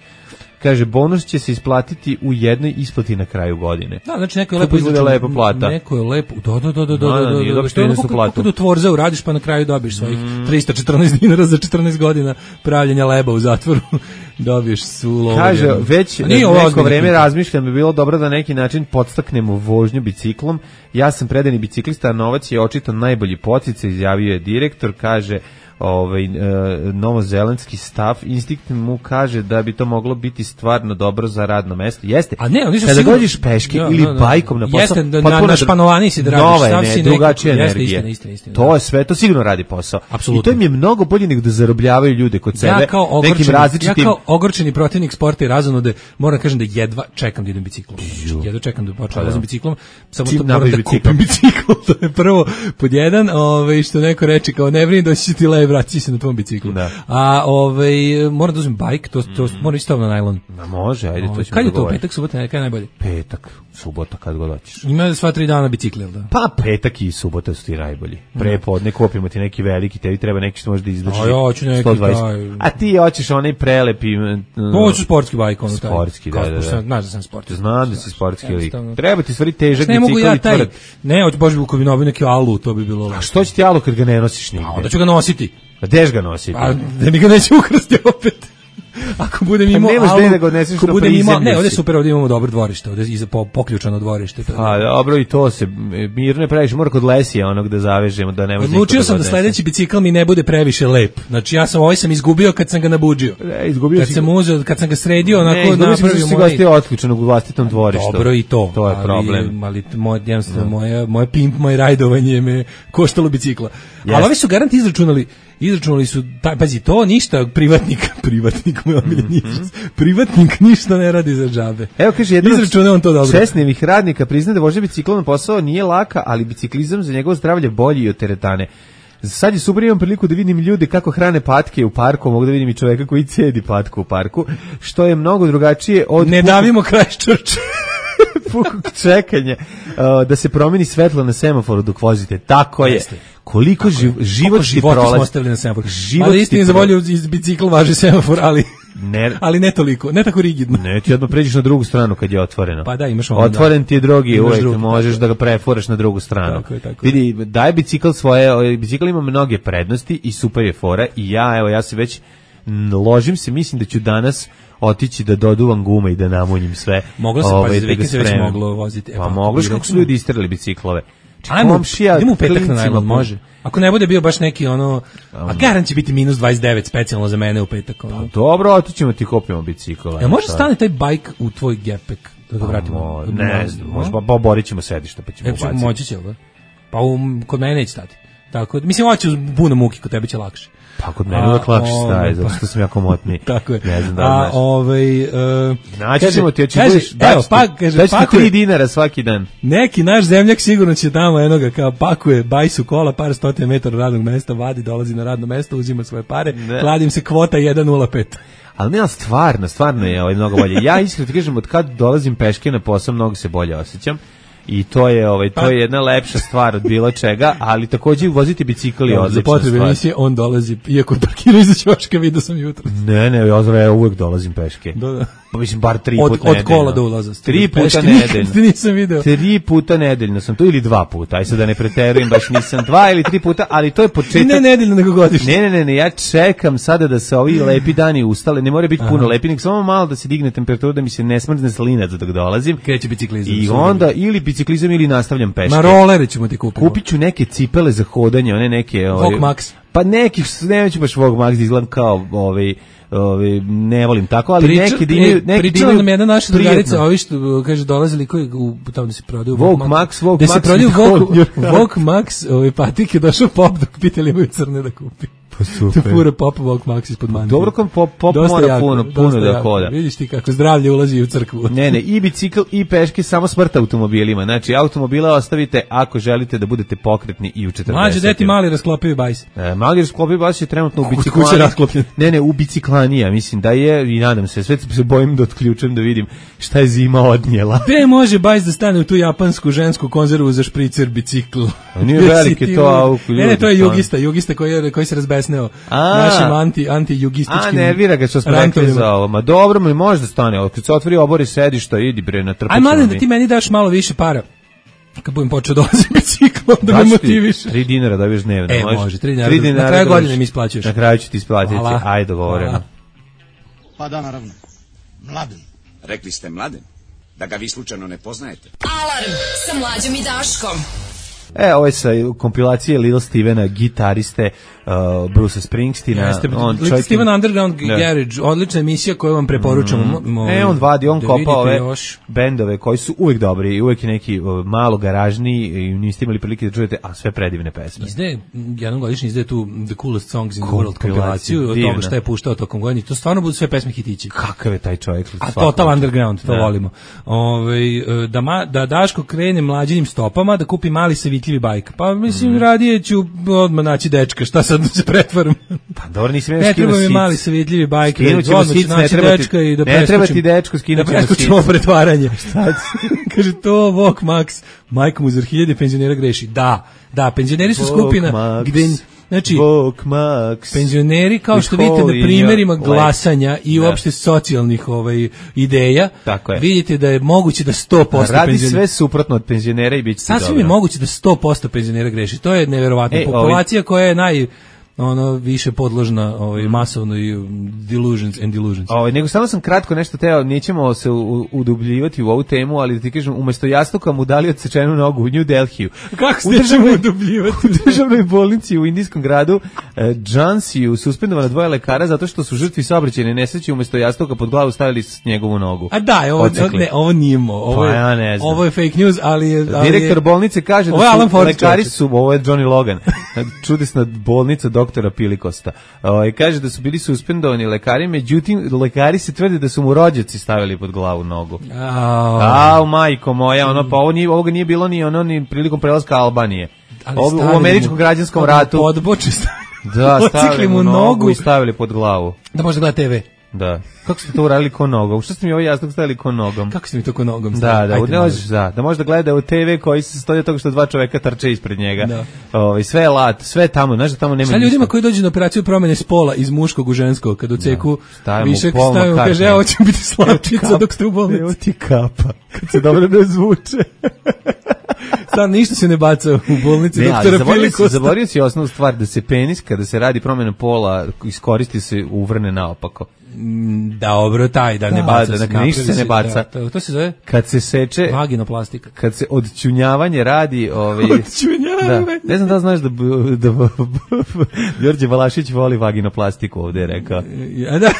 Kaže, bonus će se isplatiti u jednoj isplati na kraju godine. Da, znači neko je lepo izračun, lepa plata. Neko je lepo, do, do, do, do, do, do, do, do, što je ono kako da tvorza uradiš pa na kraju dobiš svojih mm. trista četrnaest dinara za četrnaest godina pravljenja leba u zatvoru. Dobiješ su lovu. Kaže, već neko vreme razmišljam bi bilo dobro da neki način podstaknemo vožnju biciklom. Ja sam predani biciklista, a novac je očito najbolji poticaj, izjavio je direktor, kaže, ovaj e, novozelandski stav instinkt mu kaže da bi to moglo biti stvarno dobro za radno mesto. Jeste. A ne, oni su kada sigurno dođeš peške ja, ili no, no, bajkom na posao, jeste, da, na, na španovani si da radiš, sam si drugačija energija. Istina, istina, istina, to je sve, to sigurno radi posao. Absolutno. I to im je mnogo bolje nego da zarobljavaju ljude kod sebe. Ja kao nekim različitim... ja kao ogorčeni protivnik sporta i razonude moram kažem da jedva čekam da idem biciklom. Jedva čekam da počnem da idem biciklom, samo to moram da kupim bicikl. To je prvo pod jedan, ovaj što neko reče kao ne brini doći ti lej vraći se na tvom biciklu. Da. A ovaj moram da uzmem bajk, to to mm. mora isto na najlon. Ma može, ajde to ćemo. Kad je to petak, subota, neka najbolje? Petak, subota kad god hoćeš. Ima sva tri dana bicikl, da. Pa petak i subota su ti najbolji. Prepodne kupimo ti neki veliki, tebi treba neki što može da izdrži. A ja hoću neki taj. A ti hoćeš onaj prelepi. Hoću sportski bajk, ono taj. Sportski, da, da, da. Znaš da sam sportski. Znam da si sportski lik. Treba ti stvari težak bicikl i tvrd. Ne, hoću baš bi kupio neki alu, to bi bilo. A što će ti alu kad ga ne nosiš nigde? A onda ću ga nositi. A gdeš ga nositi? Pa da mi ga neće ukrasti opet. Ako budem imao, pa alu, da ga odneseš ako budem imao, ne, ovdje super, ovdje imamo dobro dvorište, ovdje iza po, poključano dvorište. To a dobro, i to se mirno je previše, mora kod Lesija onog da zavežemo, da ne može. Odlučio sam da sledeći bicikl mi ne bude previše lep. Znači ja sam ovaj sam izgubio kad sam ga nabuđio. Ne, izgubio kad si... sam uzeo, kad sam ga sredio, onako napravio moj. Ne, izgubio si ga otključenog u vlastitom dvorištu. Dobro i to. To je problem. Ali moj jednostavno moje moje pimp, moje rajdovanje me koštalo bicikla. Ali ovi su garant izračunali izračunali su, taj, pazi, to ništa, privatnik, privatnik moj omiljeni, mm-hmm. privatnik ništa ne radi za džabe. Evo, kaže, jedan izračunao on to dobro. Šesnevih radnika priznaje da vožnja biciklom na posao nije laka, ali biciklizam za njegovo zdravlje bolji i od teretane. Sad je super, imam priliku da vidim ljude kako hrane patke u parku, mogu da vidim i čoveka koji cedi patku u parku, što je mnogo drugačije od... Ne davimo Christchurch. Pukog čekanja, uh, da se promeni svetlo na semaforu dok vozite. Tako je. Jeste. Koliko živ, život ti prolazi. Smo ostavili na semaforu. Ali istini za volju iz bicikla važi semafor, ali... Ne, ali ne toliko, ne tako rigidno. Ne, ti odmah pređeš na drugu stranu kad je otvoreno. Pa da, imaš ono. Otvoren ti je drugi, uvek drugi, možeš tako da ga prefuraš na drugu stranu. Tako je, tako vidi, daje bicikl svoje, bicikl ima mnoge prednosti i super je fora i ja, evo, ja se već ložim se, mislim da ću danas otići da doduvam gume i da namunjim sve. Moglo se, pa za vikend se već moglo voziti. Pa moglo što su ljudi isterali biciklove. Ajmo, idemo u petak na najlon, može. Ako ne bude bio baš neki ono, a garan će biti minus dvadeset devet specijalno za mene u petak. Ono. Pa dobro, otićemo ti kopimo bicikl. Ja može stane taj bajk u tvoj gepek da ga vratimo? Ne, ne znam, može, pa oborit ćemo sedište pa ćemo ubaciti. Moći će, da? Pa um, kod mene neće stati. Tako, mislim, ovo će uz puno muki, kod tebe će lakše. Pa kod mene uvek lakše staje, zato što sam jako motni. Tako je. Ne znam da a, ovaj, uh, naći ćemo ti, oči kaže, budeš, evo, pa, kaže, daći ti tri dinara svaki dan. Neki naš zemljak sigurno će tamo enoga, kao pakuje bajsu kola, par stotina metara radnog mesta, vadi, dolazi na radno mesto, uzima svoje pare, ne. Kladim se kvota jedan nula pet. Ali nema stvarno, stvarno je ovaj mnogo bolje. Ja iskreno ti kažem, od kad dolazim peške na posao, mnogo se bolje osjećam. I to je ovaj to je jedna lepša stvar od bilo čega, ali takođe voziti bicikl je odlična stvar. Za potrebe emisije on dolazi, iako parkira iza ćoška, vidio sam jutros. Ne, ne, ja, ja uvek dolazim peške. Da, da. Pa mislim, bar tri od, puta od nedeljno. Od kola do ulaza. Tri puta nedeljno. Nisam video. Tri puta nedeljno sam tu, ili dva puta, aj sad da ne preterujem, baš nisam dva ili tri puta, ali to je početak. Ne nedeljno, nego godišnje. Ne, ne, ne, ne, ja čekam sada da se ovi lepi dani ustale, ne mora biti puno Aha. lepi, nek samo malo da se digne temperatura, da mi se ne smrzne slinac dok dolazim. Kreće biciklizam. I onda ili biciklizam ili nastavljam peške. Ma rolere ćemo ti kupiti. Kupit ću neke cipele za hodanje, one neke... Vogue Max. Pa neki, neću baš Vogue Max, izgledam kao ovaj... Ovi, ne volim tako, ali Priča, neki dimaju, neki pričala nam jedna naša drugarica, ovi što kaže dolazili koji u tamo da se prodaju Vogue Max, Vogue Max, da se prodaju Vogue, Vogue Max, ovaj patike došao pop dok pitali imaju crne da kupi. Pa super. To fura Pop Vogue Max ispod mantije. Dobro kom pop, pop mora jako, puno, puno da hoda. Vidiš ti kako zdravlje ulazi u crkvu. Ne, ne, i bicikl i peške, samo smrt automobilima. Znači, automobila ostavite ako želite da budete pokretni i u četrdesetim. Mlađe, deti mali rasklopivi bajs. E, mali rasklopivi bajs je trenutno u biciklani. Ne, ne, u biciklanija, mislim da je, i nadam se, sve se bojim da otključem da vidim šta je zima odnijela. Gde može bajs da stane u tu japansku žensku konzervu za špricer bicikl? Nije velike to auto. Ne, ne, to je jugista, jugista koji, je, koji se razbesneo. Našim anti, anti-jugističkim... A, ne vira ga što smo rekli za ovo. Ma dobro, mi može da stane. Kad se otvori obori sedišta, idi bre na trpaču. Aj, mladen, da ti meni daš malo više para. Kad budem počeo dolaziti biciklom, da me motiviš. Tri dinara dobiješ dnevno. E, može, može tri dinara. Tri dinara na kraju godine mi isplaćuješ. Na kraju ću ti isplatiti. Ajde, dogovoreno. Pa da, naravno. Mladen. Rekli ste Mladen? Da ga vi slučajno ne poznajete. Alarm sa Mlađom i Daškom. E, ovo je sa kompilacije Little Stevena, gitariste uh, Bruce Springsteena. Jeste, on Little Steven Underground ne. Garage, odlična emisija koju vam preporučamo. Mm. E, on vadi, on kopa ove još bendove koji su uvek dobri i uvek je neki uh, malo garažni i niste imali prilike da čujete, a sve predivne pesme. Izde, jednom godišnje izde tu The Coolest Songs in the World kompilaciju, od toga šta je puštao tokom godine. To stvarno budu sve pesme hitići. Kakav je taj čovjek? A Total Underground, to ne. volimo. Ove, da, ma, da Daško krene mlađinim stopama, da kupi mali savitljivi bajk. Pa mislim, mm. radije ću odmah naći dečka, šta sad da se pretvaram? Pa dobro, nisi me ne treba mi mali savitljivi bajk, odmah ću naći dečka i da preskočim. Ne treba ti dečko, skinut ćemo sic. Da preskočimo pretvaranje. Kaže to, Vogue Max, majka mu za hiljade penzionera greši. Da, da, penzioneri su skupina gde... Znači, penzioneri, kao što vidite na primjerima glasanja i uopšte socijalnih ovaj, ideja, vidite da je moguće da sto posto radi penzionera... sve suprotno od penzionera i bit će dobro. Sasvim je moguće da sto posto penzionera greši. To je neverovatno. E, populacija ovaj... koja je naj... ono više podložna ovaj masovno i delusions and delusions. Ovaj nego samo sam kratko nešto teo, nećemo se udubljivati u ovu temu, ali da ti kažem, umesto jastuka mu dali odsečenu nogu u New Delhiju. Kako se državno udubljivati? U državnoj bolnici u indijskom gradu eh, Džansiju suspendovana dvoje lekara zato što su žrtvi saobraćajne nesreće umesto jastuka pod glavu stavili njegovu nogu. A da, ovo ne, ovo nije mo, ovo je, pa ja ovo je fake news, ali je ali direktor bolnice kaže da su lekari su, ovo je Johnny Logan. čudesna bolnica doktora Pilikosta. O, kaže da su bili suspendovani lekari, međutim, lekari se tvrde da su mu rođaci stavili pod glavu nogu. Au, majko moja, ono, pa ovo nije, ovoga nije bilo ni ono, ni prilikom prelaska Albanije. Ovo, u američkom građanskom ratu. Podboči stavili. Da, stavili mu nogu i stavili pod glavu. Da može gleda te ve. Da. Kako ste to uradili ko nogom? Što ste mi ovo jasno stavili ko nogom? Kako ste mi to ko nogom stavili? Da, da, da, možeš, da, da možda gleda u te ve koji se stoji od toga što dva čoveka trče ispred njega. Da. Ovaj, sve je lat, sve tamo, znaš da tamo nema. Šta ljudima ništa. Koji dođu na operaciju promene spola iz muškog u žensko, kad u ceku da, višak stavimo, kaže, evo će biti slavčica dok ste u bolnici. Evo ti kapa, kad se dobro ne zvuče. Stan, ništa se ne baca u bolnici ne, doktora Pilikosta. Zaborio si osnovnu stvar, da se penis, kada se radi promjena pola, iskoristi se uvrne naopako. Da, dobro, taj, da, da ne baca da, se. Da, ništa se ne baca. Da, to, to se zove? Kad se seče... Vaginoplastika. Kad se odčunjavanje radi... Ovaj, odčunjavanje? Da, ne znam da znaš da, da, da Đorđe Balašić voli vaginoplastiku, ovde je rekao. Ja, da,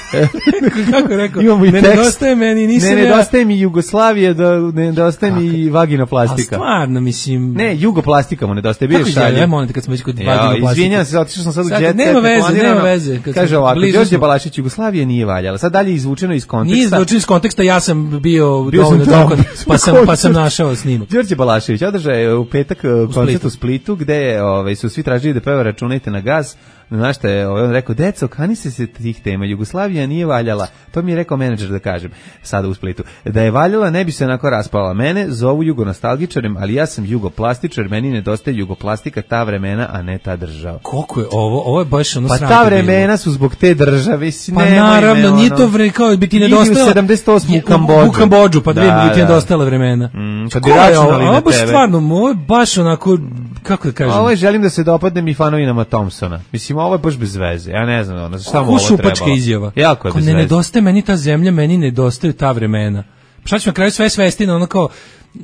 kako je rekao? Imamo i ne tekst. Nedostaje meni, nisam ne, nedostaje ja... mi Jugoslavije, da, ne nedostaje mi vaginoplastika. A stvarno, mislim... Ne, jugoplastika mu nedostaje, bio je šalje. Ja molim te kad smo već kod vaginoplastike. Izvinjam se, otišao sam sad u jet. Nema veze, nema veze. Kaže ovako, Đorđe Balašić, Jugoslavije nije valjala. Sad dalje izvučeno iz konteksta. Nije izvučeno iz konteksta, ja sam bio, bio dovoljno dokon, pa sam, pa sam našao snimak. Đorđe Balašević održao je u petak u koncert u Splitu, gde je, ovaj, su svi tražili da peva Računajte na gas. Znaš šta je, on rekao, deco, kani se se tih tema, Jugoslavija nije valjala, to mi je rekao menadžer da kažem, sada u Splitu, da je valjala ne bi se onako raspala, mene zovu jugonostalgičarem, ali ja sam jugoplastičar, meni nedostaje jugoplastika, ta vremena, a ne ta država. Koliko je ovo, ovo je baš ono pa sranje. Pa ta vremena bilo. Su zbog te države, si pa naravno, ono, nije to vreme, kao bi ti nedostajala, sedamdeset osam u Kambodžu, u Kambodžu, pa dvije bi ti nedostajala vremena. Mm, kad bi računali na tebe. Ovo stvarno, ovo je baš onako, kako da kažem. Ovo je želim da se dopadnem i fanovinama Thompsona, mislim, ovo je baš bez veze. Ja ne znam, ono, šta mu ovo trebalo. Šupačka izjava. Jako je bez veze. Ne nedostaje meni ta zemlja, meni nedostaju ta vremena. Šta ćemo na kraju sve svesti na ono kao,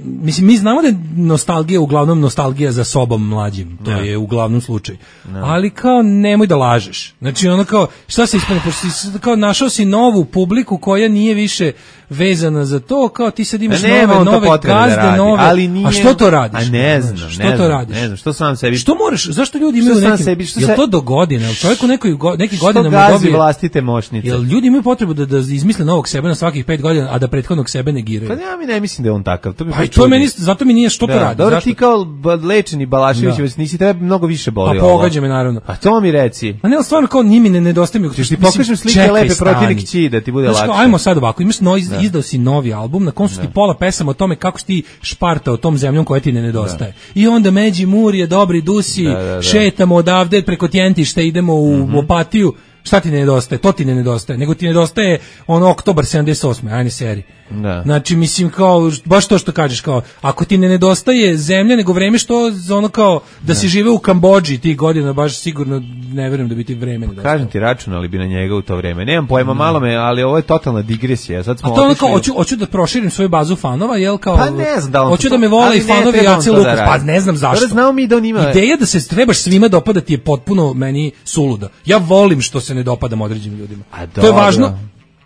mislim, mi znamo da je nostalgija uglavnom nostalgija za sobom mlađim, to ne. Je uglavnom slučaj. Ne. Ali kao nemoj da lažeš. Znači ono kao, šta se ispane, pošto si kao našao si novu publiku koja nije više vezana za to, kao ti sad imaš ne, nove, nove gazde, da nove, ali nije, a što to radiš? A ne znam, što ne to znam, radiš? Ne znam, što sam sebi... Što moraš, zašto ljudi imaju neki, sebi, što je se... to do godine, jel čovjek u nekoj, neki godinama dobije... Što gazi vlastite moćnice? Jel ljudi imaju potrebu da, da izmisle novog sebe na svakih pet godina, a da prethodnog sebe negiraju? Pa ja mi ne mislim da je on takav, to bi pa to meni, zato mi nije što da, to radi. Dobro, ti kao lečeni Balašević, nisi treba mnogo više boli. Pa pogađa me naravno. A to mi reci. A ne, stvarno kao njimi ne nedostaje mi. Ti pokažem slike lepe protivnik kći da ti bude lakše. Ajmo sad ovako, imaš novi, izdao si novi album, na koncu ti pola pesama o tome kako si ti špartao tom zemljom koja ti ne nedostaje. Da. I onda Međi Murje, dobri dusi, da, da, da. Šetamo odavde preko Tjentišta, idemo u mm-hmm. Opatiju. Šta ti ne nedostaje? To ti ne nedostaje. Nego ti nedostaje ono Oktobar sedamdeset osme ajne seri. Da. Znači, mislim, kao, baš to što kažeš, kao, ako ti ne nedostaje zemlja, nego vreme što, za ono kao, da si žive u Kambodži tih godina, baš sigurno ne verujem da bi ti vreme nedostalo. Kažem ti, računali bi na njega u to vreme. Nemam pojma, mm. malo me, ali ovo je totalna digresija. Sad smo a to ono kao, hoću, hoću da proširim svoju bazu fanova, jel, kao, pa ne znam da on hoću da me vole i fanovi Jace Lukas, da pa ne znam zašto. Znao mi da on ima... Ideja da se trebaš svima dopadati je potpuno meni suluda. Ja volim što se ne dopadam određenim ljudima. A to je važno.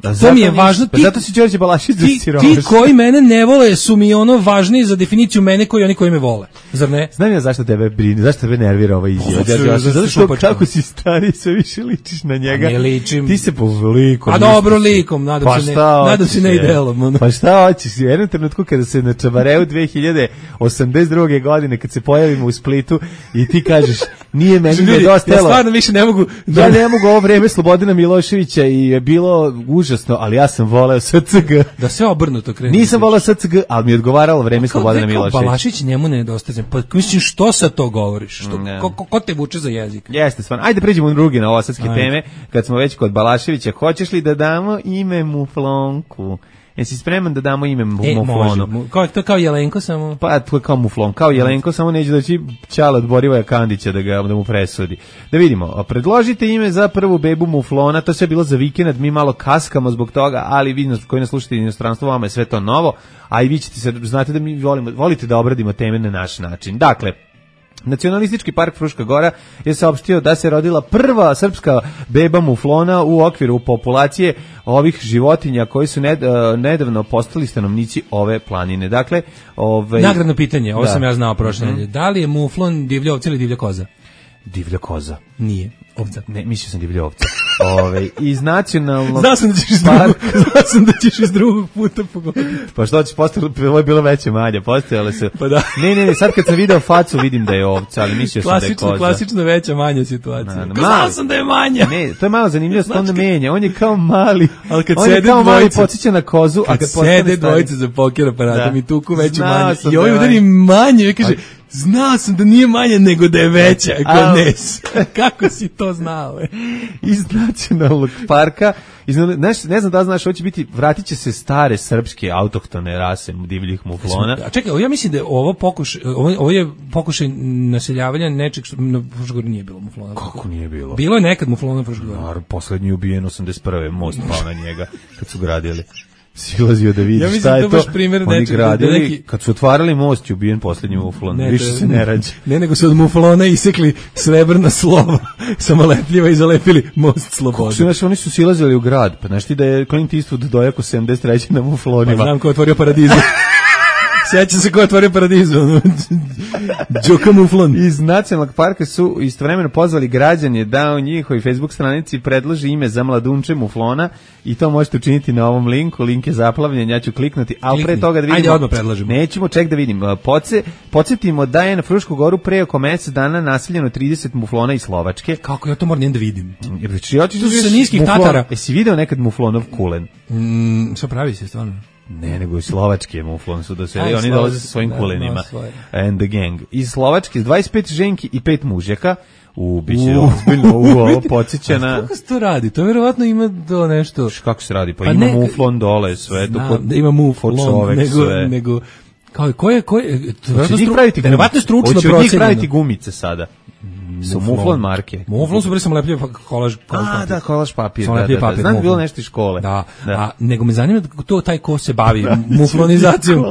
Da, to mi je važno. Pa zato si Đorđe Balašić ti, ti koji mene ne vole su mi ono važniji za definiciju mene koji oni koji me vole. Zar ne? Znam ja zašto tebe brine, zašto tebe nervira ova izjava. Pa, zato što kako si stari sve više ličiš na njega. Ne ličim. Ti se po likom. A dobro likom, nadam pa se ne. Nadam se ne idealom. Ono. Pa šta hoćeš? U jednom trenutku kada se na Čabareu dve hiljade osamdeset druge godine kad se pojavimo u Splitu i ti kažeš nije meni nedostajalo. Ja stvarno više ne mogu. Ja ne mogu ovo vreme Slobodana Miloševića i je bilo užasno, ali ja sam voleo S C G. Da sve obrnuto krene. Nisam voleo S C G, ali mi je odgovaralo vreme Slobodana Miloševića. Balašić njemu ne nedostaje. Pa mislim što sa to govoriš? Što ko, ko, ko te vuče za jezik? Jeste, stvarno. Ajde pređemo u druge novosadske teme. Kad smo već kod Balaševića, hoćeš li da damo ime Muflonku? Jesi spreman da damo ime Muflonu? E, može. Kao, to kao Jelenko samo? Pa, to je kao Muflon. Kao Jelenko, samo neće doći Ćala od Borivoja Kandića da, ga, da mu presudi. Da vidimo, predložite ime za prvu bebu Muflona, to sve je bilo za vikend, mi malo kaskamo zbog toga, ali vi koji nas slušate inostranstvo, vama je sve to novo, a i vi ćete se, znate da mi volimo, volite da obradimo teme na naš način. Dakle, Nacionalistički park Fruška Gora je saopštio da se rodila prva srpska beba muflona u okviru populacije ovih životinja koji su ned, uh, nedavno postali stanovnici ove planine. Dakle, ovaj nagradno pitanje, ovo da. sam ja znao prošle nedelje. Mm-hmm. Da li je muflon divlja ovca ili divlja koza? Divlja koza. Nije. Ovca. Ne, mislio sam divlja ovca. Ove, iz nacionalnog... Znao sam da ćeš iz drugog, znao sam da ćeš iz drugog puta pogoditi. Pa što će postaviti, ovo je bilo veće manje, postojale su... Pa da. Ne, ne, ne, sad kad sam video facu vidim da je ovca, ali mislio sam da je koza. Klasično veća manja situacija. Na, na, znao sam da je manja. Ne, to je malo zanimljivo, što on menja, on je kao mali, ali kad on je kao dvojica, mali, podsjeća na kozu, kad a kad sede dvojice za poker aparatom i tuku veću manje. I ovaj udari manje, i kaže... Znao sam da nije manja nego da je veća, Nes. Kako si to znao? Je? Iz nacionalnog parka, iz, znaš, ne znam da znaš, hoće biti, vratit će se stare srpske autohtone rase divljih muflona. A čekaj, ja mislim da je ovo pokušaj, ovo, ovo je pokušaj naseljavanja nečeg što na Fruškogori nije bilo muflona. Kako nije bilo? Bilo je nekad muflona na Fruškogori. Naravno, poslednji ubijen osamdeset prve most pao na njega kad su gradili. Silazio da vidi ja šta je to. to oni gradili, neki... kad su otvarali most, je ubijen posljednji muflon. Ne, više se ne rađe. Ne, nego su od muflona isekli srebrna slova, samolepljiva i zalepili most slobode. Su, znaš, oni su silazili u grad, pa znaš ti da je Clint Eastwood dojako sedamdeset treće na muflonima. Pa znam ko je otvorio Paradizu. Sjeća se ko je otvorio Paradizu. Đoka muflon. Iz nacionalnog parka su istovremeno pozvali građanje da u njihovoj Facebook stranici predloži ime za mladunče muflona i to možete učiniti na ovom linku. Link je zaplavljen, ja ću kliknuti, ali pre toga da vidimo. Ajde, odmah predlažemo. Nećemo, ček da vidim. Poce, podsjetimo da je na Frušku goru pre oko mjesec dana naseljeno trideset muflona iz Slovačke. Kako ja to moram da vidim? Znači, ja ću to su sa niskih muflon, Tatara. Jesi video nekad muflonov kulen? Mm, što pravi se stvarno? Ne, nego i slovački je muflon su doseli, oni dolaze sa svojim kulenima. And the gang. Iz Slovačke, dvadeset pet ženki i pet mužjaka, u biće ozbiljno u ovo podsjećana. Kako se to radi? To verovatno ima do nešto... Kako se radi? Pa, pa ima ne, muflon dole, sve. Znam, kod, da ima muflon, čovek, nego, sve. nego... Kao, ko je, ko je... Hoće njih praviti gumice. Verovatno stručno procenjeno. Hoće njih praviti gumice sada. Su muflon marke. Muflon su bre sam lepljiv kolaž, kolaž papir. A, da, kolaž papir. Da, da, da, papir znam da bilo nešto iz škole. Da, da. A, nego me zanima to taj ko se bavi muflonizacijom.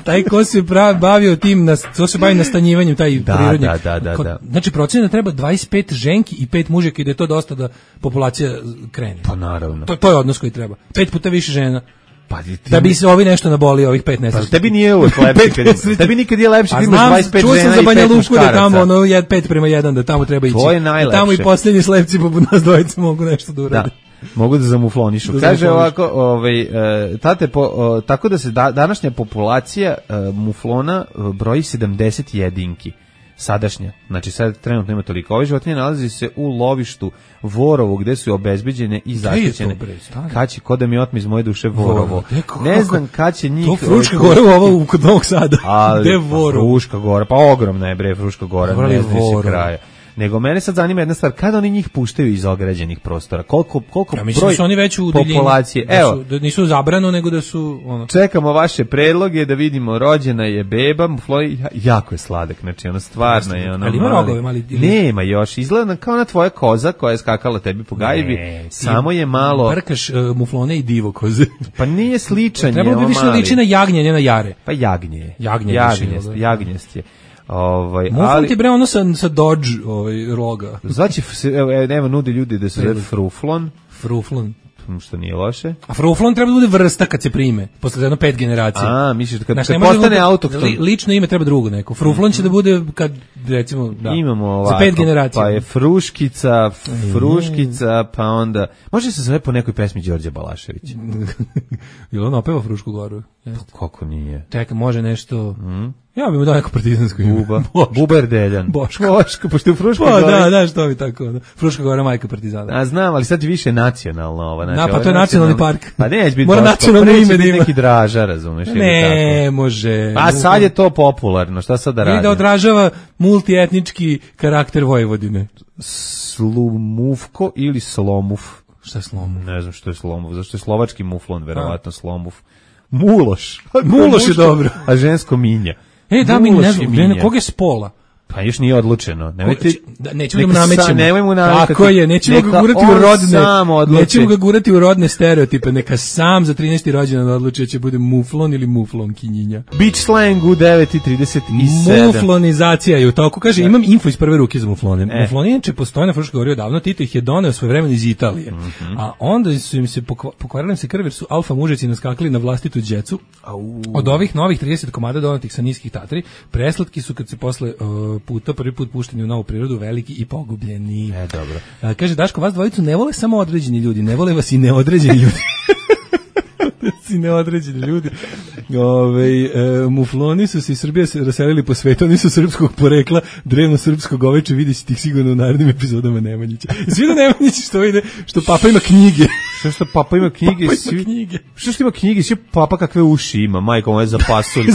Taj ko se pravi, bavio tim, na, to se bavi nastanjivanjem, taj da, prirodnjak. Da, da, da, da. Znači, procena treba dvadeset pet ženki i pet mužjaka i da je to dosta da populacija krene. Pa naravno. To, to je odnos koji treba. Pet puta više žena. Pa, ti... Da bi se ovi nešto naboli, ovih pet nesrećnika. Pa tebi nije uvijek lepše, kad, tebi nikad je lepše kad imaš dvadeset pet žena i pet muškaraca. Čuo sam za Banja Luku da tamo ono jed pet prema jedan, da tamo treba ići. To je najlepše. Da tamo i posljednji slepci poput nas dvojice mogu nešto da urade. Da. Mogu da zamuflonišu. Da Kaže ovako, ovaj, e, tate, po, o, tako da se da, današnja populacija e, muflona broji sedamdeset jedinki. Sadašnja, znači sad trenutno ima toliko. Ove životinje nalazi se u lovištu Vorovu gde su obezbeđene i zaštićene. Kad će, ko da mi otme iz moje duše Vorovo. Ne znam kad će njih... To Fruška gora ovo kod Novog Sada. Ali, gde Vorovo? Fruška gora, pa ogromna je bre Fruška gora, ne znam se kraja. Nego mene sad zanima jedna stvar, kada oni njih puštaju iz ograđenih prostora? Koliko, koliko ja, mislim broj da su oni već u populacije? Da Evo, su, da nisu zabrano, nego da su... Ono. Čekamo vaše predloge da vidimo, rođena je beba, mufloj, jako je sladak, znači ono stvarno je ono... Ali ima rogove mali? Ili... Nema još, izgleda kao na tvoja koza koja je skakala tebi po gajbi, ne, samo je malo... Brkaš uh, muflone i divo koze. Pa nije sličan Treba je, bi više liči na jagnje, ne na jare. Pa jagnje je. Jagnje, jagnjest, jagnjest je. Ovaj, Muflon ali ti bre ono sa, sa Dodge ovaj, roga. Znači, evo, nema nudi ljudi da se zove fruflon. Fruflon. Što nije loše. A fruflon treba da bude vrsta kad se prime, posle jedno pet generacija. A, misliš da kad, znači, kad postane da autohton. Li, lično ime treba drugo neko. Fruflon će da bude kad, recimo, da, imamo ovako, za pet generacija. Pa je Fruškica, Fruškica, pa onda... Može se zove po nekoj pesmi Đorđe Balaševića. Ili on opeva Frušku goru? Jeste. Kako nije? Tek, može nešto... Mm. Ja bih mu dao neko partizansko ime. Buba. Buber Deljan. Boško. Boško, pošto je Fruška pa, gora. Da, da, što bi tako. Da. Fruška gora majka partizana. A znam, ali sad je više nacionalno ova. Znači, da, pa to je nacionalni park. Pa neće biti Mora Boško. nacionalno ime da ima. Neki Draža, razumeš? Ne, može. A sad je to popularno, šta sad da radi? Ili da odražava multietnički karakter Vojvodine. Slumufko ili Slomuf? Šta je Slomuf? Ne znam što je Slomuf, zašto je slovački muflon, verovatno Slomuf. Muloš. Muloš je dobro. A žensko minja. E, da, mi ne znam, koga je spola? Pa još nije odlučeno. Nemojte, da, nećemo da mu namećemo. Nemoj mu namećati. Tako je, nećemo ga gurati u rodne. Nećemo ga gurati u rodne stereotipe. Neka sam za trinaesti rođendan odluči će bude muflon ili muflon kinjinja. Beach slang u devet i trideset sedam. Muflonizacija je u toku. Kaže, imam info iz prve ruke za muflone. E. Mufloni inače postoje na Fruškoj gori odavno. Tito ih je doneo svoje vremena iz Italije. Mm -hmm. A onda su im se pokvarili se krv jer su alfa mužeci naskakali na vlastitu džecu. Au. Od ovih novih trideset komada donatih sa niskih Tatri, preslatki su kad se posle uh, puta prvi put pušteni u novu prirodu, veliki i pogubljeni. E, dobro. A, kaže, Daško, vas dvojicu ne vole samo određeni ljudi, ne vole vas i neodređeni ljudi. Si neodređeni ljudi. Ove, e, mufloni su se iz Srbije raselili po svetu, oni su srpskog porekla, drevno srpsko goveče, vidi si tih sigurno u narednim epizodama Nemanjića. Svi da Nemanjići što ide, što papa ima knjige. Što što papa ima knjige? Papa svi, ima knjige. Što što ima knjige? Svi papa kakve uši ima, majko moje za pasulj.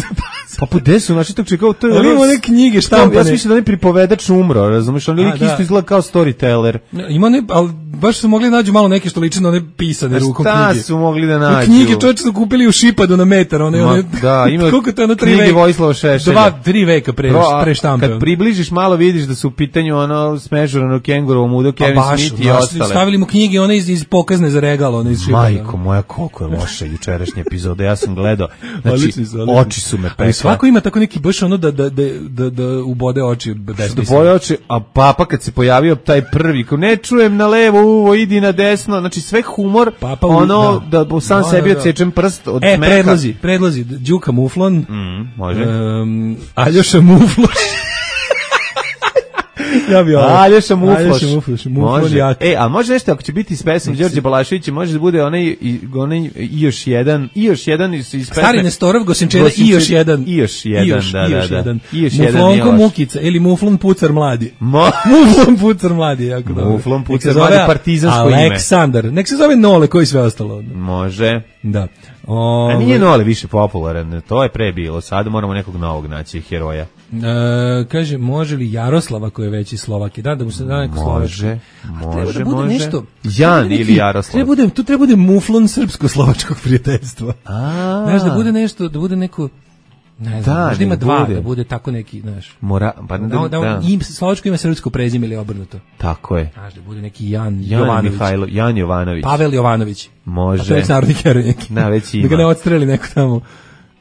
Papa, gde su? Znači, tako čekao, to je... Ali ima one knjige štampane. Ja sam mislio da on je pripovedač umro, razumiješ? On je isto izgleda kao storyteller. Ima ne, ali baš su mogli nađu malo neke što liče na one pisane rukom knjige. Šta su mogli da nađu? Knjige čovječe su kupili u Šipadu na metar, one, Ma, one, da, ima koliko to je ono tri knjige veka? Vojislava Šešelja. Dva, tri veka pre, Bro, pre štampe. Kad približiš malo vidiš da su u pitanju ono smežurano kengurovo mudo, Kevin Smith i ostale. Stavili mu knjige one iz, iz pokazne za regal, one iz Šipada. Majko moja, koliko je loša jučerašnja epizoda, ja sam gledao, znači, oči su me pekle. Ali svako ima tako neki baš ono da, da, da, da, da ubode oči besmisleno. Da ubode oči, a papa kad se pojavio taj prvi, ko ne čujem na levo uvo, idi na desno, znači sve humor, papa, ono da, da sam da, sebi da, da. odsečem prst od e, smeka. E, predlozi, predlozi, Đuka Muflon, mm, može. Um, Aljoša Muflon. Ja bi ovo. Aljoša Mufloš. Aljoša Mufloš. Može. E, a može nešto, ako će biti s pesmom Đorđe Balaševića, može da bude onaj, onaj i još jedan, i još jedan iz pesme. Stari Nestorov, Gosinčeda, i još jedan. I još jedan, I još, da, i još da, jedan. I još Muflonko Mukica, ili Muflon Pucar mladi. Mo... Muflon Pucar mladi, jako dobro. Muflon Pucar mladi, partizansko ime. Aleksandar, nek se zove Nole, koji sve ostalo. Može. Da. O, a nije Nole više popularan, to je pre bilo, sad moramo nekog novog naći heroja. E, kaže, može li Jaroslava koji je veći Slovak? Da, da mu se da neko Slovačko. Može, može, da može. Nešto, Jan neki, ili Jaroslav. Treba bude, tu treba bude Muflon srpsko-slovačkog prijateljstva. A. Znaš, da bude nešto, da bude neko... Ne znam, da, možda ima dva, bude. da bude tako neki, znaš. Mora, pa da, da, da. Im, slovačko ima srpsko prezime ili obrnuto. Tako je. Znaš, da bude neki Jan, Jan Jovanović. Mihajlo, Jan Jovanović. Pavel Jovanović. Može. A to je već narodni heroj neki. Na, već ima. Da ga ne odstreli neko tamo.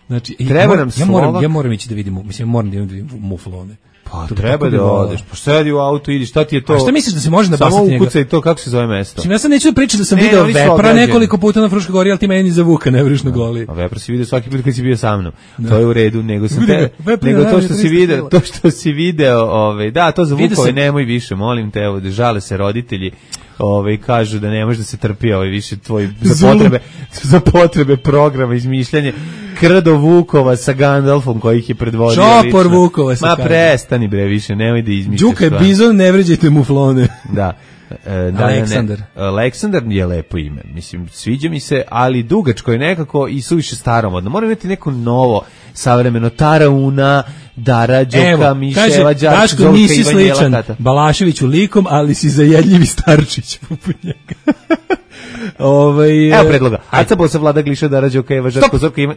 Znači, treba ja, nam ja Slovak. moram, ja moram ići da vidim, mislim, ja moram da vidim Muflone. Pa to treba da odeš, pa sedi u auto, idi, šta ti je to? A šta misliš da se može nabasati njega? Samo ukucaj to, kako se zove mesto? Čim ja sad neću da pričam da sam ne, video Vepra nekoliko puta na Fruškoj gori, ali ti meni za Vuka ne vriš na goli. A Vepra si video svaki put kad si bio sa mnom. Da. To je u redu, nego sam te, Vepra, nego to što si video, to što si video, ovaj, da, to za Vukove nemoj više, molim te, evo, da žale se roditelji. Ovaj kažu da ne može da se trpi ovaj više tvoj za potrebe za potrebe programa izmišljanje krdo Vukova sa Gandalfom koji ih je predvodio. Čopor Vukova sa. Ma prestani bre, više nemoj da izmišljaš. Đuka je bizon, ne vređajte Muflone. Da. E, da, Aleksandar. Ne, Aleksandar je lepo ime. Mislim, sviđa mi se, ali dugačko je nekako i suviše staromodno. Mora imati neko novo, savremeno. Tarauna, Dara, Đoka, Miševa, Đarčić, Zolka, nisi Ivanjela, sličan Tata. Balaševiću likom, ali si zajedljivi Starčić poput njega. Ovaj Evo predloga. Aca Bosa, Vlada Gliša, Dara, Đoka, Eva, Žarko, Zorka, ima...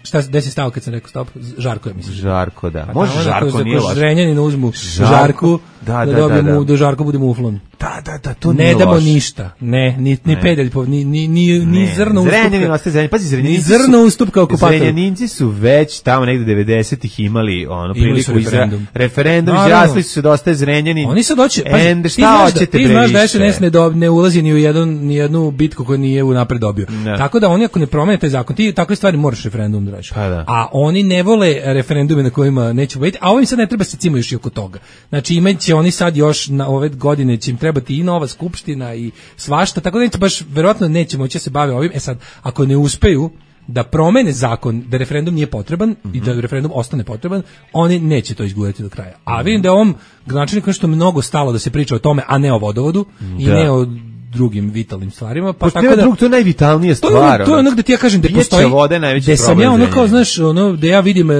Šta se desi stao kad sam rekao stop? Žarko je mislim. Žarko, da. Pa može Žarko, nije loš. Žrenjanin uzmu Žarko, Žarku, da, da, da, da, da. Da Žarko bude Muflon. Da, da, da, to ne nije damo loš. ništa. Ne, ni ni pedalj, ni ni ni ni zrno ustupka. Zrenjanin ostaje Zrenjanin. Pazi, Zrenjaninci. Ni zrno ustupka okupator. Zrenjaninci su već tamo negde devedesetih imali ono priliku referendum. Referendum, izjasnili su se da ostaje Zrenjanin. Oni sad hoće, pazi, šta hoćete bre? Ti znaš da S N S ne ne ulazi ni u jedan ni jednu bitku koju nije unapred dobio. Tako da oni ako ne promene taj zakon, ti takve stvari moraš referendum da radiš. A oni ne vole referendume na kojima neće biti, a ovim sad ne treba se cimo još i oko toga. Znači imaće oni sad još na ove godine će im trebati i nova skupština i svašta, tako da neće baš, verovatno neće moći da se bave ovim. E sad, ako ne uspeju da promene zakon, da referendum nije potreban mm-hmm. i da referendum ostane potreban, oni neće to izgurati do kraja. A vidim da je ovom gradonačelniku nešto mnogo stalo da se priča o tome, a ne o vodovodu da. I ne o drugim vitalnim stvarima, pa tako da drug, to je najvitalnija stvar. To je, to je ono gde ti ja kažem da postoji vode najveći problem. Sam ja ono kao znaš, ono da ja vidim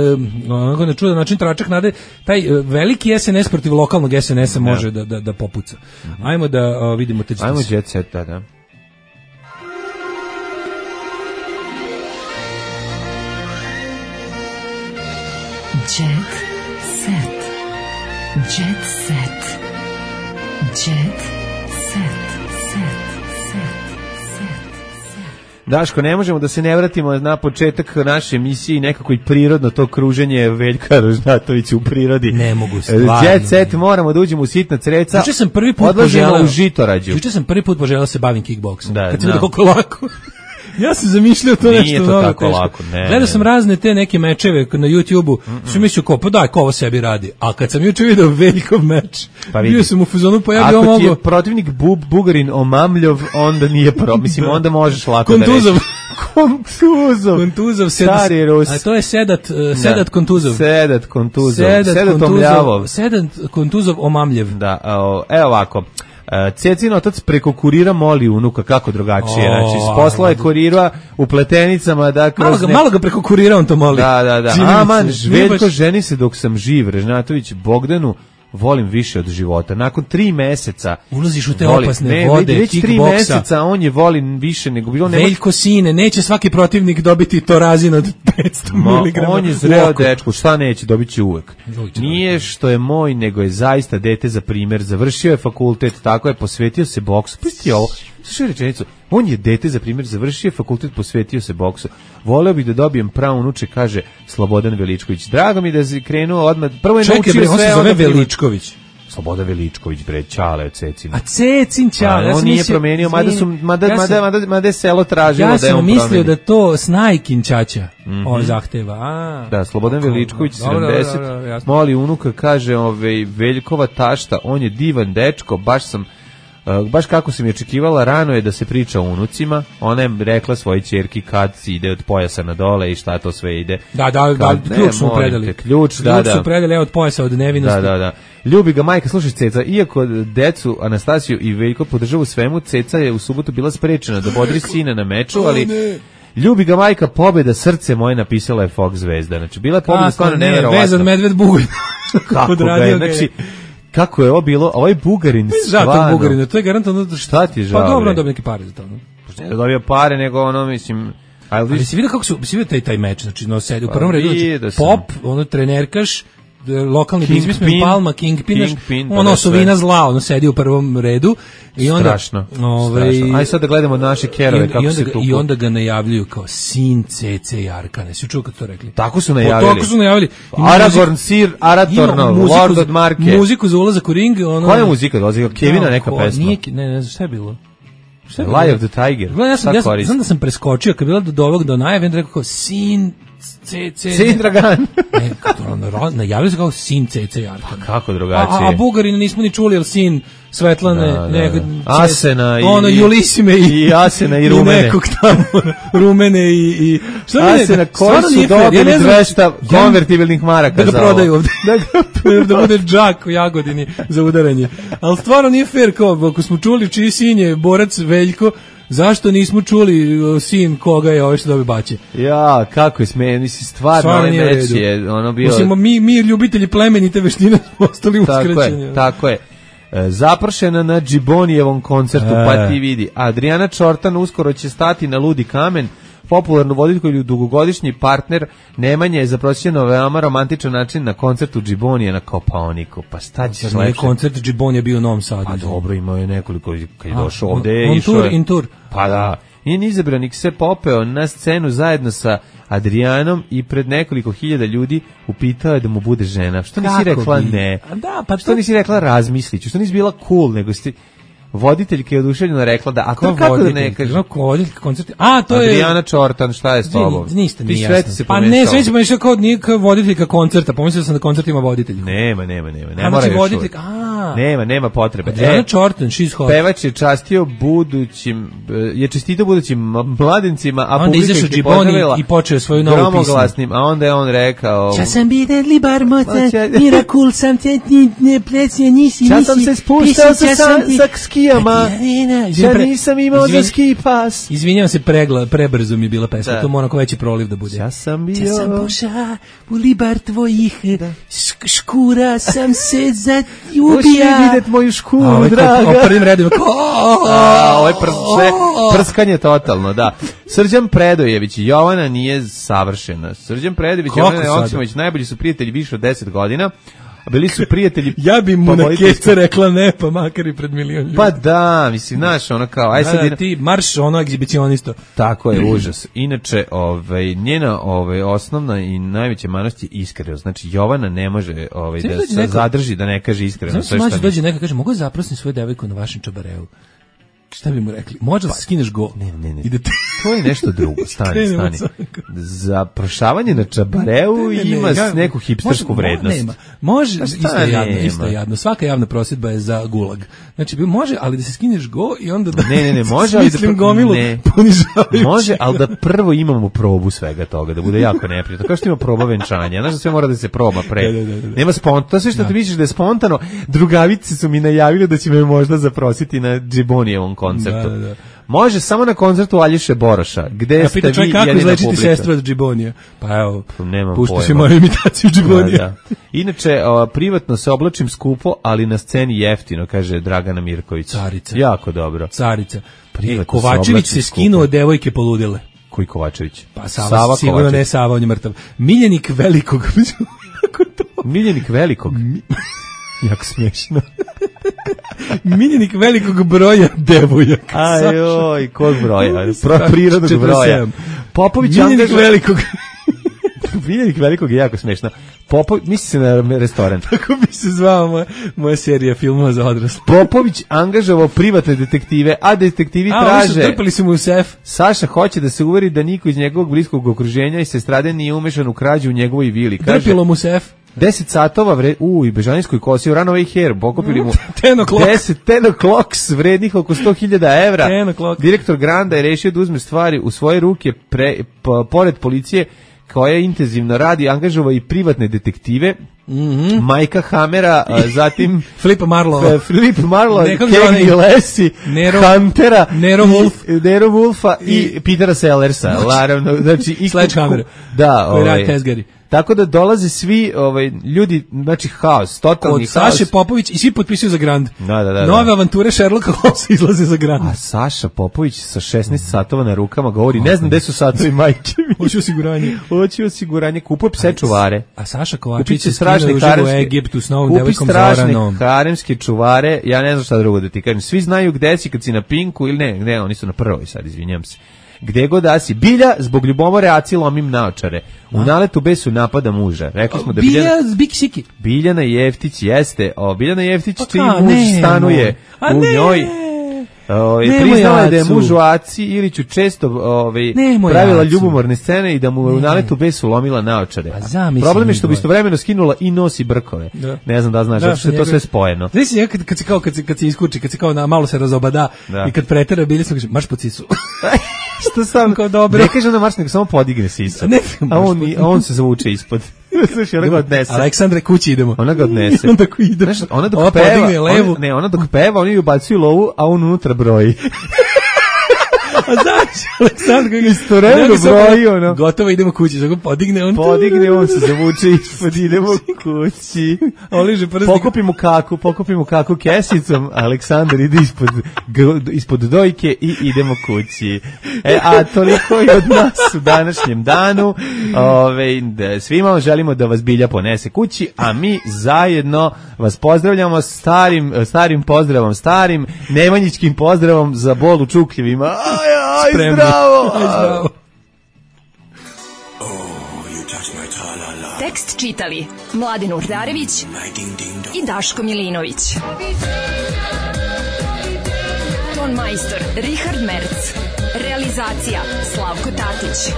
onako na čudan način tračak nade, taj veliki S N S protiv lokalnog S N S-a može da da da popuca. Mm-hmm. Ajmo da o, vidimo te. Ajmo jet set, da, da. Jet set. Jet set. Jet Daško, ne možemo da se ne vratimo na početak naše emisije i nekako i prirodno to kruženje Veljka Rožnatovića u prirodi. Ne mogu stvarno. Jet set, moramo da uđemo u sitna creca. Juče sam prvi put poželao u Žitorađu. Juče sam prvi put poželao se bavim kickboksom. Da, kad sam vidio koliko lako. Ja sam zamišljao to nešto to mnogo tako teško. Lako, ne, Gledao sam razne te neke mečeve na YouTubeu, sam mislio ko, pa daj, ko ovo sebi radi. A kad sam juče video Veljkov meč, pa bio sam u fazonu, pa ja bi ovo mogo... Ako ti je protivnik Bub, Bugarin Omamljov, onda nije pro, mislim, onda možeš lako Kontuzov. da reći. Kontuzov. Kontuzov. Stari Rus. A to je Sedat, uh, Sedat Kontuzov. Sedat Kontuzov. Sedat, Sedat Omljavov. Sedat Kontuzov Omamljev. Da, evo ovako. Cecin otac preko kurira moli unuka, kako drugačije, oh, znači s posla je kurira u pletenicama, da kroz malo ga, ne... malo ga preko kurira on to moli. Da, da, da. Aman, Žveljko ženi se dok sam živ, Režnatović Bogdanu volim više od života. Nakon tri meseca ulaziš u te volim, opasne ne, vode, već tri kickboksa. meseca on je volim više nego bilo. Veljko sine, neće svaki protivnik dobiti torazin od petsto miligrama. On je zreo dečko, šta neće, dobit će uvek. Nije što je moj, nego je zaista dete za primjer. Završio je fakultet, tako je, posvetio se boksu. Pusti ovo, slušaj rečenicu. On je dete za primjer, završio je fakultet, posvetio se boksu. Voleo bih da dobijem pravo unuče, kaže Slobodan Veličković. Drago mi da je krenuo odmah. Prvo je naučio sve. On se zove Veličković. Slobodan Veličković, bre, Ćale od Cecina. A Cecin Ćale. Ja on nije promijenio, mada su mada ja mada mada mada je selo tražilo ja da je on mislio promeni. Da to Snajkin ćaća mm-hmm. on zahteva. A, da, Slobodan Veličković sedamdeset moli unuka, kaže, ovaj Veljkova tašta, on je divan dečko, baš sam Uh, baš kako sam je očekivala, rano je da se priča o unucima. Ona je rekla svojoj ćerki kad ide od pojasa na dole i šta to sve ide. Da, da, kad, da, ključ smo predali. Te, ključ, da, ključ da. su predali od pojasa, od nevinosti. Da, da, da. Ljubi ga majka, slušaj Ceca, iako decu Anastasiju i Veljko podržavu svemu, Ceca je u subotu bila sprečena da bodri sina na meču, ali ljubi ga majka, pobeda, srce moje, napisala je Fox zvezda. Znači, bila je pobeda stvarno neverovatna. Vezan medved Bugalj. Kako ga je, znači, kako je ovo bilo, ovaj Bugarin stvarno. Da, to Bugarin, to je garantovno. Šta ti žao? Pa dobro, on dobio neke pare za to. Ne da dobio pare, nego ono, mislim... Ali, ali si vidio kako su, si vidio taj, taj meč, znači, no, sedi u prvom redu, znači, Pop, ono, trenerkaš, lokalni biznismen Palma, Kingpin, Kingpin ono osovina zla, ono sedi u prvom redu i onda strašno, ovaj strašno. Aj sad da gledamo naše kerove kako se tu i onda ga najavljuju kao sin Cece Jarkane. Si čuo kako to rekli? Tako su najavili. O, tako su najavili. Aragorn Sir Aratornov, Lord od Marke. Muziku za ulazak u ring, ono. Koja je muzika dolazi? Kevina neka ko, pesma. Nije, ne, ne, šta je bilo? Šta je Lie of the Tiger. Gledam, ja sam, ja sam, znam da sam preskočio kad je bilo do ovog do najave, onda rekao kao sin Cece. Sin Dragan. Ne, to najavili se kao sin Cece Jarkane. Pa kako drugačije? A, a Bugarina nismo ni čuli, jer sin Svetlane, da, ne, da, da. Asena i ono Julisime i, i Asena i Rumene. I nekog tamo Rumene i i šta mi Asena koji su dobili ja dvesta konvertibilnih maraka da ga za prodaju ovde. da ga da bude džak u Jagodini za udaranje. Al stvarno nije fair, kao ako smo čuli čiji sin je borac Veljko, zašto nismo čuli sin koga je ovaj što dobio bače? Ja, kako je smejen, mislim, stvarno ovaj meč je ono bio... Mislim, mi, mi ljubitelji plemenite veštine smo ostali uskraćeni. Tako je, tako je. E, zapršena na Džibonijevom koncertu, e. pa ti vidi. Adriana Čortan uskoro će stati na Ludi kamen. Popularnu voditeljku dugogodišnji partner Nemanja je zaprosio na veoma romantičan način na koncertu Džibonije na Kopaoniku. Pa šta ćeš lepše? Koncert Džibonije bio u Novom Sadu. Pa dobro, imao je nekoliko, kad je došao ovde. On tour, in tour. Pa da. Njen izabranik se popeo na scenu zajedno sa Adrianom i pred nekoliko hiljada ljudi upitao je da mu bude žena. Što nisi Kako rekla bi? Ne? Da, pa što to... nisi rekla razmisliću? Što nisi bila cool, nego si... Voditeljka je oduševljeno rekla da, a to kako da ne kaže? Kako voditeljka koncerti? A, to je... Adriana Čortan, šta je s tobom? Niste, nije jasno. Pa ne, sve se pomešao kao nije kao voditeljka koncerta, pomislio sam da koncert ima voditeljku. Nema, nema, nema, ne mora još uvijek. Nema, nema potrebe. Adriana Čortan, she's hot. Pevač je častio budućim, je čestitao budućim mladencima, a publika ih je pozdravila i počeo svoju novu pismu. A onda je on rekao... Čas sam biden li bar motan, mirakul sam te ne plecije nisi, nisi. Čas sam se spuštao sa skijama, ja nisam imao za ski pas. Izvinjavam se, pregla, prebrzo mi je bila pesma, to mora ko veći proliv da bude. Ja sam bio... Čas sam poša u libar tvojih škura, sam se zaljubija. Uši vidjet moju škuru, draga. O prvim redima. Ovo je prskanje totalno, da. Srđan Predojević i Jovana nije savršena. Srđan Predojević i Jovana Joksimović najbolji su prijatelji više od deset godina. Bili su prijatelji. Ja bi mu na keca rekla ne, pa makar i pred milion ljudi. Pa da, mislim, znaš, ono kao, aj sad... Da, da, ti marš ono egzibicionisto. Tako je, užas. Inače, ovaj, njena ovaj, osnovna i najveća manost je iskrenost. Znači, Jovana ne može ovaj, da se neko... zadrži, da ne kaže iskreno. Znam se mađu dođe neka kaže, mogu zaprositi svoju devojku na vašem čabareu? šta bi mu rekli? Može da skineš go. Ne, ne, ne. I da te... To je nešto drugo. Stani, stani. Za prošavanje na čabareu ne, ne, ne, ima ja, neku hipstersku može, vrednost. Nema. Može, pa isto je jadno, isto je jadno. Svaka javna prosvjedba je za gulag. Znači, može, ali da se skineš go i onda da... Ne, ne, ne, može, ali da... Pr... gomilu ne. Ponižavajući. Može, ali da prvo imamo probu svega toga, da bude jako neprijatno. Kao što ima proba venčanja. Znaš da sve mora da se proba pre. Da, da, da, da. Nema spontano. To sve što da. Ti misliš da je spontano. Drugavice su mi najavili da će me možda zaprositi na Džibonijevom koncertu. Da, da, da. Može samo na koncertu Aljoše Boroša, gde ja, ste vi jedina publika. Kako izlečiti sestru od Džibonija? Pa evo, puštaš i moju imitaciju Džibonija. Da, da. Inače, o, privatno se oblačim skupo, ali na sceni jeftino, kaže Dragana Mirković. Carica. Jako dobro. Carica. E, Kovačević se skinuo od devojke poludile. Koji Kovačević? Pa Sava, Sava sigurno Kovačević. Ne Sava, on je mrtav. Miljenik Velikog. Miljenik Velikog? Jako smiješno. Miljenik velikog broja devojaka. Ajoj, kog broja? Pro, prirodnog broja. Popović Miljenik angaža... velikog. Miljenik velikog je jako smiješno. Popović, misli se na restoran. Tako bi se zvao moja, moja serija filmova za odrasle. Popović angažovao privatne detektive, a detektivi a, traže... A, trpali su mu u sef. Saša hoće da se uveri da niko iz njegovog bliskog okruženja i sestrade nije umešan u krađu u njegovoj vili. Kaže, drpilo mu sef. deset satova vre... u i Bežanijskoj kosi u Runaway Hair pokupili mu deset ten o'clocks vrednih oko sto hiljada evra. Direktor Granda je rešio da uzme stvari u svoje ruke pre, po, pored policije koja intenzivno radi, angažova i privatne detektive. Mm-hmm. Majka Hamera, zatim Flip Marlowe, Flip Marlowe, Kenny Lessie, Nero, Huntera, Nero Wolf, Nero Wolfa i, i Petera Sellersa, naravno, znači i Sledgehammer, da, ovaj, Tezgari. Tako da dolaze svi ovaj ljudi, znači haos, totalni od haos. Saše Popović i svi potpisuju za Grand. Da, da, da. Nove avanture Sherlocka Holmesa izlaze za Grand. A Saša Popović sa šesnaest satova na rukama govori, ne znam gde su satovi majke mi. Hoće osiguranje. Hoće osiguranje, kupuje pse čuvare. A Saša Kovačić se strašne u Egiptu s novom devojkom Zoranom. Kupi strašne haremske čuvare, ja ne znam šta drugo da ti kažem. Svi znaju gde si kad si na Pinku ili ne, ne, oni su na prvoj sad, izvinjam se. Gde god da si. Bilja zbog ljubomore Aci lomim naočare. U naletu besu napada muža. Rekli smo da Bilja Biljana, Siki. Biljana Jeftić jeste. O, Biljana Jeftić čiji muž ne, stanuje no. u ne. njoj. Ove, priznala je da je muž u Aci Iliću često ove, pravila Acu. Ljubomorne scene i da mu u naletu besu lomila naočare. Problem je što bi istovremeno skinula i nosi brkove. Da. Ne znam da znaš, da, što je to sve spojeno. Znaš si, kad, kad se kao, kad se, kad se iskuči, kad se kao na, malo se razobada da. I kad pretera Bilja sam kaže, marš po cicu. Što sam kao dobro. Ne kaže ona marš, nego samo podigne sisa. Ne, a, on, a on se zavuče ispod. Slušaj, ona ga odnese. Aleksandre, kući idemo. Ona ga odnese. Onda ko ide. Znaš, ona dok peva, ona, ne, ona dok peva, oni ubacuju lovu, a on unutra broji. A znaš, Aleksandar kako istovremeno broji, ono. Gotovo, idemo kući, zato podigne on. Podigne on se zavuče ispod, idemo kući. Oliže prsti. Pokupimo kaku, pokupimo kaku kesicom, Aleksandar ide ispod, ispod dojke i idemo kući. E, a toliko je od nas u današnjem danu. Ove, svima želimo da vas Bilja ponese kući, a mi zajedno vas pozdravljamo starim, starim pozdravom, starim nemanjičkim pozdravom za bol u čukljevima. Aj, aj, spremni. Zdravo! Aj, zdravo! Tekst čitali Mladin Urdarević i Daško Milinović. Ton majstor Richard Merc. Realizacija Slavko Tatić.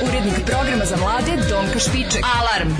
Urednik programa za mlade Donka Špiček. Alarm!